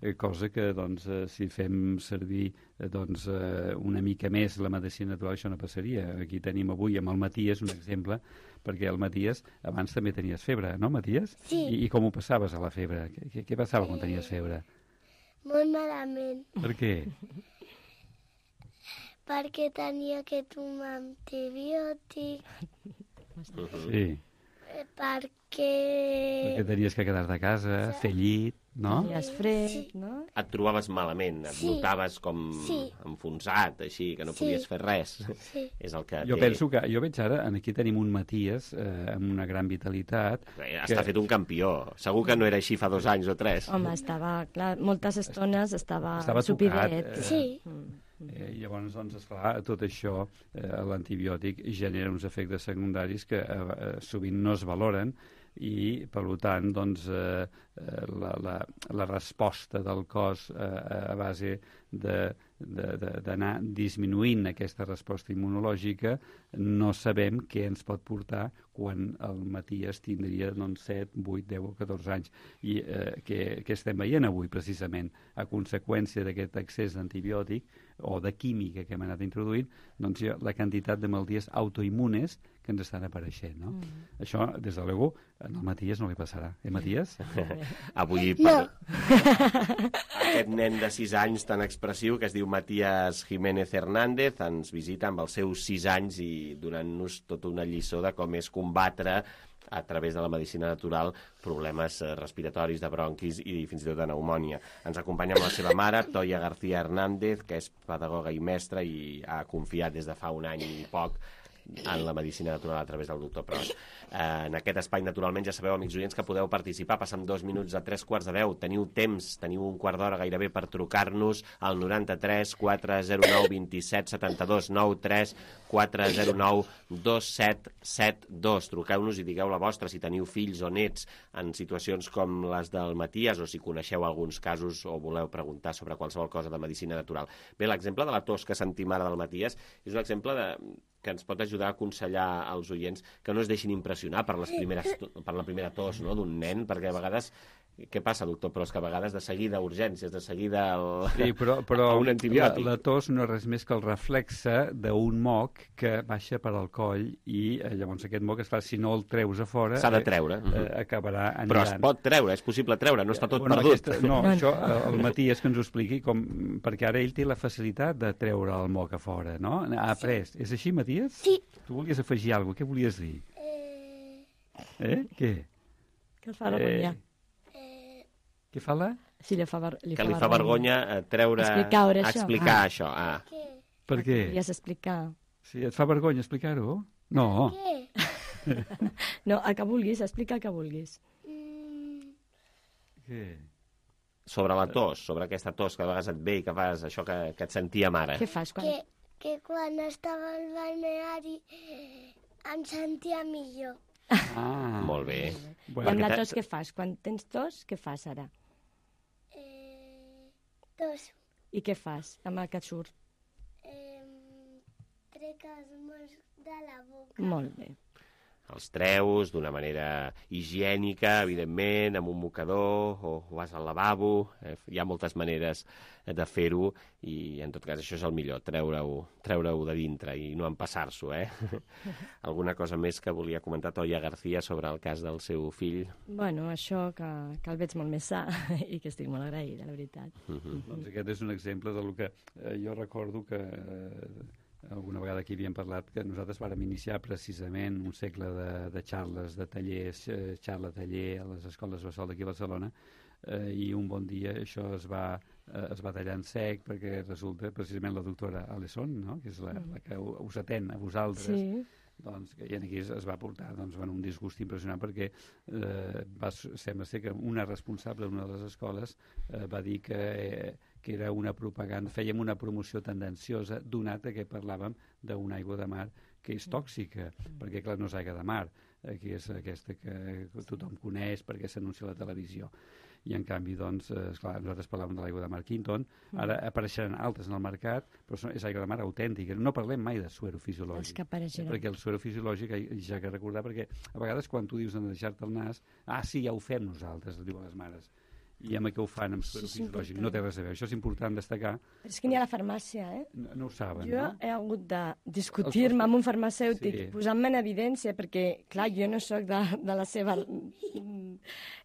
eh, cosa que, doncs, eh, si fem servir eh, doncs, eh, una mica més la medicina natural, això no passaria. Aquí tenim avui amb el Matías un exemple, perquè el Matías abans també tenies febre, no, Matías? Sí. I, i com ho passaves a la febre? Què, què passava quan tenies febre? Molt malament, Per què? perquè tenia que tomar antibiòtic, Sí, eh, perquè... perquè tenies que quedar de casa, fer llit, no? Tenies fred, no? Et trobaves malament, et Sí. notaves com Sí. enfonsat, així, que no Sí. podies fer res. Sí. És el que Jo té... penso que, jo veig ara, aquí tenim un Matías eh, amb una gran vitalitat. Està fet un campió. Segur que no era així fa dos anys o tres. Home, estava, clar, moltes estones estava, Estava supidet. tocat, eh, Sí. Eh, llavors, doncs, esclar, tot això, eh, l'antibiòtic genera uns efectes secundaris que eh, eh, sovint no es valoren i, per tant, doncs, eh, eh, la, la, la resposta del cos eh, a base de d'anar disminuint aquesta resposta immunològica, no sabem què ens pot portar quan el Matías tindria doncs, set, vuit, deu o catorze anys. I eh, què, què estem veient avui, precisament? A conseqüència d'aquest excés d'antibiòtic o de química que hem anat introduint, doncs la quantitat de malalties autoimmunes que ens estan apareixent, no? Mm. Això, des de l'ego, en el Matías no li passarà. Eh, Matías? Avui, per... aquest nen de sis anys tan expressiu que es diu Matías Jiménez Hernández ens visita amb els seus sis anys i donant-nos tota una lliçó de com és combatre a través de la medicina natural problemes respiratoris, de bronquis i fins i tot de pneumònia. Ens acompanya amb la seva mare, Toia García Hernández, que és pedagoga i mestra i ha confiat des de fa un any i poc en la medicina natural a través del doctor Pros. Eh, en aquest espai, naturalment, ja sabeu, amics oients, que podeu participar. Passant dos minuts a tres quarts de deu. Teniu temps, teniu un quart d'hora gairebé per trucar-nos al noranta-tres quatre zero nou vint set setanta-dos nou tres quatre zero nou dos set set dos. Truqueu-nos i digueu la vostra si teniu fills o nets en situacions com les del Matías o si coneixeu alguns casos o voleu preguntar sobre qualsevol cosa de medicina natural. Bé, l'exemple de la tos que sentim ara del Matías és un exemple de que ens pot ajudar a aconsellar als oients que no es deixin impressionar per, les primeres, per la primera tos, no?, d'un nen, perquè a vegades... Què passa, doctor? Però és que a vegades de seguida urgències, de seguida el... sí, però, però un antibiòtic. La, la tos no és res més que el reflexe d'un moc que baixa per al coll i eh, llavors aquest moc, esclar, si no el treus a fora... S'ha de treure. Eh, eh, acabarà anirant. Però es pot treure, és possible treure, no està tot bueno, perdut. Aquesta, no, això el Matías que ens ho expliqui, com, perquè ara ell té la facilitat de treure el moc a fora, no? Ha après. Sí. És així, Matías? Sí. Tu volies afegir alguna cosa, què volies dir? Eh... Eh? Què? Que fa vergonya. Eh... Què fa la? Sí, li fa, ver li que fa li fa vergonya treure... Explicar, això. Explicar ah. això. Ah. Què? Per què? Podries explicar. Sí, et fa vergonya explicar-ho? No. Què? No, el que vulguis, explica el que vulguis. Mm... Què? Sobre la tos, sobre aquesta tos que a vegades et ve i que fas això que, que et sentíem ara. Què fas quan... Que, que quan estava al balneari em sentia millor. Ah, molt bé. Bueno, I amb la tos què fas? Quan tens tos, què fas ara? Eh, tos. I què fas amb el que et surt? Eh, trec els mots de la boca. Molt bé. Els treus d'una manera higiènica, evidentment, amb un mocador, o vas al lavabo. Eh, hi ha moltes maneres de fer-ho i, en tot cas, això és el millor, treure-ho treure-ho de dintre i no empassar-s'ho, eh? Alguna cosa més que volia comentar Toia García sobre el cas del seu fill? Bueno, això, que, que el veig molt més sa i que estic molt agraïda, la veritat. Uh -huh. Doncs aquest és un exemple del que eh, jo recordo que... Eh, alguna vegada aquí havíem parlat que nosaltres vàrem iniciar precisament un segle de, de xarles, de tallers, eh, xarla-taller a les escoles Bressol d'aquí a Barcelona, eh, i un bon dia això es va, eh, es va tallar en sec perquè resulta precisament la doctora Alesson, no?, que és la, la que us atén a vosaltres, sí. Doncs, que aquí es, es va portar doncs, bueno, un disgust impressionant perquè eh, va, sembla ser que una responsable d'una de les escoles eh, va dir que... Eh, que era una propaganda, fèiem una promoció tendenciosa, donat que parlàvem d'una aigua de mar que és tòxica, mm. perquè, clar, no és aigua de mar, eh, que és aquesta que tothom coneix perquè s'anuncia a la televisió. I, en canvi, doncs, eh, esclar, nosaltres parlàvem de l'aigua de mar Quinton, ara apareixeran altres en el mercat, però és aigua de mar autèntica. No parlem mai de suero fisiològic. Els que apareixeran. Perquè el suero fisiològic, ja que recordar, perquè a vegades quan tu dius de deixar-te el nas, ah, sí, ja ho fem nosaltres, et diuen les mares. I amb què ho fan amb suero fisiològic. No té res a veure. Això és important destacar. Però és que n'hi ha a la farmàcia, eh? No, no ho saben, jo no? Jo he hagut de discutir-me amb un farmacèutic, sí. posant-me en evidència, perquè, clar, jo no sóc de, de la seva...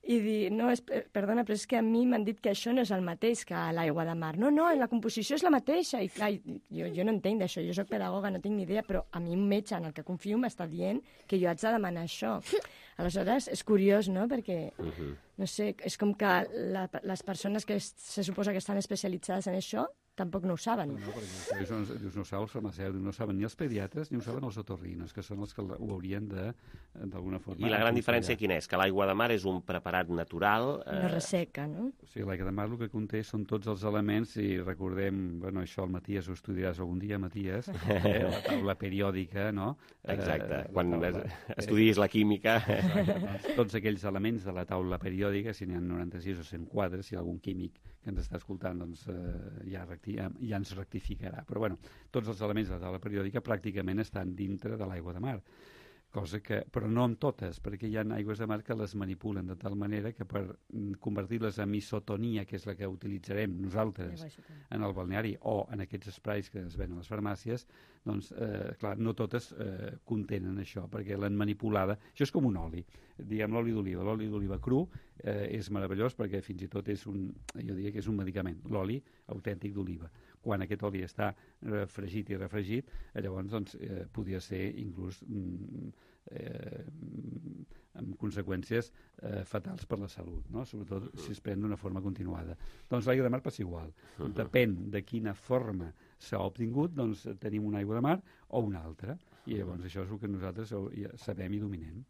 I dir, no, és, perdona, però és que a mi m'han dit que això no és el mateix que l'aigua de mar. No, no, la composició és la mateixa. I, clar, jo, jo no entenc d'això. Jo sóc pedagoga, no tinc ni idea, però a mi un metge en el que confio m'està dient que jo haig de demanar això. Aleshores, és curiós, no?, perquè... Uh -huh. No sé, és com que la, les persones que es, se suposa que estan especialitzades en això tampoc no ho saben. No, no, perquè dius, no, dius, no ho saben els farmacèutics, no ho saben ni els pediatres ni ho saben els otorrinos, que són els que ho haurien d'alguna forma... I la gran diferència quina és? Que l'aigua de mar és un preparat natural... Eh... No resseca, no? O sigui, l'aigua de mar el que conté són tots els elements, i recordem, bueno, això el Matías ho estudiaràs algun dia, Matías, eh, la taula periòdica, no? Exacte, eh, quan taula, estudis la química... Exacte, doncs, tots aquells elements de la taula periòdica, si n'hi ha noranta-sis o cent quadres, si hi ha algun químic que ens està escoltant, doncs eh, ja, ja, ja ens rectificarà. Però, bueno, tots els elements de la taula periòdica pràcticament estan dintre de l'aigua de mar. Cosa que, però no amb totes, perquè hi ha aigües de mar que les manipulen de tal manera que per convertir-les en isotonia, que és la que utilitzarem nosaltres en el balneari o en aquests esprais que es ven a les farmàcies, doncs, eh, clar, no totes eh, contenen això, perquè l'han manipulada. Això és com un oli, diguem l'oli d'oliva. L'oli d'oliva cru eh, és meravellós perquè fins i tot és un, jo diria que és un medicament, l'oli autèntic d'oliva. Quan aquest oli està eh, fregit i refregit, eh, llavors doncs, eh, podria ser inclús mm, eh, amb conseqüències eh, fatals per la salut, no? Sobretot si es pren d'una forma continuada. Doncs l'aigua de mar passa igual. Uh-huh. Depèn de quina forma s'ha obtingut, doncs tenim una aigua de mar o una altra. I llavors això és el que nosaltres sabem i dominem.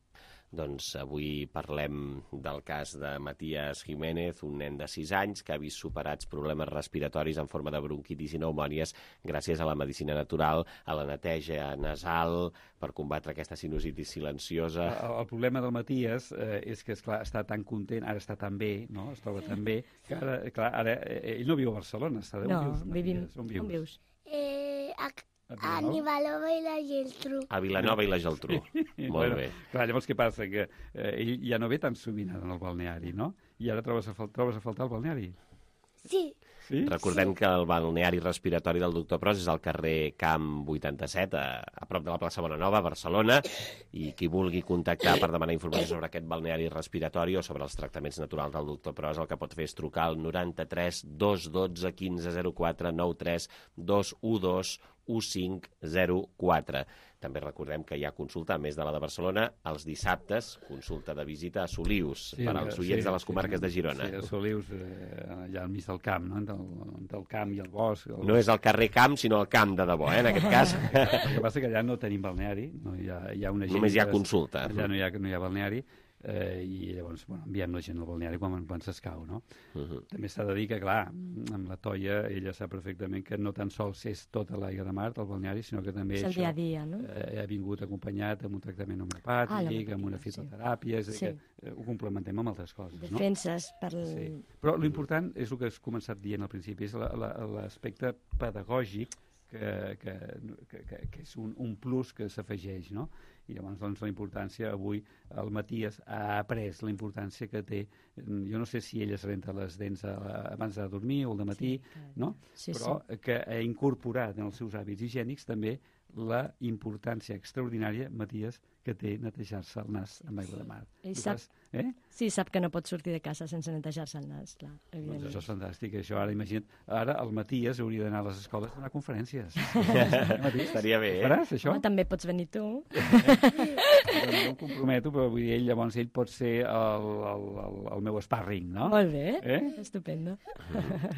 Doncs avui parlem del cas de Matías Jiménez, un nen de sis anys que ha vist superats problemes respiratoris en forma de bronquitis i pneumònies gràcies a la medicina natural, a la neteja nasal, per combatre aquesta sinusitis silenciosa. El, el problema del Matías eh, és que, esclar, està tan content, ara està tan bé, no? Es troba tan bé, que ara, clar, ara ell no viu a Barcelona, està de... No, on vius, vivim... On vius? On vius? Eh, a, A Vilanova i la Geltrú. A Vilanova i la Geltrú. Molt bueno, bé. Clar, llavors què passa? Que eh, ell ja no ve tan sovint en el balneari, no? I ara trobes a, fal trobes a faltar el balneari? Sí. Sí? Recordem sí. que el balneari respiratori del doctor Pros és al carrer Camp vuitanta-set, a, a prop de la plaça Bonanova, a Barcelona, i qui vulgui contactar per demanar informació sobre aquest balneari respiratori o sobre els tractaments naturals del doctor Pros, el que pot fer és trucar al noranta-tres dos dotze quinze zero quatre nou tres dos u dos u cinc zero quatre. També recordem que hi ha consulta, a més de la de Barcelona, els dissabtes, consulta de visita a Solius, sí, per als oients sí, de les comarques sí, de Girona. Sí, a Solius, eh, allà al mig del camp, no? Entre el, entre el camp i el bosc. El... No és el carrer Camp, sinó el camp de debò, eh, en aquest cas. El que passa que allà no tenim balneari, no hi ha, hi ha una gent... Només hi ha consulta. Allà no hi ha, no hi ha balneari, eh, i llavors bueno, enviem la gent al balneari quan, quan s'escau, no? Uh -huh. També s'ha de dir que, clar, amb la Toia ella sap perfectament que no tan sols és tota l'aigua de mar del balneari, sinó que també és el això dia a dia, no? eh, ha vingut acompanyat amb un tractament homeopàtic, ah, amb una fitoteràpia, és a dir, sí. que eh, ho complementem amb altres coses, no? Defenses per... Sí. Però l'important és el que has començat dient al principi, és l'aspecte pedagògic que, que, que, que és un, un plus que s'afegeix, no? I llavors, doncs, la importància, avui el Matías ha après la importància que té, jo no sé si ell es renta les dents a, abans de dormir o al matí, sí, no? Sí, però sí. Que ha incorporat en els seus hàbits higiènics també la importància extraordinària, Matías, que té netejar-se el nas amb aigua de mar. Ell sap, fas, eh? Sí, sap que no pot sortir de casa sense netejar-se el nas, clar. Doncs això és fantàstic, això ara imagina't, ara el Matías hauria d'anar a les escoles a donar conferències. Estaria bé, eh? Faràs això? No, també pots venir tu. Jo no em comprometo, però vull dir, ell, llavors ell pot ser el, el, el, el meu sparring, no? Molt bé, eh? Estupendo.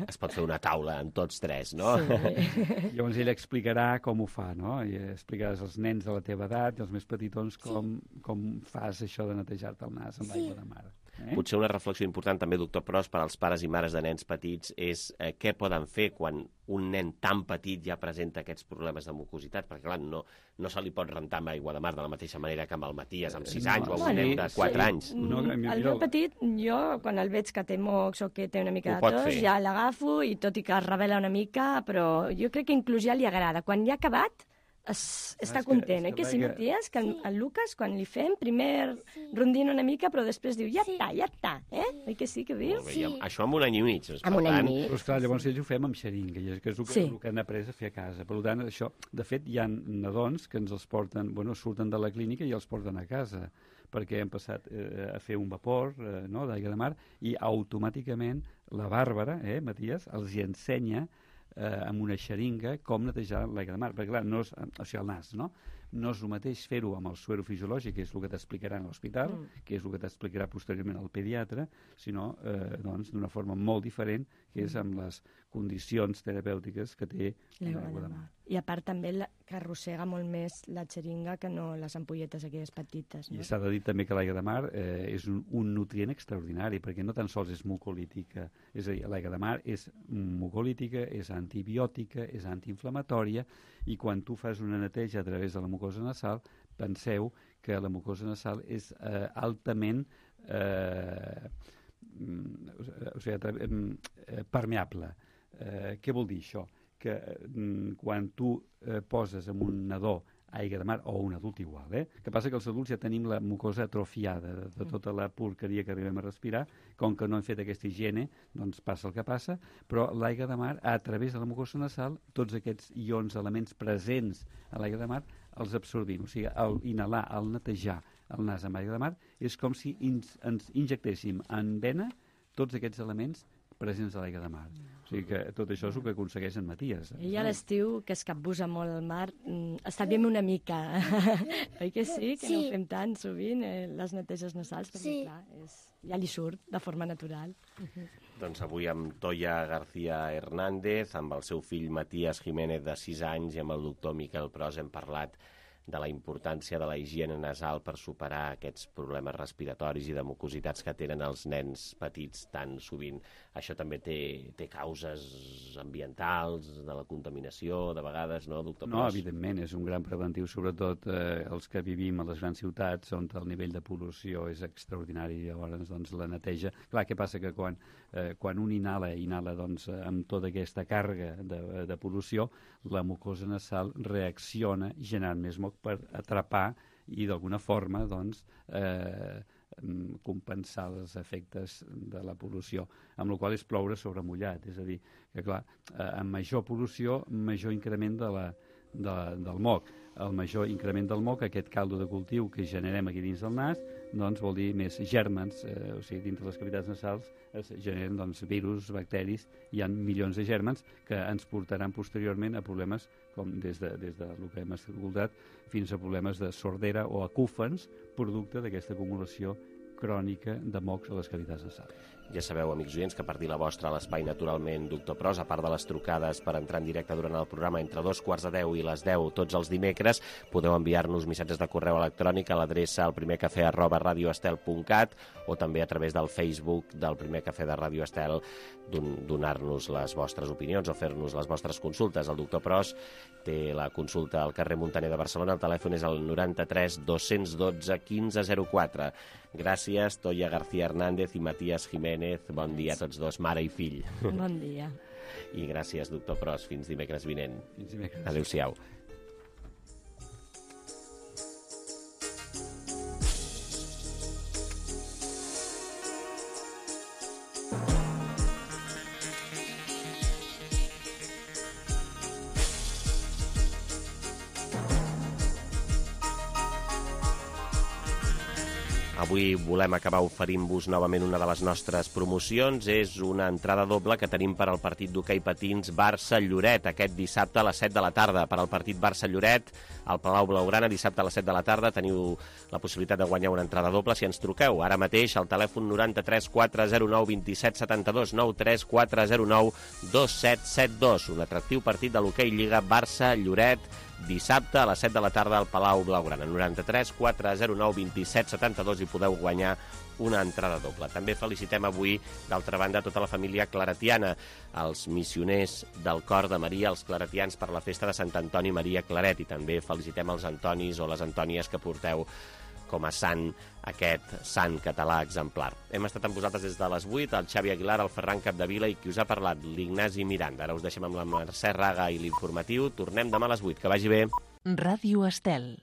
Es pot fer una taula amb tots tres, no? Sí. Llavors ell explicarà com ho fa, no? I explicaràs als nens de la teva edat i als més petitons com, sí. com fas això de netejar-te el nas amb l'aigua sí. de mar. Eh? Potser una reflexió important també, doctor Pros, per als pares i mares de nens petits és eh, què poden fer quan un nen tan petit ja presenta aquests problemes de mucositat, perquè clar, no, no se li pot rentar amb aigua de mar de la mateixa manera que amb el Matías amb sis anys no, o amb un nen de quatre sí. anys. No, el meu petit, jo quan el veig que té mocs o que té una mica de tos, ja l'agafo i tot i que es revela una mica, però jo crec que inclús ja li agrada. Quan ja ha acabat, Es, està content, eh? Que sí, Matías, que el Lucas, quan li fem, primer rondina una mica, però després diu, ja està, ja està, eh? Oi que sí, que dius? Sí. Això amb un any i mig. Amb un any i mig. Però esclar, llavors ells ho fem amb xeringa, que és el que, sí. el que han après a fer a casa. Per tant, això, de fet, hi ha nadons que ens els porten, bueno, surten de la clínica i els porten a casa, perquè han passat eh, a fer un vapor eh, no, d'aigua de mar, i automàticament la Bàrbara, eh, Matías, els hi ensenya eh, amb una xeringa com netejar l'aigua de mar, perquè clar, no és, o sigui, el nas, no? No és el mateix fer-ho amb el suero fisiològic, que és el que t'explicarà a l'hospital, mm. que és el que t'explicarà posteriorment el pediatre, sinó eh, doncs, d'una forma molt diferent, que és amb les condicions terapèutiques que té l'aigua de mar. I a part també la, que arrossega molt més la xeringa que no les ampolletes aquelles petites. No? I s'ha de dir també que l'aigua de mar eh, és un, un nutrient extraordinari, perquè no tan sols és mucolítica, és a dir, l'aigua de mar és mucolítica, és antibiòtica, és antiinflamatòria, i quan tu fas una neteja a través de la mucosa nasal, penseu que la mucosa nasal és eh, altament eh, o sigui, eh, permeable. Eh, què vol dir això? Que eh, quan tu eh, poses en un nadó aigua de mar, o un adult igual, eh? Que passa que els adults ja tenim la mucosa atrofiada de, de tota la porqueria que arribem a respirar, com que no hem fet aquesta higiene, doncs passa el que passa, però l'aigua de mar, a través de la mucosa nasal, tots aquests ions, elements presents a l'aigua de mar, els absorbim. O sigui, al inhalar, al netejar el nas amb aigua de mar, és com si ens, ens injectéssim en vena tots aquests elements presents a l'aigua de mar. O sigui que tot això és el que aconsegueix en Matías. I a l'estiu, que es capbussa molt al mar, estalviem una mica. Oi que sí? Que sí. No ho fem tant sovint, eh, les neteges nasals, perquè sí. Clar, és, ja li surt de forma natural. Uh-huh. Doncs avui amb Toia García Hernández, amb el seu fill Matías Jiménez de sis anys i amb el doctor Miquel Pros hem parlat de la importància de la higiene nasal per superar aquests problemes respiratoris i de mucositats que tenen els nens petits tan sovint. Això també té, té causes ambientals, de la contaminació, de vegades, no, doctor Pros? No, evidentment, és un gran preventiu, sobretot eh, els que vivim a les grans ciutats, on el nivell de pol·lució és extraordinari, llavors doncs, la neteja. Clar, què passa? Que quan, eh, quan un inhala, inhala doncs, amb tota aquesta càrrega de, de pol·lució, la mucosa nasal reacciona generant més moc per atrapar i d'alguna forma doncs, eh, compensar els efectes de la pol·lució, amb la qual és ploure sobre mullat. És a dir, que clar, eh, amb major pol·lució, major increment de la, de, del moc. El major increment del moc, aquest caldo de cultiu que generem aquí dins del nas, doncs vol dir més gèrmens, eh, o sigui, dintre les cavitats nasals es generen doncs, virus, bacteris, hi ha milions de gèrmens que ens portaran posteriorment a problemes com des de, des de el que hem escoltat fins a problemes de sordera o acúfens, producte d'aquesta acumulació crònica de mocs a les cavitats nasals. Ja sabeu, amics oients, que per dir la vostra a l'Espai Naturalment Doctor Pros, a part de les trucades per entrar en directe durant el programa entre dos quarts de deu i les deu tots els dimecres, podeu enviar-nos missatges de correu electrònic a l'adreça el primer cafè arroba radioestel punt cat o també a través del Facebook del Primer Cafè de Ràdio Estel, donar-nos les vostres opinions o fer-nos les vostres consultes. El doctor Pros té la consulta al carrer Muntaner de Barcelona, el telèfon és el noranta-tres dos-cents dotze quinze zero quatre. Gràcies, Toia García Hernández i Matías Jiménez. Bon dia a tots dos, mare i fill. Bon dia. I gràcies, doctor Pros. Fins dimecres vinent. Fins dimecres. Adéu-siau. Avui volem acabar oferint-vos novament una de les nostres promocions. És una entrada doble que tenim per al partit d'hoquei patins Barça-Lloret aquest dissabte a les set de la tarda. Per al partit Barça-Lloret, al Palau Blaugrana, dissabte a les set de la tarda, teniu la possibilitat de guanyar una entrada doble si ens truqueu. Ara mateix al telèfon noranta-tres quatre zero nou dos set set dos, nou tres quatre zero nou dos set set dos. Un atractiu partit de l'hoquei Lliga Barça-Lloret, dissabte a les set de la tarda al Palau Blaugrana. noranta-tres quatre zero nou dos set set dos i podeu guanyar una entrada doble. També felicitem avui, d'altra banda, tota la família claretiana, els missioners del Cor de Maria, els claretians, per la festa de Sant Antoni Maria Claret, i també felicitem els Antonis o les Antònies que porteu com a sant aquest sant català exemplar. Hem estat amb vosaltres des de les vuit, el Xavi Aguilar, el Ferran Capdevila i qui us ha parlat, l'Ignasi Miranda. Ara us deixem amb la Mercè Raga i l'informatiu. Tornem demà a les vuit. Que vagi bé. Ràdio Estel.